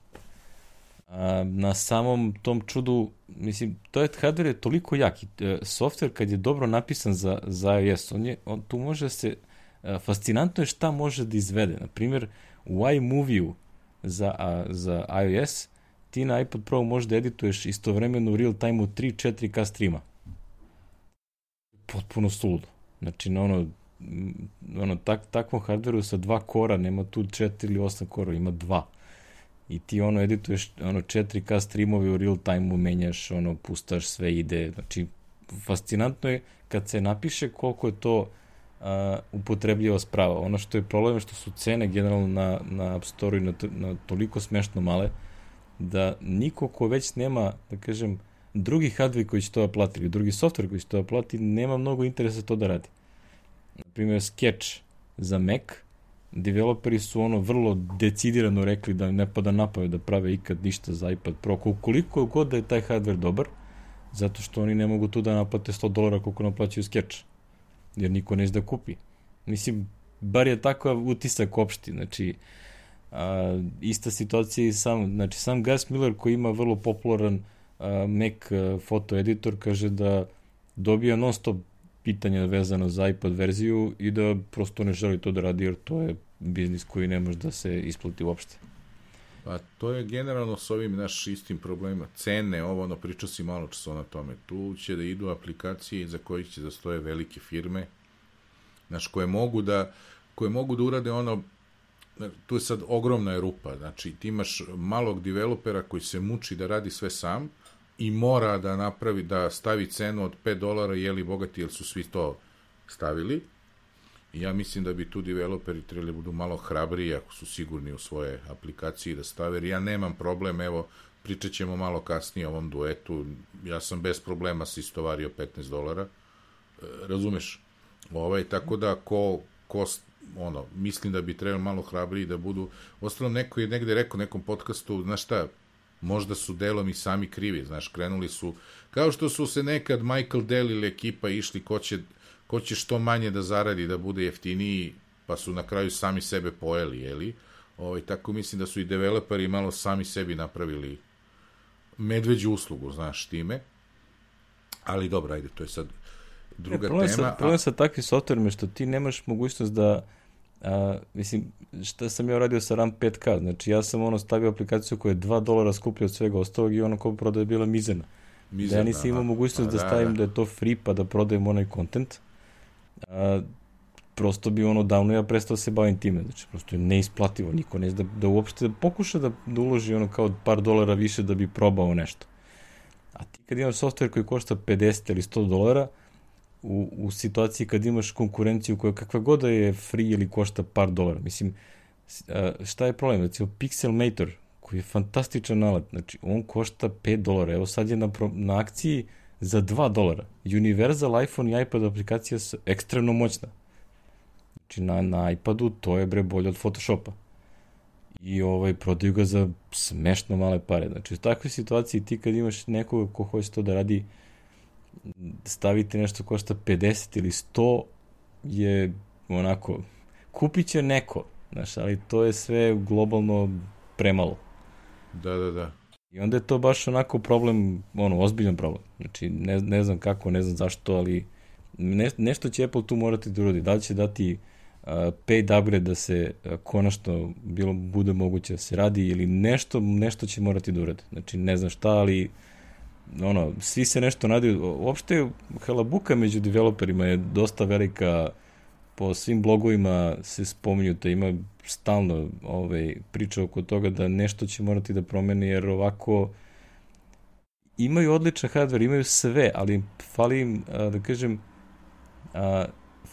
A, na samom tom čudu, mislim, to je hardware je toliko jak i software kad je dobro napisan za, za iOS, on je, on tu može se, a, fascinantno je šta može da izvede. Na primjer, u iMovie-u za, a, za iOS ti na iPad Pro možeš da edituješ istovremeno u real time-u tri četiri K streama. Potpuno suludo. Znači, na ono, ono tak, takvom hardwareu sa dva kora, nema tu četiri ili osam kora, ima dva. I ti ono edituješ ono četiri K streamove u real time-u, menjaš, ono, pustaš, sve ide. Znači, fascinantno je kad se napiše koliko je to uh, upotrebljiva sprava. Ono što je problem je što su cene generalno na, na App Store-u na, na toliko smešno male, da niko ko već nema, da kažem, drugi hardware koji će to da plati ili drugi software koji će to da plati, nema mnogo interesa to da radi. Naprimjer, Sketch za Mac, developeri su ono vrlo decidirano rekli da ne pada napamet da prave ikad ništa za iPad Pro, koliko god da je taj hardware dobar, zato što oni ne mogu tu da naplate sto dolara koliko naplaćaju Sketch, jer niko neće da kupi. Mislim, bar je takav utisak opšti, znači, a, ista situacija i sam, znači, sam Gus Miller koji ima vrlo popularan a, Mac a, foto editor, kaže da dobija non stop pitanja vezano za iPad verziju i da prosto ne želi to da radi jer to je biznis koji ne može da se isplati uopšte. Pa to je generalno s ovim naš istim problemima. Cene, ovo, ono, pričao si malo časa na tome. Tu će da idu aplikacije za kojih će da stoje velike firme, znaš, koje mogu da, koje mogu da urade ono, tu je sad ogromna je rupa, znači ti imaš malog developera koji se muči da radi sve sam i mora da napravi, da stavi cenu od pet dolara, jeli bogati, jer su svi to stavili. I ja mislim da bi tu developeri trebali budu malo hrabriji ako su sigurni u svoje aplikacije da stave, jer ja nemam problem, evo, pričat ćemo malo kasnije o ovom duetu, ja sam bez problema se istovario petnaest dolara, e, razumeš, ovaj, tako da ko, ko, ono, mislim da bi trebali malo hrabriji da budu, ostalom neko je negde rekao u nekom podcastu, znaš šta, možda su delom i sami krivi, znaš, krenuli su, kao što su se nekad Michael Dell ili ekipa išli ko će ko će što manje da zaradi, da bude jeftiniji, pa su na kraju sami sebe pojeli, jeli? Ovaj, tako mislim da su i developeri malo sami sebi napravili medveđu uslugu, znaš, time. Ali dobro, ajde, to je sad druga e, problem tema. Sa, problem a... sa takvim softverima što ti nemaš mogućnost da, a, mislim, šta sam ja radio sa RAM pet K, znači ja sam ono stavio aplikaciju koja je dva dolara skuplja od svega ostalog i ono ko prodaje bila mizerna. Mizerna, da ja nisam imao mogućnost da, da stavim da, da. da je to free pa da prodajem onaj content. A, prosto bi ono davno ja prestao se bavim time, znači prosto je neisplativo, niko ne zna da, da uopšte pokuša da, da uloži ono kao par dolara više da bi probao nešto. A ti kad imaš software koji košta pedeset ili sto dolara, u, u situaciji kad imaš konkurenciju koja kakva god da je free ili košta par dolara, mislim, a, šta je problem? Recimo Pixelmator, koji je fantastičan alat, znači on košta pet dolara, evo sad je na, na akciji za dva dolara. Universal iPhone i iPad aplikacija su ekstremno moćna. Znači na, na iPadu to je bre bolje od Photoshopa. I ovaj, prodaju ga za smešno male pare. Znači u takvoj situaciji ti kad imaš nekoga ko hoće to da radi, staviti nešto košta pedeset ili sto je onako, kupit će neko, znaš, ali to je sve globalno premalo. Da, da, da. I onda je to baš onako problem, ono, ozbiljan problem. Znači, ne, ne znam kako, ne znam zašto, ali ne, nešto će Apple tu morati da uradi. Da li će dati uh, paid upgrade da se uh, konačno bilo, bude moguće da se radi ili nešto, nešto će morati da uradi. Znači, ne znam šta, ali ono, svi se nešto nadaju. Uopšte, halabuka među developerima je dosta velika. Po svim blogovima se spominju da ima stalno ovaj, priča oko toga da nešto će morati da promeni, jer ovako imaju odličan hardware, imaju sve, ali fali im, da kažem,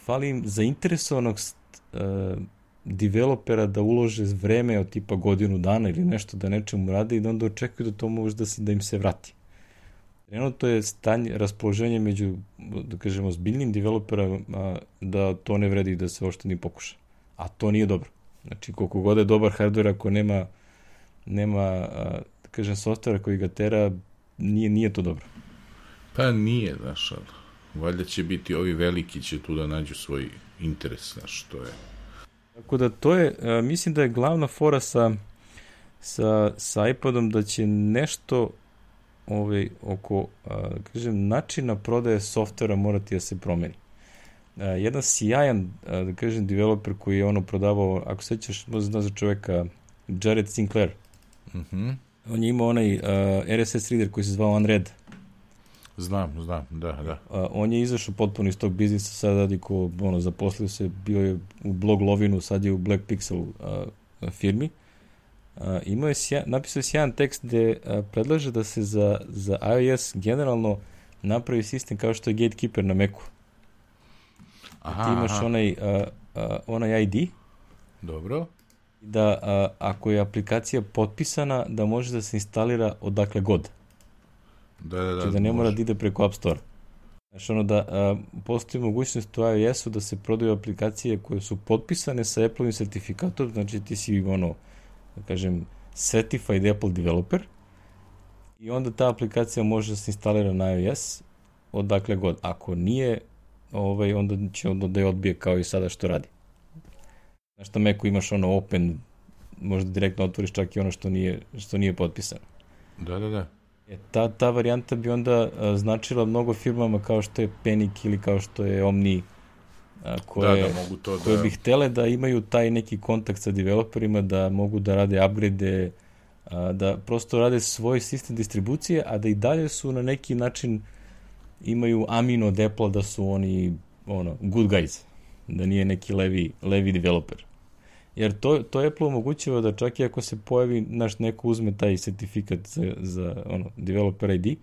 fali im zainteresovanog developera da ulože vreme od tipa godinu dana ili nešto da nečemu rade i da onda očekuju da to može da, se, da im se vrati. Trenutno je stanje, raspoloženje među, da kažemo, zbiljnim developerama da to ne vredi da se uopšte ni pokuša. A to nije dobro. Znači, koliko god je dobar hardware, ako nema, nema da kažem, softvera koji ga tera, nije, nije to dobro. Pa nije, znaš, ali valjda će biti, ovi veliki će tu da nađu svoj interes, znaš, to je. Tako da to je, mislim da je glavna fora sa, sa, sa iPadom da će nešto ovaj, oko, da kažem, načina prodaje softvera morati da se promeni. Uh, jedan sjajan, uh, da kažem, developer koji je ono prodavao, ako sećaš, možda znaš za čoveka, Jared Sinclair. Mm-hmm. On je imao onaj uh, R S S reader koji se zvao Unread. Znam, znam, da, da. Uh, on je izašao potpuno iz tog biznisa, sad radi ko, ono, zaposlio se, bio je u Blog Lovinu, sad je u Black Pixel uh, firmi. Uh, imao je sja, napisao je sjajan tekst gde uh, predlaže da se za, za iOS generalno napravi sistem kao što je Gatekeeper na Macu. Aha, ti imaš aha. onaj, uh, uh, onaj I D. Dobro. Da uh, ako je aplikacija potpisana, da može da se instalira odakle god. Da, da, da. Znači da ne mora da ide preko App Store. Znači ono da uh, postoji mogućnost u iOS-u da se prodaju aplikacije koje su potpisane sa Apple-ovim sertifikatom, znači ti si ono, da kažem, certified Apple developer i onda ta aplikacija može da se instalira na iOS odakle god. Ako nije, ovaj, onda će onda da je odbije kao i sada što radi. Znači na Macu imaš ono open, možda direktno otvoriš čak i ono što nije, što nije potpisano. Da, da, da. E, ta, ta varijanta bi onda a, značila mnogo firmama kao što je Panic ili kao što je Omni, a, koje, da, da, mogu to koje da... bi htele da imaju taj neki kontakt sa developerima, da mogu da rade upgrade a, da prosto rade svoj sistem distribucije, a da i dalje su na neki način imaju amino od Apple da su oni ono, good guys, da nije neki levi, levi developer. Jer to, to Apple omogućava da čak i ako se pojavi, naš neko uzme taj sertifikat za, za ono, developer I D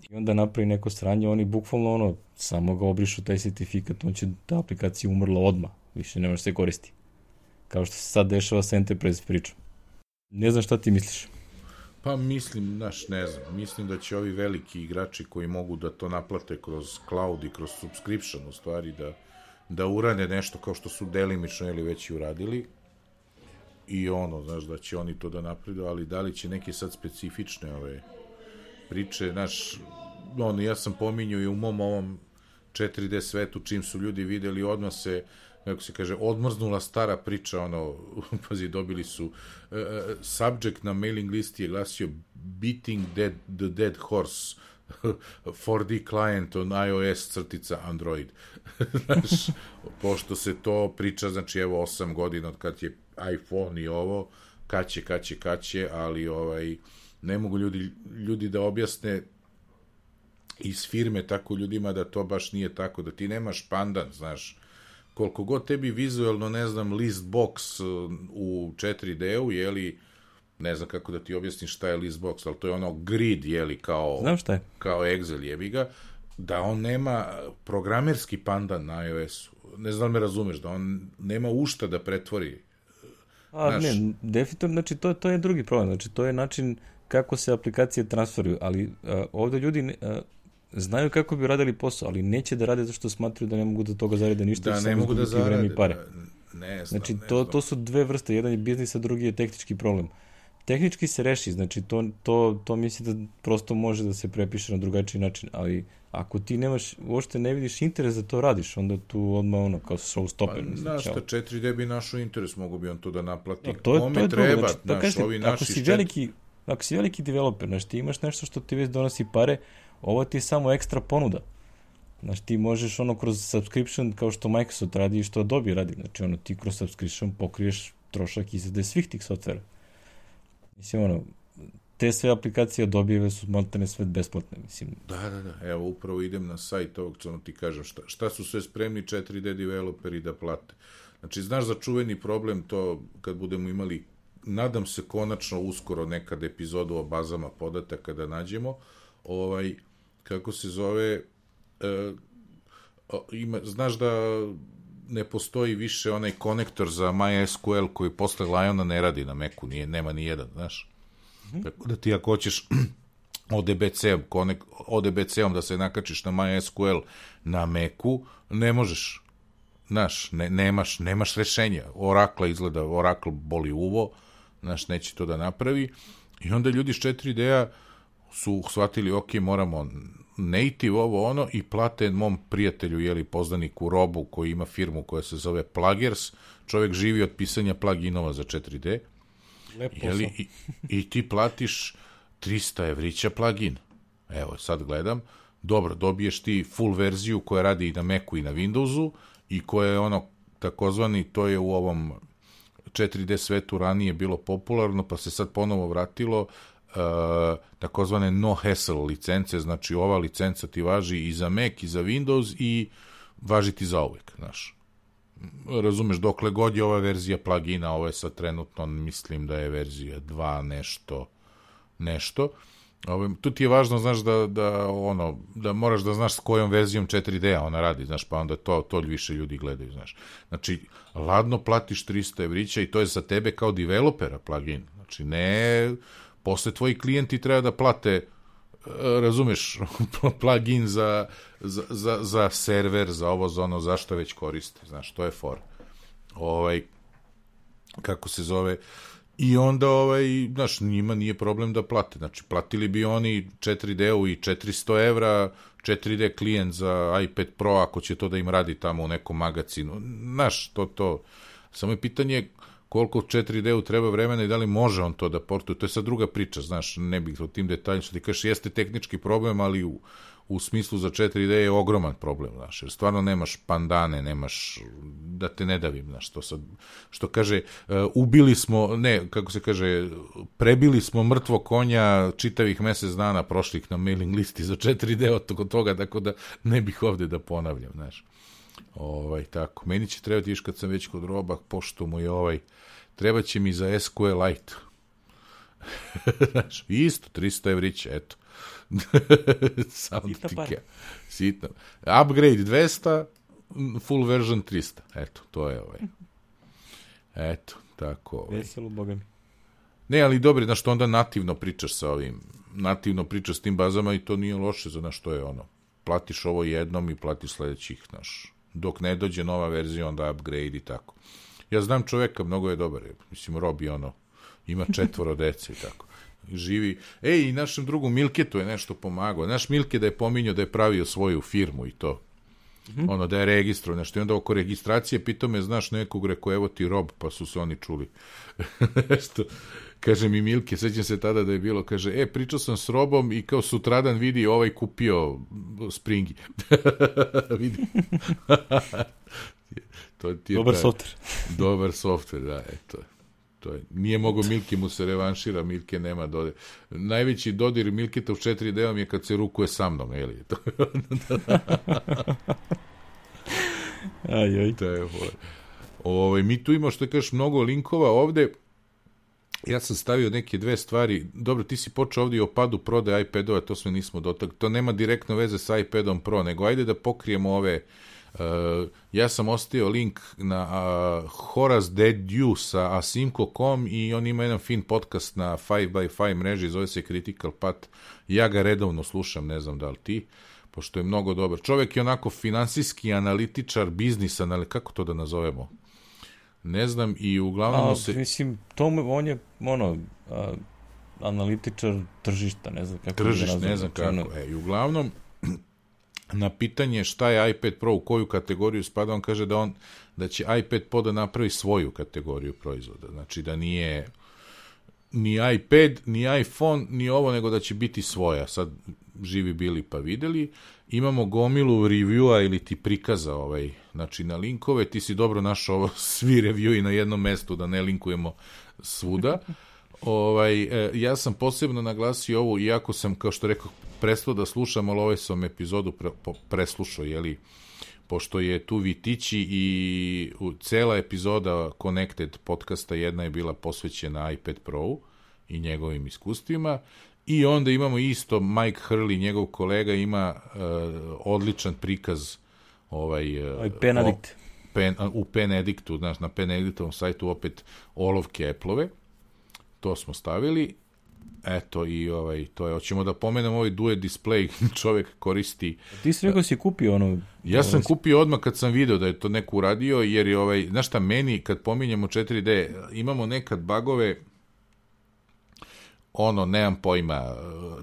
i onda napravi neko sranje, oni bukvalno ono, samo ga obrišu taj sertifikat, on će, ta aplikacija umrla odmah, više ne može se koristi. Kao što se sad dešava sa Enterprise pričom. Ne znam šta ti misliš. Pa mislim, znaš, ne znam, mislim da će ovi veliki igrači koji mogu da to naplate kroz cloud i kroz subscription, u stvari, da, da urade nešto kao što su delimično ili već i uradili i ono, znaš, da će oni to da napredu, ali da li će neke sad specifične ove priče, znaš, ono, ja sam pominjao i u mom ovom četiri D svetu, čim su ljudi videli, odmah se, kako se kaže, odmrznula stara priča, ono, pazi, dobili su, uh, subject na mailing listi je glasio Beating dead, the Dead Horse four D client on iOS crtica Android. Znaš, pošto se to priča, znači, evo, osam godina od kad je iPhone i ovo, kaće, kaće, kaće, ali, ovaj, ne mogu ljudi, ljudi da objasne iz firme tako ljudima da to baš nije tako, da ti nemaš pandan, znaš, koliko god tebi vizualno, ne znam, list box u četiri D-u, jeli, ne znam kako da ti objasnim šta je list box, ali to je ono grid, jeli, kao, znam šta je, kao Excel, jebi ga, da on nema programerski pandan na iOS-u, ne znam da me razumeš, da on nema ušta da pretvori. A, naš... ne, definitivno, znači, to, to je drugi problem, znači, to je način kako se aplikacije transferuju, ali a, ovde ljudi a, znaju kako bi radili posao, ali neće da rade zašto smatraju da ne mogu da toga zarade ništa. Da, ne mogu da zarade. I pare. Da, ne znam, znači, ne to, znam. to su dve vrste, jedan je biznis, a drugi je tehnički problem. Tehnički se reši, znači, to, to, to misli da prosto može da se prepiše na drugačiji način, ali ako ti nemaš, uopšte ne vidiš interes da to radiš, onda tu odmah ono, kao showstopper. Pa, znaš, ta četiri D bi našo interes, mogu bi on to da naplati. No, to je, Kome to je treba, znači, znaš, kažem, ovi ako naši si štet... veliki, ako si veliki developer, znači, ti imaš nešto što ti već donosi pare, ovo ti je samo ekstra ponuda. Znači, ti možeš ono kroz subscription, kao što Microsoft radi i što Adobe radi. Znači, ono, ti kroz subscription pokriješ trošak izrade svih tih softvera. Mislim, ono, te sve aplikacije Adobe su maltene sve besplatne, mislim. Da, da, da. Evo, upravo idem na sajt ovog, što ti kažem, šta, šta su sve spremni četiri D developeri da plate. Znači, znaš za čuveni problem to, kad budemo imali, nadam se konačno uskoro nekad epizodu o bazama podataka da nađemo, ovaj, kako se zove, e, ima, znaš da ne postoji više onaj konektor za MySQL koji posle Liona ne radi na Macu, nije, nema ni jedan, znaš. Mm-hmm. Tako da ti ako hoćeš O D B C-om, konek, O D B C-om da se nakačiš na MySQL na Macu, ne možeš, znaš, ne, nemaš, nemaš rešenja. Oracle izgleda, Oracle boli uvo, znaš, neće to da napravi. I onda ljudi s četiri D-a su shvatili, ok, moramo native ovo ono i plate mom prijatelju, jeli, poznaniku Robu koji ima firmu koja se zove Plugers, čovjek živi od pisanja pluginova za četiri D, jeli, i, i ti platiš trista evrića plugin. Evo, sad gledam, dobro, dobiješ ti full verziju koja radi i na Macu i na Windowsu i koja je ono, takozvani, to je u ovom četiri D svetu ranije bilo popularno, pa se sad ponovo vratilo, Uh, takozvane no hassle licence, znači ova licenca ti važi i za Mac i za Windows i važi ti za uvek, znaš. Razumeš, dokle god je ova verzija plugina, ovo je sad trenutno, mislim da je verzija dva nešto, nešto. Ovo, tu ti je važno, znaš, da, da, ono, da moraš da znaš s kojom verzijom četiri D-a ona radi, znaš, pa onda to, to više ljudi gledaju, znaš. Znači, ladno platiš trista evrića i to je za tebe kao developera plugin, znači ne... Posle tvoji klijenti treba da plate, razumeš, plugin za, za, za, za server, za ovo, za ono, zašto već koriste, znaš, to je for. Ovaj, kako se zove, i onda, ovaj, znaš, njima nije problem da plate, znači, platili bi oni četiri D-u i četiristo evra, četiri D klijent za iPad Pro, ako će to da im radi tamo u nekom magazinu, znaš, to, to, samo je pitanje koliko četiri D-u treba vremena i da li može on to da portuje, to je sad druga priča, znaš, ne bih o tim detaljima, što ti kažeš, jeste tehnički problem, ali u, u smislu za četiri D je ogroman problem, znaš, jer stvarno nemaš pandane, nemaš, da te ne davim, znaš, to sad, što kaže, uh, ubili smo, ne, kako se kaže, prebili smo mrtvo konja čitavih mesec dana prošlih na mailing listi za četiri D od toga, tako da ne bih ovde da ponavljam, znaš. Ovaj, tako, meni će trebati još kad sam već kod roba, pošto mu je ovaj, treba će mi za S Q L Lite. Znaš, isto, tristo evrića, eto. Sitna par. Sitno. Upgrade dvesta, full version tristo. Eto, to je ovaj. Eto, tako. Ovaj. Veselo, boga mi. Ne, ali dobro, znaš, što onda nativno pričaš sa ovim, nativno pričaš s tim bazama i to nije loše, za što je ono. Platiš ovo jednom i platiš sledećih, znaš. Dok ne dođe nova verzija, onda upgrade i tako. Ja znam čoveka, mnogo je dobar. Mislim, Robi ono, ima četvoro dece i tako. Živi. Ej, i našem drugu Milketu je nešto pomagao. Naš Milke da je pominjao da je pravio svoju firmu i to. Mm-hmm. Ono, da je registro, nešto. I onda oko registracije pitao me, znaš nekog, rekao, evo ti Rob, pa su se oni čuli. Nešto. Kaže mi Milke, sećam se tada da je bilo, kaže, e, pričao sam s Robom i kao sutradan vidi ovaj kupio Springi. Vidi. To ti je dobar taj, softver. Dobar softver, da, eto. To je. Nije mogo Milke mu se revanšira, Milke nema dodir. Najveći dodir Milketa u četiri D-om je kad se rukuje sa mnom, je li? aj, aj. To je, ovaj, mi tu imamo, što kažeš, mnogo linkova ovde. Ja sam stavio neke dve stvari. Dobro, ti si počeo ovdje o padu prodaje iPadova, to sve nismo dotakli. To nema direktno veze sa iPadom Pro, nego ajde da pokrijemo ove. Uh, ja sam ostavio link na uh, Horace Dediu sa asimco dot com i on ima jedan fin podcast na five by five mreži, zove se Critical Path. Ja ga redovno slušam, ne znam da li ti, pošto je mnogo dobar. Čovjek je onako finansijski analitičar, biznis analitičar, kako to da nazovemo? Ne znam, i uglavnom a, se... Mislim, to on je, ono, a, analitičar tržišta, ne znam kako... Tržišta, ne znam kako. Ono... E, i uglavnom, na pitanje šta je iPad Pro, u koju kategoriju spada, on kaže da on, da će iPad Pro da napravi svoju kategoriju proizvoda. Znači da nije ni iPad, ni iPhone, ni ovo, nego da će biti svoja. Sad živi bili pa videli. Imamo gomilu reviewa ili ti prikaza ovaj, znači na linkove, ti si dobro našao ovo, svi reviewi na jednom mestu, da ne linkujemo svuda. Ovaj, ja sam posebno naglasio ovo, iako sam, kao što rekao, prestao da slušam, ali ovaj sam epizodu pre, preslušao, jeli, pošto je tu Vitići i u, cela epizoda Connected podcasta, jedna je bila posvećena iPad Pro i njegovim iskustvima. I onda imamo isto Mike Hurley, njegov kolega, ima uh, odličan prikaz ovaj, uh, Pen Addict. O, pen, u Pen Addictu, znaš, na Pen Addictovom sajtu opet olovke Apple-ove. To smo stavili. Eto, i ovaj, to je, hoćemo da pomenemo ovaj Duet Display, čovjek koristi... Ti si rekao si kupio ono... Ja sam kupio odmah kad sam video da je to neko uradio, jer je ovaj, znaš šta, meni, kad pominjemo četiri D, imamo nekad bagove, ono, nemam pojma,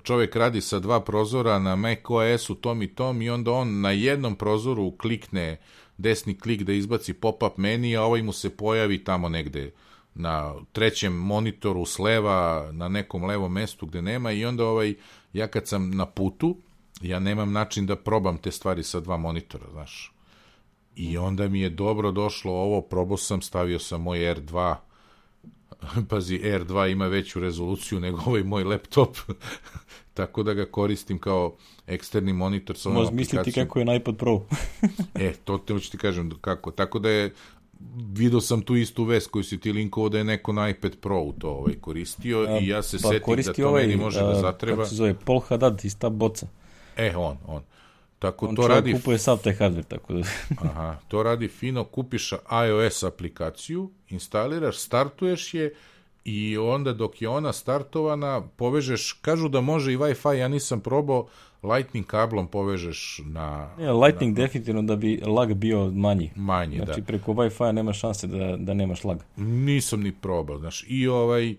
čovjek radi sa dva prozora na macOS-u tom i tom i onda on na jednom prozoru klikne desni klik da izbaci pop-up meni, a ovaj mu se pojavi tamo negde na trećem monitoru s leva, na nekom levom mestu gde nema, i onda ovaj, ja kad sam na putu, ja nemam način da probam te stvari sa dva monitora, znaš. I onda mi je dobro došlo ovo, probao sam, stavio sam moj R dva, pazi, R dva ima veću rezoluciju nego ovaj moj laptop, tako da ga koristim kao eksterni monitor sa ovom aplikacijom. Možeš misliti kako je na iPad Pro. E, to te hoću ti kažem kako. Tako da je, vidio sam tu istu vest koju si ti linkovao da je neko na iPad Pro to ovaj koristio a, i ja se pa setim da to ovaj, meni može a, da zatreba. Kako se zove, Paul Haddad iz ta boca. E, on, on. Tako on to radi... kupuje sav taj hardware, tako da... Aha, to radi fino, kupiš iOS aplikaciju, instaliraš, startuješ je i onda dok je ona startovana, povežeš, kažu da može i Wi-Fi, ja nisam probao, Lightning kablom povežeš na... Ne, Lightning na, definitivno da bi lag bio manji. Manji, znači, da. Znači, preko Wi-Fi nema šanse da, da nemaš lag. Nisam ni probao, znaš, i ovaj...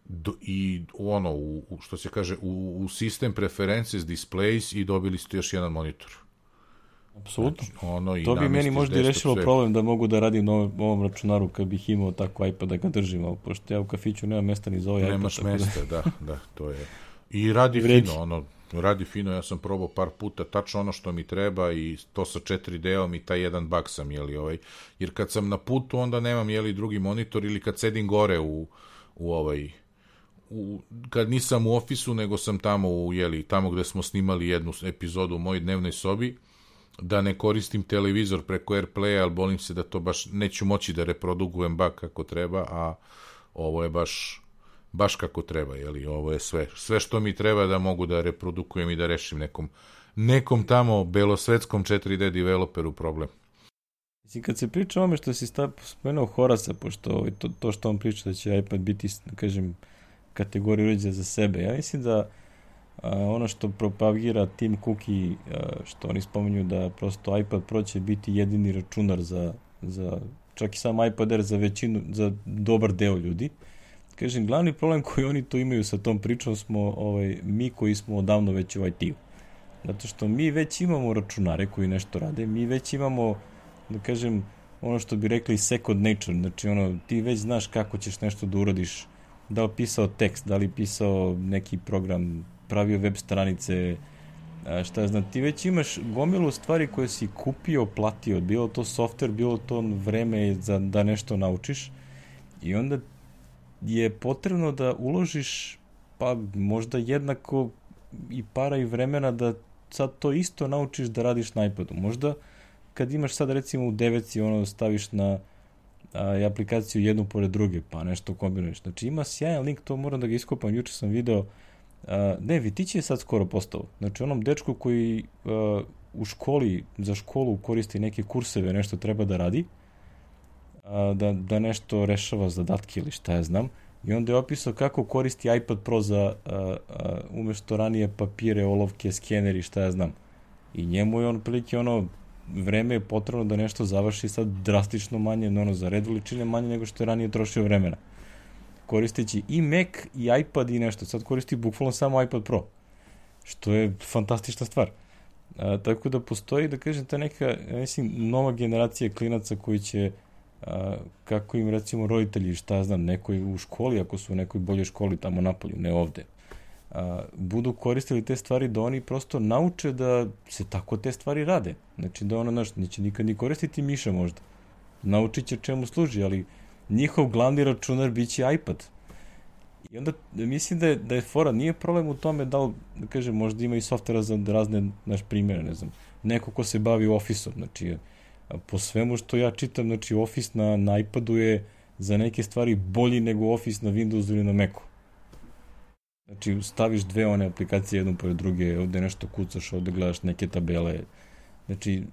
Do, i ono, u, što se kaže, u, u sistem preferences displays i dobili ste još jedan monitor. Apsolutno. Znači, ono, i to bi meni možda i rešilo sve. problem da mogu da radim na ovom računaru kad bih imao tako iPad da ga držim, ali pošto ja u kafiću nemam mesta ni za ovaj Nemaš iPad. mesta, da... da, da, to je. I radi Vredi. fino, ono, radi fino, ja sam probao par puta, tačno ono što mi treba i to sa četiri D-om i taj jedan bug sam, jeli, ovaj, jer kad sam na putu, onda nemam, jeli, drugi monitor ili kad sedim gore u, u ovaj, u, kad nisam u ofisu, nego sam tamo u, jeli, tamo gde smo snimali jednu epizodu u mojoj dnevnoj sobi, da ne koristim televizor preko AirPlaya, ali bolim se da to baš neću moći da reprodukujem bug kako treba, a ovo je baš baš kako treba, jeli, ovo je sve sve što mi treba da mogu da reprodukujem i da rešim nekom nekom tamo belosvetskom četiri D developeru problem. Mislim, kad se priča o ome što si spomenuo Horasa, pošto to, to što on priča da će iPad biti, da kažem, kategorija uređaja za sebe, ja mislim da a, ono što propagira Tim Cook i a, što oni spominju da prosto iPad Pro će biti jedini računar za, za čak i sam iPad Air za većinu, za dobar deo ljudi. Kažem, glavni problem koji oni tu imaju sa tom pričom smo ovaj, mi koji smo odavno već u I T-u. Zato što mi već imamo računare koji nešto rade, mi već imamo, da kažem, ono što bi rekli second nature, znači ono, ti već znaš kako ćeš nešto da uradiš, da li pisao tekst, da li pisao neki program, pravio web stranice, šta ja znam, ti već imaš gomilu stvari koje si kupio, platio, bilo to software, bilo to vreme za, da nešto naučiš i onda je potrebno da uložiš pa možda jednako i para i vremena da sad to isto naučiš da radiš na iPadu. Možda kad imaš sad recimo u deveci ono staviš na a, aplikaciju jednu pored druge pa nešto kombinuješ. Znači ima sjajan link, to moram da ga iskopam, juče sam video a, ne, Vitić je sad skoro postao. Znači onom dečku koji a, u školi, za školu koristi neke kurseve, nešto treba da radi, Da, da nešto rešava zadatke ili šta ja znam. I onda je opisao kako koristi iPad Pro za a, a, umesto ranije papire, olovke, skeneri, šta ja znam. I njemu je on prilike ono vreme je potrebno da nešto završi sad drastično manje, ono za red veličine manje nego što je ranije trošio vremena. Koristeći i Mac i iPad i nešto. Sad koristi bukvalno samo iPad Pro. Što je fantastična stvar. A, tako da postoji, da kažem, ta neka, ja mislim, nova generacija klinaca koji će a, kako im recimo roditelji, šta znam, nekoj u školi, ako su u nekoj boljoj školi tamo napolju, ne ovde, a, budu koristili te stvari da oni prosto nauče da se tako te stvari rade. Znači da ono, znaš, neće nikad ni koristiti miša možda. Naučit će čemu služi, ali njihov glavni računar bit će iPad. I onda mislim da je, da je fora, nije problem u tome da li, da kažem, možda ima i softvera za razne, naš primjere, ne znam, neko ko se bavi Office-om, znači po svemu što ja čitam, znači Office na, na iPadu je za neke stvari bolji nego Office na Windowsu ili na Macu. Znači staviš dve one aplikacije jednu pored druge, ovde nešto kucaš, ovde gledaš neke tabele. Znači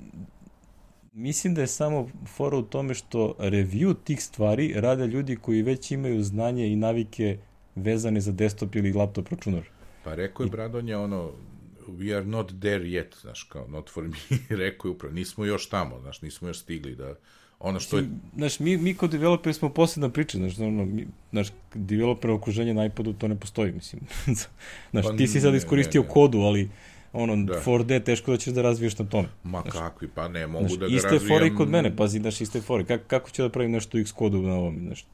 mislim da je samo fora u tome što review tih stvari rade ljudi koji već imaju znanje i navike vezane za desktop ili laptop računar. Pa rekao je Bradonja ono, we are not there yet, znaš, kao not for me, rekao je upravo, nismo još tamo, znaš, nismo još stigli da, ono što je... Znaš, mi, mi kao developeri smo posebna priča, znaš, ono, mi, znaš, developer okruženje na iPadu to ne postoji, mislim. Znaš, pa, ti si sad iskoristio ne, ne, ne. kodu, ali ono, da. four D teško da ćeš da razviješ na tome. Ma znaš, kakvi, pa ne, mogu znaš, da ga razvijam... Iste fore i kod mene, pazi, znaš, iste fore. Kako, kako ću da pravim nešto u Xcodu na ovom, znaš?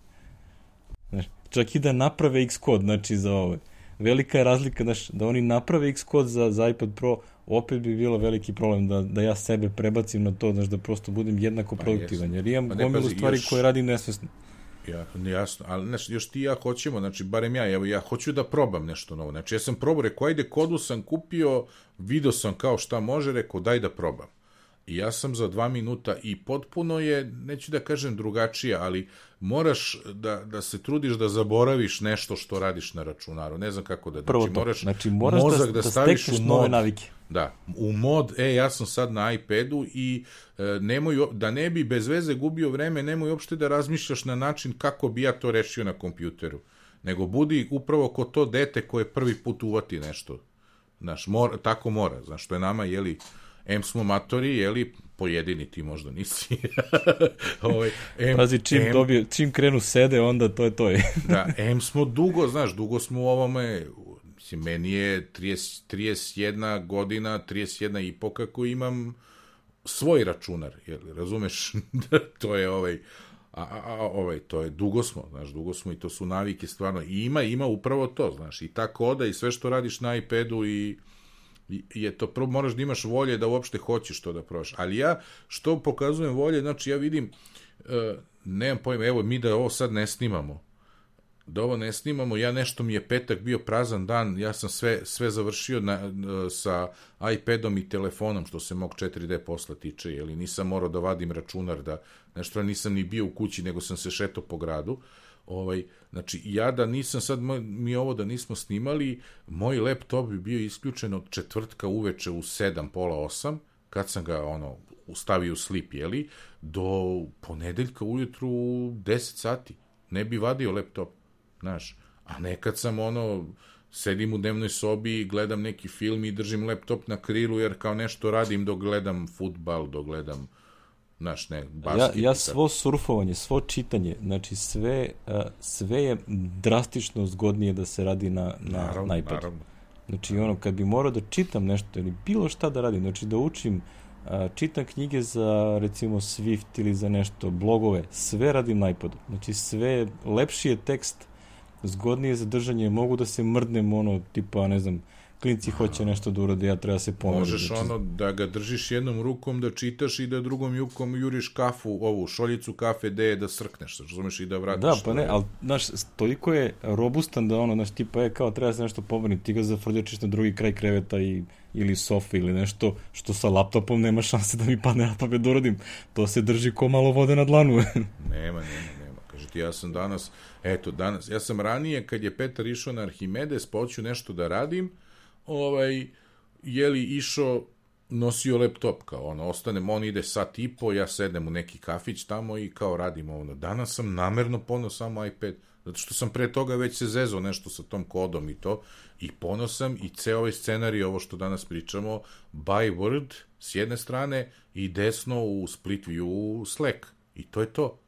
Znaš, čak i da naprave Xcode, znači, za ove. Velika je razlika, znaš, da oni naprave Xcode za, za iPad Pro, opet bi bilo veliki problem da, da ja sebe prebacim na to, znaš, da prosto budem jednako pa produktivan, jer imam pa gomilu stvari još... koje radim nesvesno. Ja, jasno, ali znaš, još ti i ja hoćemo, znači, barem ja, evo, ja hoću da probam nešto novo. Znači, ja sam probao, rekao, ajde, kodu sam kupio, video sam kao šta može, rekao, daj da probam. I ja sam za dva minuta i potpuno je, neću da kažem drugačija, ali moraš da, da se trudiš da zaboraviš nešto što radiš na računaru. Ne znam kako da... Prvo znači, to, moraš, znači moraš mozak da, da, da staviš u mod, nove navike. Da, u mod, e, ja sam sad na iPadu i e, nemoj, da ne bi bez veze gubio vreme, nemoj uopšte da razmišljaš na način kako bi ja to rešio na kompjuteru. Nego budi upravo ko to dete koje prvi put uvati nešto. Znaš, mora, tako mora. Znaš, što je nama, jeli... Em smo matori, jeli, pojedini ti možda nisi. ovaj, em, Pazi, čim, em, dobije, čim krenu sede, onda to je to je. Da, em smo dugo, znaš, dugo smo u ovome, mislim, meni je trideset, trideset jedna godina, trideset jedna i po kako imam svoj računar, jel, razumeš, to je ovaj, a, a, a, ovaj, to je, dugo smo, znaš, dugo smo i to su navike stvarno, i ima, ima upravo to, znaš, i ta koda i sve što radiš na iPadu i, i je to, prvo moraš da imaš volje da uopšte hoćeš to da probaš, ali ja, što pokazujem volje, znači ja vidim, uh, nemam pojma, evo, mi da ovo sad ne snimamo, da ovo ne snimamo, ja nešto mi je petak bio prazan dan, ja sam sve, sve završio na, sa iPadom i telefonom, što se mog četiri D posla tiče, jeli nisam morao da vadim računar, da nešto nisam ni bio u kući, nego sam se šetao po gradu. Ovaj, znači, ja da nisam sad, mi ovo da nismo snimali, moj laptop bi bio isključen od četvrtka uveče u sedam, pola osam, kad sam ga, ono, stavio u slip, jeli, do ponedeljka ujutru u deset sati. Ne bi vadio laptop. Znaš, a nekad sam ono, sedim u dnevnoj sobi i gledam neki film i držim laptop na krilu jer kao nešto radim dok gledam fudbal, dok gledam, znaš, ne, basket. Ja, ja svo surfovanje, svo čitanje, znači sve, sve je drastično zgodnije da se radi na, na, naravno, na iPadu. Naravno. Znači ono, kad bi morao da čitam nešto ili bilo šta da radim, znači da učim, čitam knjige za recimo Swift ili za nešto, blogove, sve radim na iPadu. Znači sve, lepši je tekst, zgodnije za držanje, mogu da se mrdnem, ono, tipa, ne znam, klinci hoće nešto da urade, ja treba se pomoći. Možeš znači, ono, da ga držiš jednom rukom, da čitaš i da drugom rukom juriš kafu, ovu šoljicu kafe, gde je da srkneš, razumeš, i da vratiš. Da, pa ne, ali, znaš, toliko je robustan da ono, znaš, tipa, je kao, treba se nešto pomoći, ti ga zafrljačiš na drugi kraj kreveta i, ili sofe ili nešto, što sa laptopom nema šanse da mi padne na pamet da uradim. To se drži ko malo vode na dlanu. nema, nema, nema. Kaže ti, ja sam danas, eto, danas, ja sam ranije, kad je Petar išao na Arhimedes, pa hoću nešto da radim, ovaj, je li išao, nosio laptop, kao ono, ostanem, on ide sat i po, ja sedem u neki kafić tamo i kao radim ono. Danas sam namerno poneo samo iPad, zato što sam pre toga već se zezao nešto sa tom kodom i to, i poneo sam i ceo ovaj scenarij, ovo što danas pričamo, by Word s jedne strane i desno u split view u Slack. I to je to.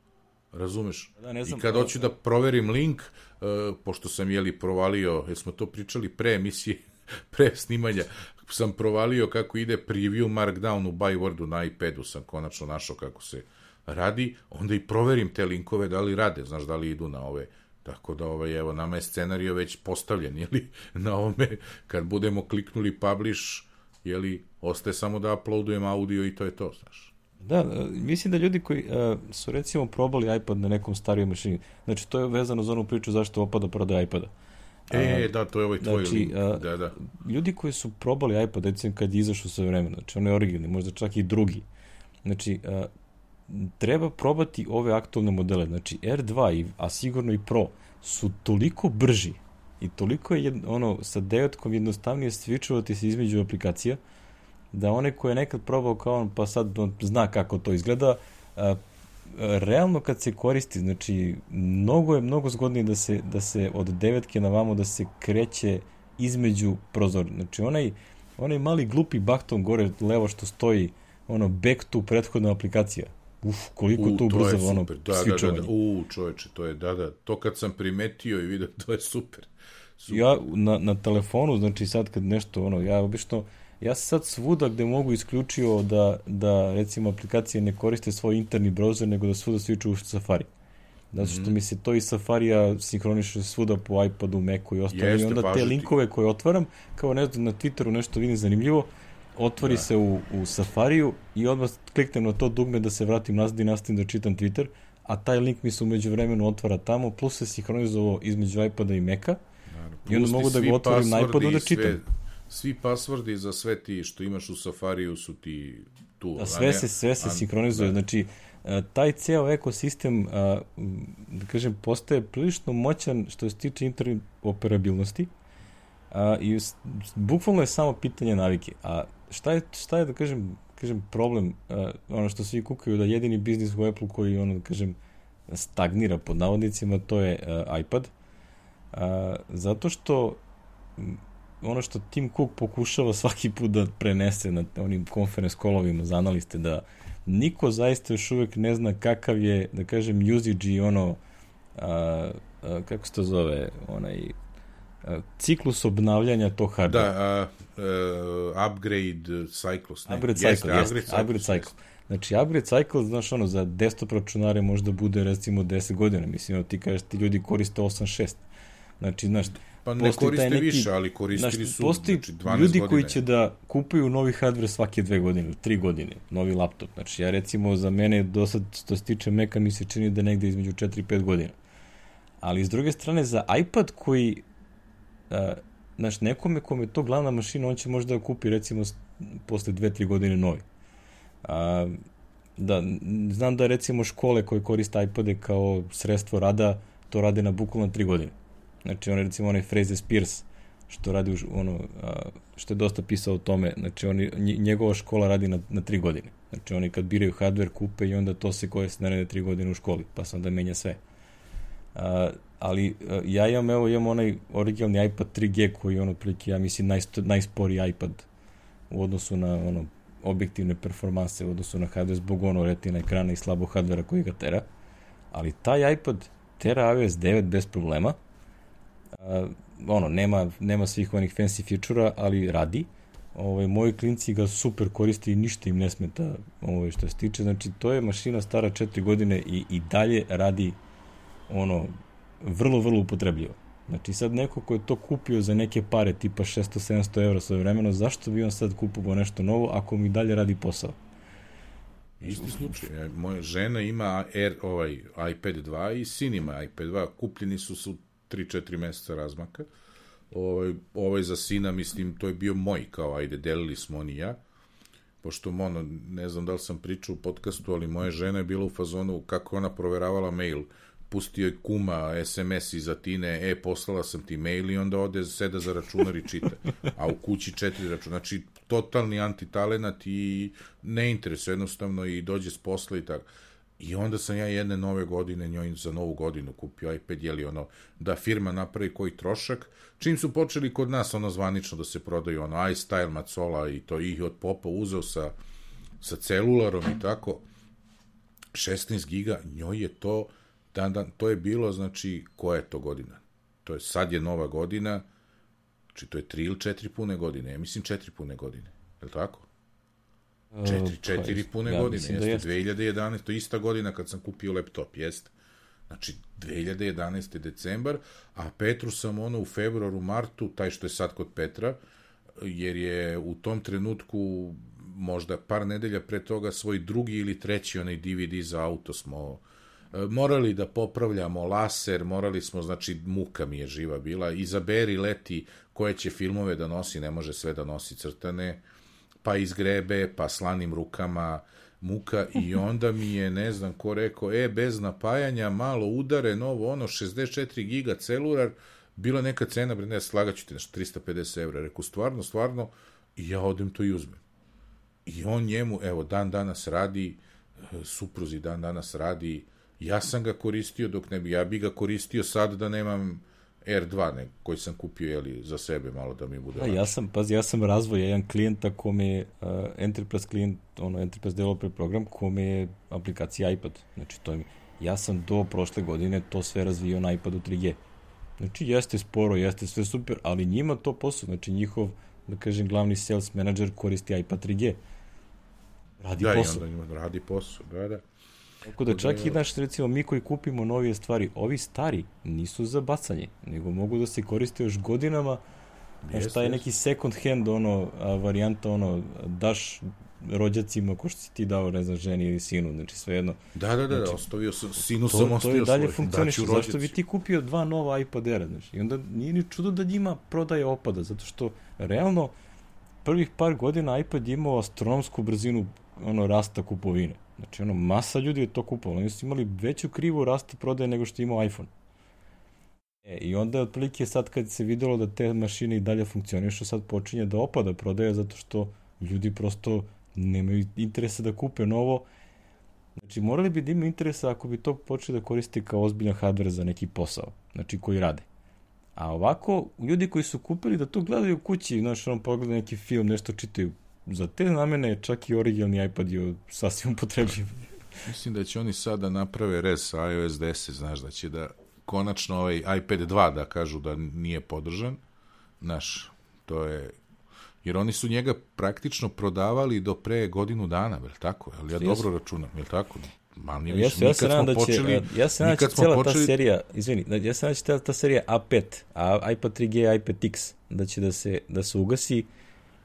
Razumeš? Da, ne znam, I kad pa, hoću da proverim link, uh, pošto sam, jeli, provalio, jer smo to pričali pre emisije, pre snimanja, sam provalio kako ide preview Markdown u by Wordu na iPadu, sam konačno našao kako se radi, onda i proverim te linkove da li rade, znaš, da li idu na ove, tako da, ovaj, evo, nama je scenario već postavljen, jeli, na ovome, kad budemo kliknuli publish, jeli, ostaje samo da uploadujem audio i to je to, znaš. Da, mislim da ljudi koji uh, su recimo probali iPad na nekom starijoj mašini, znači to je vezano za onu priču zašto opada prodaja iPada. E, uh, da, to je ovaj tvoj znači, link. Uh, da, da. Ljudi koji su probali iPad, recimo kad je izašao sve vremena, znači on je originalni, možda čak i drugi, znači uh, treba probati ove aktualne modele, znači R dva, i, a sigurno i Pro, su toliko brži i toliko je jedno, ono, sa devetkom jednostavnije switchovati se između aplikacija, da one koje je nekad probao kao on, pa sad on zna kako to izgleda, a, realno kad se koristi, znači mnogo je mnogo zgodnije da se, da se od devetke na vamo da se kreće između prozora. Znači onaj, onaj mali glupi bakton gore levo što stoji, ono back to prethodna aplikacija. Uf, koliko U, to ubrzava ono switchovanje. Da, da, da. U, čoveče, to je, da, da, to kad sam primetio i vidio, to je super. super. Ja na, na telefonu, znači sad kad nešto, ono, ja obično ja sam sad svuda gde mogu isključio da, da recimo aplikacije ne koriste svoj interni browser, nego da svuda switchu u Safari. Zato što mm-hmm. mi se to i Safarija sinhroniše svuda po iPadu, Macu i ostalo. I onda te linkove koje otvaram, kao ne znam, na Twitteru nešto vidim zanimljivo, otvori da. se u, u Safariju i odmah kliknem na to dugme da se vratim nazad i nastavim da čitam Twitter, a taj link mi se umeđu vremenu otvara tamo, plus se sinhronizovao između iPada i Maca, i onda mogu da ga otvorim na iPadu da čitam. Sve... Svi pasvordi za sve ti što imaš u Safariju su ti tu. A sve se, sve se sinkronizuje. Znači, taj ceo ekosistem, da kažem, postaje prilično moćan što se tiče interoperabilnosti i bukvalno je samo pitanje navike. A šta je, šta je da kažem, kažem problem, ono što svi kukaju da jedini biznis u Apple koji, ono, da kažem, stagnira pod navodnicima, to je iPad. Zato što ono što Tim Cook pokušava svaki put da prenese na onim conference callovima za analiste, da niko zaista još uvek ne zna kakav je, da kažem, usage i ono, a, a, kako se to zove, onaj a, ciklus obnavljanja tog hardware. Da, a, uh, upgrade cycles. Ne? Upgrade cycle, jeste, upgrade, cycle, upgrade cycle. Znači, upgrade cycle, znaš, ono, za desktop računare možda bude, recimo, deset godina. Mislim, ti kažeš, ti ljudi koriste osam šest. Znači, znaš, pa ne koriste neki, više, ali koristili znaš, su postoji znači, dvanaest ljudi godine. Koji će da kupuju novi hardware svake dve godine, tri godine, novi laptop. Znači, ja recimo, za mene, do sad, što se tiče Maca, mi se čini da negde između četiri pet godina. Ali, s druge strane, za iPad koji, a, znaš, nekome kome je to glavna mašina, on će možda da kupi, recimo, posle dve tri godine novi. A, da, znam da recimo škole koje koriste iPade kao sredstvo rada, to rade na bukvalno tri godine. Znači, on recimo onaj Fraser Spears, što radi ono, a, što je dosta pisao o tome, znači oni, njegova škola radi na, na tri godine. Znači, oni kad biraju hardware kupe i onda to se koriste naredne tri godine u školi, pa se onda menja sve. A, ali a, ja imam, evo, imam onaj originalni iPad tri G koji je ono prilike, ja mislim, najsto, najsporiji iPad u odnosu na ono objektivne performanse u odnosu na hardware zbog ono retina ekrana i slabo hardvera koji ga tera. Ali taj iPad tera iOS devet bez problema. Uh, ono, nema, nema svih onih fancy feature-a, ali radi. Ovaj, moji klinci ga super koriste i ništa im ne smeta ovaj, što se tiče. Znači, to je mašina stara četiri godine i, i dalje radi ono, vrlo, vrlo upotrebljivo. Znači, sad neko ko je to kupio za neke pare, tipa šesto sedamsto evra svoje vremeno, zašto bi on sad kupovao nešto novo ako mi dalje radi posao? Isti slučaj. Moja žena ima Air, ovaj, iPad dva i sin ima iPad dva. Kupljeni su su tri četiri meseca razmaka. Ovaj, ovaj za sina, mislim, to je bio moj, kao, ajde, delili smo on i ja. Pošto, ono, ne znam da li sam pričao u podcastu, ali moja žena je bila u fazonu kako ona proveravala mail. Pustio je kuma es em es iza Tine, e, poslala sam ti mail i onda ode, seda za računar i čita. A u kući četiri računa. Znači, totalni antitalenat i ne interesuje jednostavno i dođe s posla i tako. I onda sam ja jedne nove godine njoj za novu godinu kupio iPad, jeli ono, da firma napravi koji trošak. Čim su počeli kod nas ono zvanično da se prodaju, ono, iStyle, Macola i to ih od popa uzeo sa, sa celularom i tako, šesnaest giga, njoj je to Dan, dan, to je bilo, znači, koja je to godina? To je, sad je nova godina, znači to je tri ili četiri pune godine, ja mislim četiri pune godine, je li tako? Četiri, četiri pune ja, godine, jeste, jeste, dve hiljade jedanaeste, to je ista godina kad sam kupio laptop, jeste. Znači, dve hiljade jedanaeste decembar, a Petru sam ono u februaru, martu, taj što je sad kod Petra, jer je u tom trenutku, možda par nedelja pre toga, svoj drugi ili treći onaj D V D za auto smo morali da popravljamo laser, morali smo, znači, muka mi je živa bila, izaberi leti koje će filmove da nosi, ne može sve da nosi crtane, pa izgrebe, pa slanim rukama, muka, i onda mi je, ne znam ko rekao, e, bez napajanja, malo udare, novo, ono, šezdeset četiri giga celular, bila neka cena, bre, ne, slagaću ti, nešto, trista pedeset evra, rekao, stvarno, stvarno, i ja odem to i uzmem. I on njemu, evo, dan danas radi, supruzi dan danas radi, ja sam ga koristio dok ne bi, ja bi ga koristio sad da nemam R dva, ne, koji sam kupio, jeli, za sebe malo da mi bude. A, ja sam, pazi, ja sam razvoj jedan klijenta kome je uh, Enterprise klijent, ono, Enterprise Developer program, kome je aplikacija iPad. Znači, to je, ja sam do prošle godine to sve razvio na iPadu tri G. Znači, jeste sporo, jeste sve super, ali njima to posao, znači, njihov, da kažem, glavni sales manager koristi iPad tri G. Radi da, posao. Da, i onda njima radi posao, da, da. Tako da čak i, naš, recimo, mi koji kupimo novije stvari, ovi stari nisu za bacanje, nego mogu da se koriste još godinama, yes, šta je yes. neki second hand, ono, a, varijanta, ono, daš rođacima, ko što si ti dao, ne znam, ženi ili sinu, znači svejedno. Da, da, da, znači, ostavio sam, sinu to, sam ostavio svoj. To je dalje funkcioniše, zašto bi ti kupio dva nova iPad Air, znači, i onda nije ni čudo da njima prodaje opada, zato što, realno, prvih par godina iPad je imao astronomsku brzinu, ono, rasta kupovine. Znači, ono, masa ljudi je to kupovalo. Oni su imali veću krivu rasta prodaje nego što je imao iPhone. E, i onda, otprilike, sad kad se videlo da te mašine i dalje funkcionišu, sad počinje da opada prodaja, zato što ljudi prosto nemaju interesa da kupe novo. Znači, morali bi da imaju interesa ako bi to počeli da koriste kao ozbiljan hardware za neki posao, znači, koji rade. A ovako, ljudi koji su kupili da to gledaju u kući, znači, ono, pogledaju neki film, nešto čitaju, za te namene čak i originalni iPad je sasvim upotrebljiv. Mislim da će oni sada naprave rez sa iOS deset, znaš, da će da konačno ovaj iPad dva da kažu da nije podržan. Znaš, to je jer oni su njega praktično prodavali do pre godinu dana, je li tako? Jel ja dobro računam, je li tako? Manje više, ja, ja se nadam da će, počeli, ja se nadam da će cijela počeli... ta serija, izvini, ja se nadam da će ta, ta serija A pet, a iPad tri G, iPad X, da će da se, da se ugasi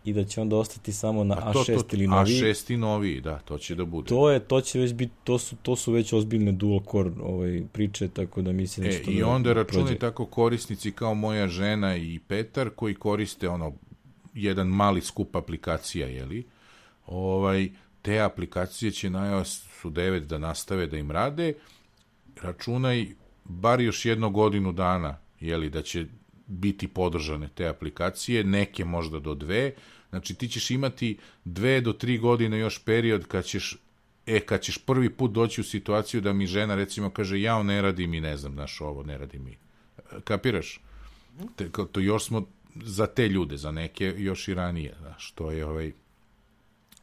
i da će onda ostati samo na A šest to, to, ili novi. A šest i novi, da, to će da bude. To je, to će već biti, to su, to su već ozbiljne dual core ovaj, priče, tako da mislim... E, i da onda računi tako korisnici kao moja žena i Petar, koji koriste ono, jedan mali skup aplikacija, jeli? Ovaj, te aplikacije će na iOS devet da nastave da im rade, računaj bar još jednu godinu dana, jeli, da će biti podržane te aplikacije, neke možda do dve, znači ti ćeš imati dve do tri godine još period kad ćeš, e, kad ćeš prvi put doći u situaciju da mi žena recimo kaže jao ne radi mi, ne znam, znaš ovo, ne radi mi. Kapiraš? Te, to još smo za te ljude, za neke još i ranije, znaš, to je ovaj,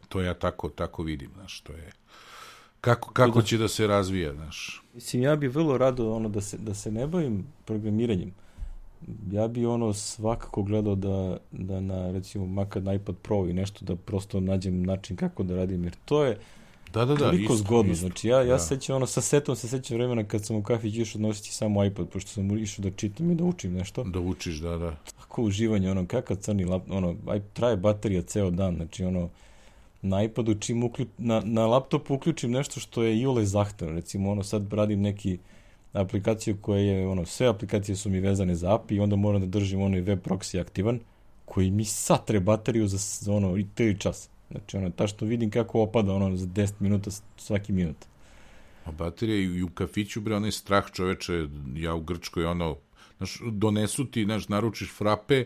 to ja tako, tako vidim, znaš, to je kako, kako će da se razvija, znaš. Mislim, ja bih vrlo rado ono da se, da se ne bavim programiranjem. Ja bi ono svakako gledao da, da na, recimo, makar na iPad Pro i nešto da prosto nađem način kako da radim, jer to je da, da, da, toliko isto, zgodno. isto. Znači, ja, ja da. sećam, ono, sa setom se sećam vremena kad sam u kafić išao nositi samo iPad, pošto sam išao da čitam i da učim nešto. Da učiš, da, da. Tako uživanje, ono, kakav crni lap, ono, traje baterija ceo dan, znači, ono, na iPadu čim uključ, na, na laptopu uključim nešto što je iole zahtevno, recimo, ono, sad radim neki aplikaciju koja je, ono, sve aplikacije su mi vezane za A P I i onda moram da držim onaj web proxy aktivan, koji mi satre bateriju za, za ono, i tri čas. Znači, ono, ta što vidim kako opada, ono, za deset minuta svaki minut. A baterija i u kafiću, bre, onaj strah čoveče, ja u Grčkoj, ono, znaš, donesu ti, znaš, naručiš frape,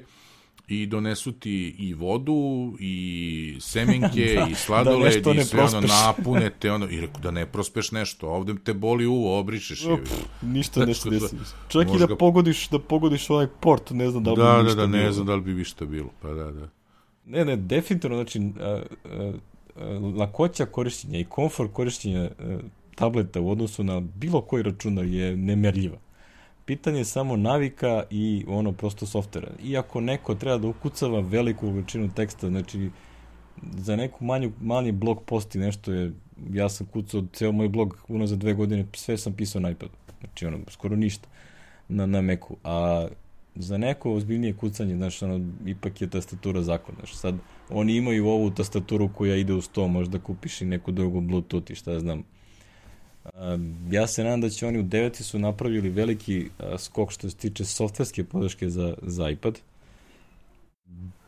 i donesu ti i vodu, i semenke, da, i sladoled, da i sve prospeš. Ono napunete, ono, i reku da ne prospeš nešto, ovde te boli uvo, obrišeš. Op, ništa ne se desi. Čak i da ga... pogodiš, da pogodiš onaj port, ne znam da li da, bi da, da, bilo. ne znam da li bi višta bilo, pa da, da. Ne, ne, definitivno, znači, a, a, a, lakoća korišćenja i komfort korišćenja a, tableta u odnosu na bilo koji računar je nemerljiva. Pitanje je samo navika i ono prosto softvera. Iako neko treba da ukucava veliku količinu teksta, znači za neku manju, manji blog post i nešto je, ja sam kucao ceo moj blog uno za dve godine, sve sam pisao na iPadu. Znači ono, skoro ništa na, na Macu. A za neko ozbiljnije kucanje, znači ono, ipak je tastatura zakon. Znači sad, oni imaju ovu tastaturu koja ide uz to, možda kupiš i neku drugu Bluetooth i šta ja znam. Uh, ja se nadam da će oni u deveti su napravili veliki uh, skok što se tiče softverske podrške za, za iPad.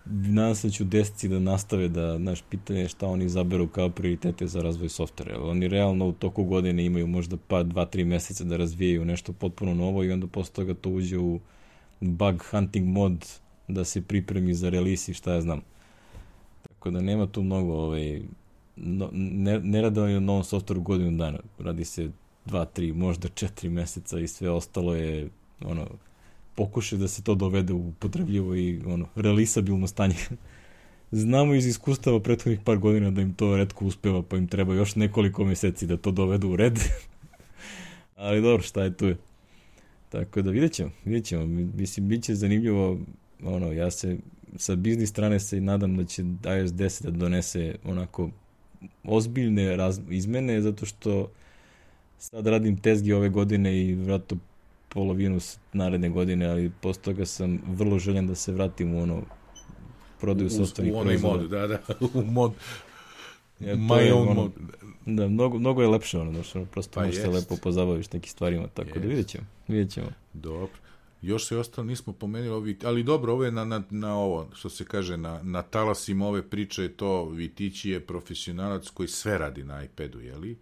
Nadam se da će u deseti da nastave da, znaš, pitanje je šta oni izaberu kao prioritete za razvoj softvera. Oni realno u toku godine imaju možda pa dva, tri meseca da razvijaju nešto potpuno novo i onda posle toga to uđe u bug hunting mod da se pripremi za release i šta ja znam. Tako da nema tu mnogo ovaj, No, ne, ne rade oni na novom softveru godinu dana, radi se dva, tri, možda četiri meseca i sve ostalo je ono, pokušaj da se to dovede u upotrebljivo i ono, realisabilno stanje. Znamo iz iskustava prethodnih par godina da im to retko uspeva, pa im treba još nekoliko meseci da to dovedu u red. Ali dobro, šta je tu je. Tako da vidjet ćemo, vidjet ćemo. Mislim, bit će zanimljivo, ono, ja se sa biznis strane se nadam da će iOS deset da donese onako ozbiljne raz, izmene, zato što sad radim tezgi ove godine i vratno polovinu naredne godine, ali posle toga sam vrlo željen da se vratim u ono prodaju softvernih proizvoda. U onaj mod, da, da, u mod, ja, my own ono, mod. Da, mnogo, mnogo je lepše ono, znači, prosto pa možeš se lepo pozabaviš nekim stvarima, tako jest. Da vidjet ćemo, vidjet ćemo. Dobro. Još se ostalo nismo pomenuli ovi, ali dobro, ovo je na, na, na ovo, što se kaže, na, na talasima ove priče, to Vitići je profesionalac koji sve radi na iPadu, jeli?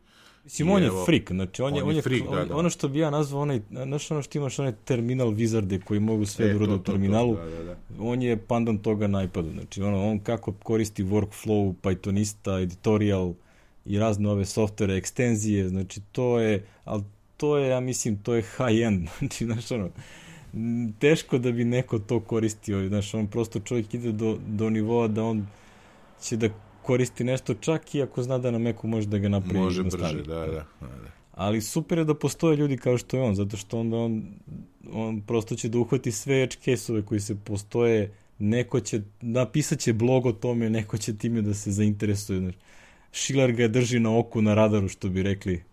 Mislim, on je evo, freak, znači on, on je, on je freak, on, da, da. Ono što bi ja nazvao, onaj, znaš ono što imaš, onaj terminal wizarde koji mogu sve e, da urode u terminalu, to, da, da, da. On je pandan toga na iPadu, znači ono, on kako koristi workflow, Pythonista, editorial i razne ove softvere, ekstenzije, znači to je, ali to je, ja mislim, to je high-end, znači, znaš ono, teško da bi neko to koristio, znaš, on prosto čovjek ide do, do nivoa da on će da koristi nešto čak i ako zna da na Macu može da ga napravi. Može brže, da, da, da. Ali super je da postoje ljudi kao što je on, zato što onda on, on prosto će da uhvati sve edge case-ove koji se postoje, neko će, napisat će blog o tome, neko će time da se zainteresuje. Znaš. Schiller ga drži na oku, na radaru, što bi rekli.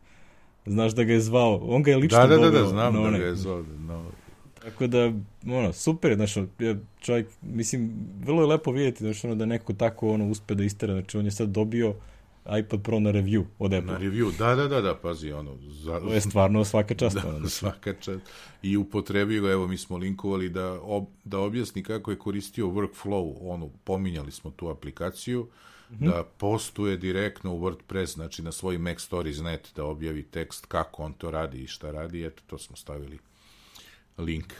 Znaš da ga je zvao. On ga je lično da, da, doveo. Da, da, znam no, da ne. ga je zvao. No. Tako da, ono, super, znaš, čovjek, mislim, vrlo je lepo vidjeti, znaš, ono, da neko tako, ono, uspe da istera, znači, on je sad dobio iPad Pro na review od Apple. Na review, da, da, da, da, pazi, ono... Za... To je stvarno svaka čast. Da, ono, svaka čast. I upotrebio ga, evo, mi smo linkovali da, ob, da objasni kako je koristio workflow, ono, pominjali smo tu aplikaciju, mm-hmm. da postuje direktno u WordPress, znači na svoj Mac Stories dot net da objavi tekst kako on to radi i šta radi, eto, to smo stavili link.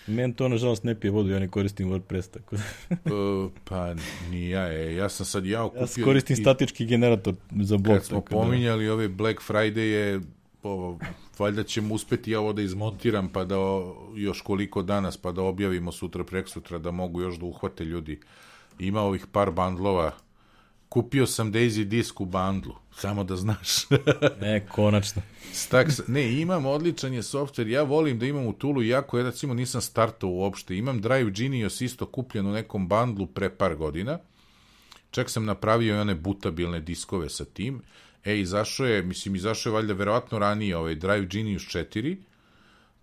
Meni to, nažalost, ne pije vodu, ja ne koristim WordPress, tako da... uh, pa, nija, e, ja sam sad ja okupio... Ja koristim i, statički generator za blog. Kad smo pominjali da... ove Black Friday je, ovo, valjda ćemo uspeti ja ovo da izmontiram, pa da o, još koliko danas, pa da objavimo sutra, preksutra, da mogu još da uhvate ljudi. Ima ovih par bandlova. Kupio sam Daisy Disk u bandlu, samo da znaš. Ne, konačno. Staks, ne, imam odličan je softver, ja volim da imam u Toolu, jako ja recimo nisam startao uopšte, imam Drive Genius isto kupljen u nekom bandlu pre par godina, čak sam napravio i one butabilne diskove sa tim, e, izašao je, mislim, izašao je valjda verovatno ranije ovaj Drive Genius četiri,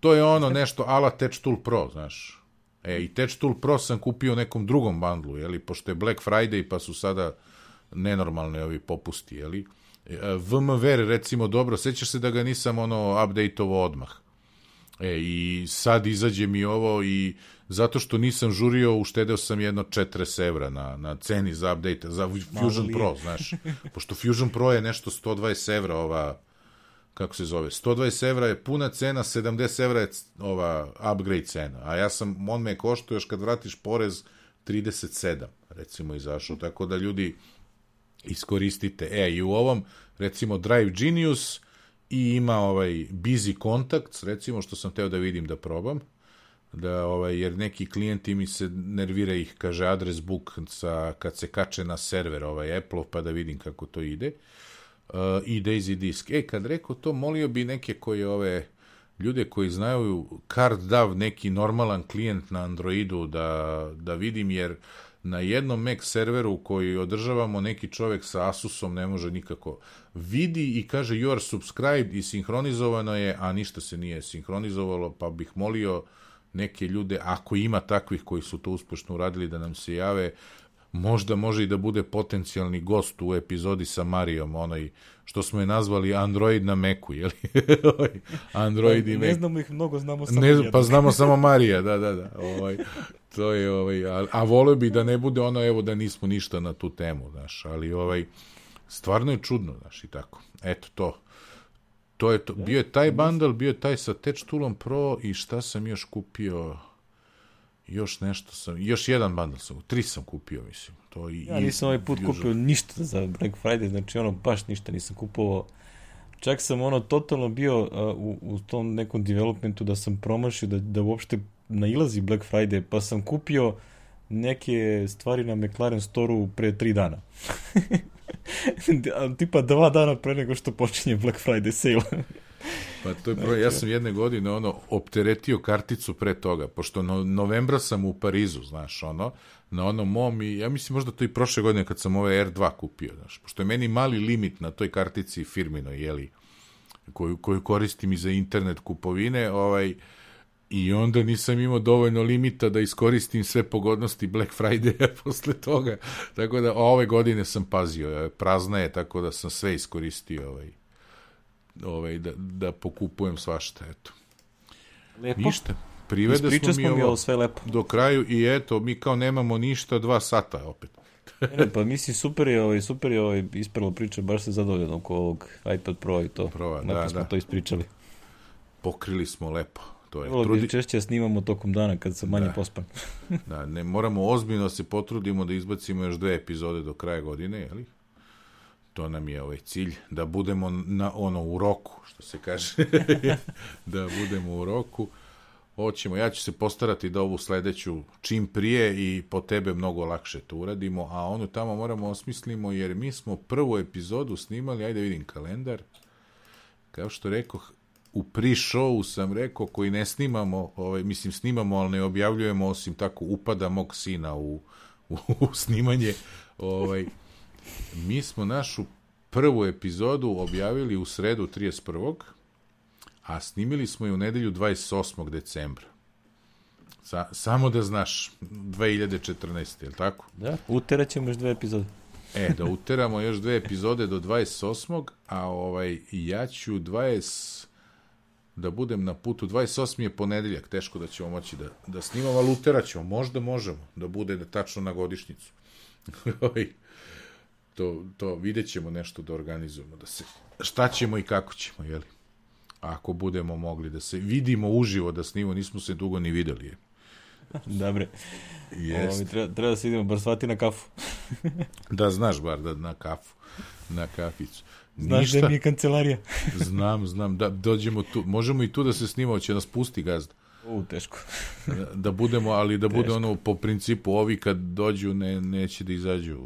to je ono nešto ala Touch Tool Pro, znaš, e, i Touch Tool Pro sam kupio u nekom drugom bandlu, jeli, pošto je Black Friday, pa su sada nenormalne ovi popusti, jeli? V M W R, recimo, dobro, sećaš se da ga nisam, ono, update-ovo odmah. E, i sad izađe mi ovo i zato što nisam žurio, uštedeo sam jedno četrdeset evra na, na ceni za update, za Fusion Pro, znaš. Pošto Fusion Pro je nešto sto dvadeset evra, ova, kako se zove, sto dvadeset evra je puna cena, sedamdeset evra je ova upgrade cena, a ja sam, on me koštao još kad vratiš porez, trideset sedam, recimo, izašao, tako da ljudi iskoristite. E, i u ovom, recimo, Drive Genius i ima ovaj Busy Contacts, recimo, što sam teo da vidim da probam, da, ovaj, jer neki klijenti mi se nervira ih, kaže, adres book sa, kad se kače na server ovaj Apple, pa da vidim kako to ide. Uh, I Daisy Disk. E, kad rekao to, molio bi neke koje ove ljude koji znaju CardDAV, neki normalan klijent na Androidu, da, da vidim, jer na jednom Mac serveru koji održavamo neki čovek sa Asusom ne može nikako. Vidi i kaže you are subscribed i sinhronizovano je, a ništa se nije sinhronizovalo, pa bih molio neke ljude, ako ima takvih koji su to uspešno uradili, da nam se jave. Možda može i da bude potencijalni gost u epizodi sa Marijom, onaj što smo je nazvali Android na Macu, je li? Android pa, i ne Mac. znamo ih mnogo, znamo samo ne, pa znamo samo Marija, da, da, da. Ovaj, to je, ovaj, a, a volio bi da ne bude ono, evo, da nismo ništa na tu temu, znaš, ali ovaj, stvarno je čudno, znaš, i tako. Eto, to. To je to. Bio je taj bundle, bio je taj sa Touch Toolom Pro i šta sam još kupio... Još nešto sam, još jedan bundle sam, tri sam kupio, mislim. To i, ja nisam ovaj put kupio ništa za Black Friday, znači ono, baš ništa nisam kupovao. Čak sam ono totalno bio uh, u, u tom nekom developmentu da sam promašio da, da uopšte nailazi Black Friday, pa sam kupio neke stvari na McLaren Store-u pre tri dana. Tipa dva dana pre nego što počinje Black Friday sale. Pa to je pro... ja sam jedne godine ono opteretio karticu pre toga, pošto no, novembra sam u Parizu, znaš, ono, na onom mom i ja mislim možda to i prošle godine kad sam ove R dva kupio, znaš, pošto je meni mali limit na toj kartici firminoj, jeli, koju, koju koristim i za internet kupovine, ovaj, i onda nisam imao dovoljno limita da iskoristim sve pogodnosti Black Friday posle toga, tako da ove godine sam pazio, prazna je, tako da sam sve iskoristio, ovaj, Ovaj, da, da pokupujem svašta, eto. Lepo. Ništa. Privede smo mi, mi ovo sve lepo. Do kraju i eto, mi kao nemamo ništa, dva sata opet. ne, pa mislim, super je, ovaj, super je ovaj, ispravo priča, baš se zadovoljeno oko ovog iPad Pro i to. Pro, da, da, smo da. to ispričali. Pokrili smo lepo. To je. Vrlo Trudi... češće snimamo tokom dana kad sam manje da. pospan. da, ne moramo ozbiljno se potrudimo da izbacimo još dve epizode do kraja godine, jeli? To nam je ovaj cilj, da budemo na ono u roku, što se kaže, da budemo u roku. Hoćemo, ja ću se postarati da ovu sledeću čim prije i po tebe mnogo lakše to uradimo, a onu tamo moramo osmislimo, jer mi smo prvu epizodu snimali, ajde vidim kalendar, kao što rekoh, u pre-showu sam rekao, koji ne snimamo, ovaj, mislim snimamo, ali ne objavljujemo, osim tako upada mog sina u, u, u snimanje. Ovaj, mi smo našu prvu epizodu objavili u sredu trideset prvog a snimili smo je u nedelju dvadeset osmog decembra. Sa, samo da znaš, dve hiljade četrnaeste. Je li tako? Da, uterat ćemo još dve epizode. E, da uteramo još dve epizode do dvadeset osmog a ovaj, ja ću dvadeset da budem na putu, dvadeset osmi je ponedeljak, teško da ćemo moći da, da snimamo, ali uterat ćemo, možda možemo, da bude da tačno na godišnjicu. to, to vidjet ćemo nešto da organizujemo, da se, šta ćemo i kako ćemo, jeli? Ako budemo mogli da se vidimo uživo, da snimamo, nismo se dugo ni videli. Je. Dobre. Ovo, treba, treba da se idemo bar svati na kafu. Da, znaš bar da na kafu, na kaficu. Znaš Ništa. Da mi je kancelarija. znam, znam, da dođemo tu, možemo i tu da se snimamo, će nas pusti gazda. U, teško. da, da budemo, ali da bude ono po principu, ovi kad dođu ne, neće da izađu.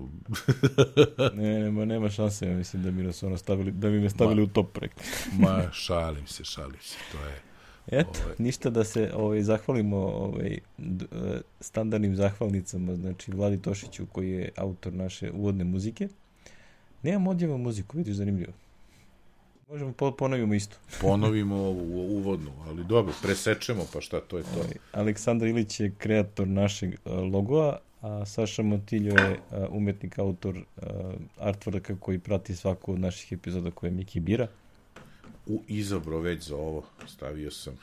ne, nema, nema šanse, ja mislim da mi nas ono stavili, da mi me stavili ma, u top projekt. ma, šalim se, šalim se, to je. Eto, ovaj. Ništa da se ovaj, zahvalimo ovaj, d, standardnim zahvalnicama, znači Vladi Tošiću koji je autor naše uvodne muzike. Nemam odjeva muziku, vidiš, zanimljivo. Možemo ponovimo isto. Ponovimo uvodnu, ali dobro, presečemo, pa šta, to je to. Aleksandar Ilić je kreator našeg logoa, a Saša Motiljo je umetnik, autor artworka koji prati svaku od naših epizoda koje Miki bira. U izabro već za ovo, stavio sam.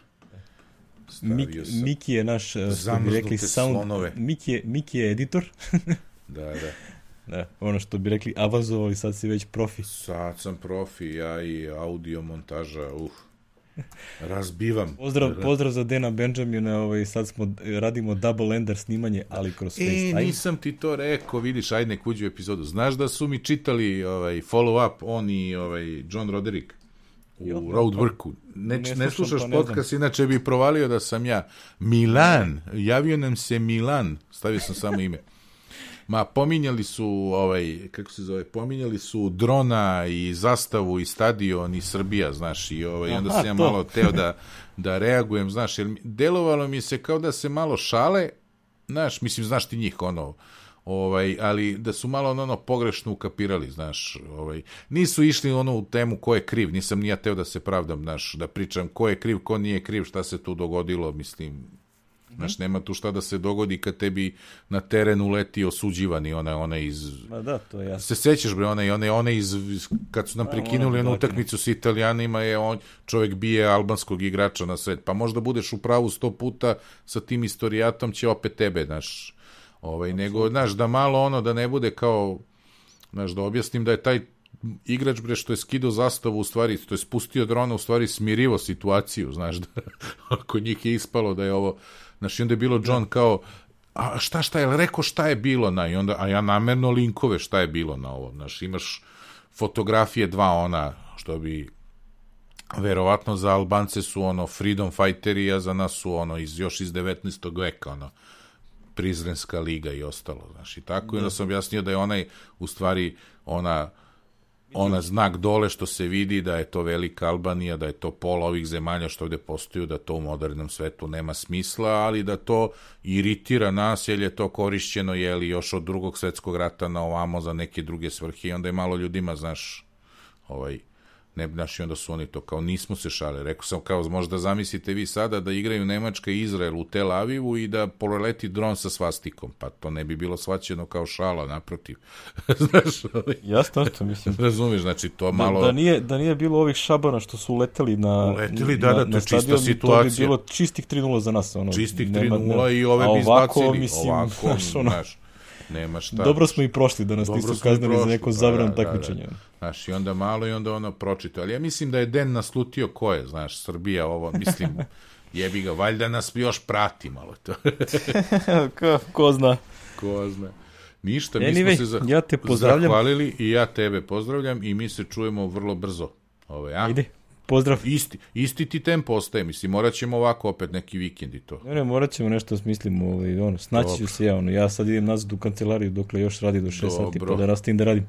Stavio Miki, sam. Miki je naš, što bi rekli, sound, Miki je, Miki je editor. da, da. Da, ono što bi rekli, avazovali, sad si već profi. Sad sam profi, ja i audio montaža, uh, razbivam. Pozdrav, pozdrav za Dana Benjamina, ovaj, sad smo, radimo double ender snimanje, ali kroz FaceTime. E, nisam ti to rekao, vidiš, ajde nek uđu epizodu. Znaš da su mi čitali ovaj, follow up, on i ovaj, John Roderick u jo, Roadworku. Ne, ne, ne slušaš pa podcast, inače bi provalio da sam ja. Milan, javio nam se Milan, stavio sam samo ime. Ma, pominjali su, ovaj, kako se zove, pominjali su drona i zastavu i stadion i Srbija, znaš, i ovaj, onda sam ja malo teo da, da reagujem, znaš, jer delovalo mi se kao da se malo šale, znaš, mislim, znaš ti njih, ono, ovaj, ali da su malo ono pogrešno ukapirali, znaš, ovaj, nisu išli ono u temu ko je kriv, nisam ni ja teo da se pravdam, znaš, da pričam ko je kriv, ko nije kriv, šta se tu dogodilo, mislim, znaš, nema tu šta da se dogodi kad tebi na terenu leti osuđivani, ona, ona iz... Ma da, to je jasno. Se sećaš, bre, ona, ona, ona iz... Kad su nam prekinuli onu utakmicu s Italijanima, je on, čovjek bije albanskog igrača na sred. Pa možda budeš u pravu sto puta sa tim istorijatom, će opet tebe, znaš, ovaj, nego, znaš, da malo ono, da ne bude kao, znaš, da objasnim da je taj igrač, bre, što je skidao zastavu, u stvari, to je spustio drona, u stvari smirivo situaciju, znaš, da ako njih je ispalo da je ovo... Znaš, i onda je bilo John kao, a šta, šta je, rekao šta je bilo na, i onda, a ja namerno linkove šta je bilo na ovo, znaš, imaš fotografije dva ona, što bi, verovatno za Albance su ono freedom fighteri, a za nas su ono, iz, još iz devetnaestog veka, ono, Prizrenska liga i ostalo, znaš, i tako, i onda sam objasnio da je onaj, u stvari, ona, ona znak dole što se vidi da je to velika Albanija, da je to pola ovih zemalja što ovde postoju, da to u modernom svetu nema smisla, ali da to iritira nas, jer je to korišćeno, jeli, još od drugog svetskog rata na ovamo za neke druge svrhe, i onda je malo ljudima, znaš, ovaj, ne, znaš, i onda su oni to kao, nismo se šale, rekao sam kao, možda zamislite vi sada da igraju Nemačka i Izrael u Tel Avivu i da poleti dron sa svastikom, pa to ne bi bilo shvaćeno kao šala, naprotiv. Znaš, ovaj, jasno, to mislim. Razumiješ, znači to malo... Da, da, nije, da nije bilo ovih šabana što su leteli na, uleteli, da, da, to je čista stadion, situacija. To bi bilo čistih tri nula za nas. Ono, čistih tri nula i ove bi izbacili. Mislim, ovako, znaš, ono, znaš, nema šta. Dobro smo i prošli da nas nisu kaznili za neko zabrano takmičenje. Da, da. Znaš, i onda malo i onda ono pročito. Ali ja mislim da je Den naslutio ko je, znaš, Srbija ovo, mislim, jebi ga, valjda nas još prati malo to. ko, ko zna. Ko zna. Ništa, anyway, mi smo se zah- ja te pozdravljam. zahvalili i ja tebe pozdravljam i mi se čujemo vrlo brzo. Ove, a? Ide. Pozdrav. Isti, isti ti tempo ostaje, mislim, morat ćemo ovako opet neki vikend i to. Ne, ne, morat ćemo nešto smislimo, ovaj, ono, snaći ću se ja, ono, ja sad idem nazad u kancelariju dokle još radi do šest sati, pa da rastim da radim.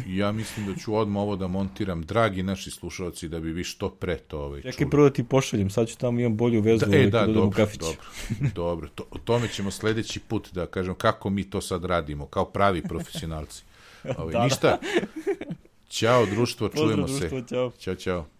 Ja mislim da ću odmah ovo da montiram, dragi naši slušalci, da bi vi što pre to ovaj, čuli. Čekaj, prvo da ti pošaljem, sad ću tamo, imam bolju vezu, da, ovaj, e, da, dobro, u kafić. Dobro, dobro, to, o tome ćemo sledeći put da kažem kako mi to sad radimo, kao pravi profesionalci. Ovaj, da, ništa, ćao društvo, Pozdrav, čujemo društvo, se. Ćao, ćao. Ćao.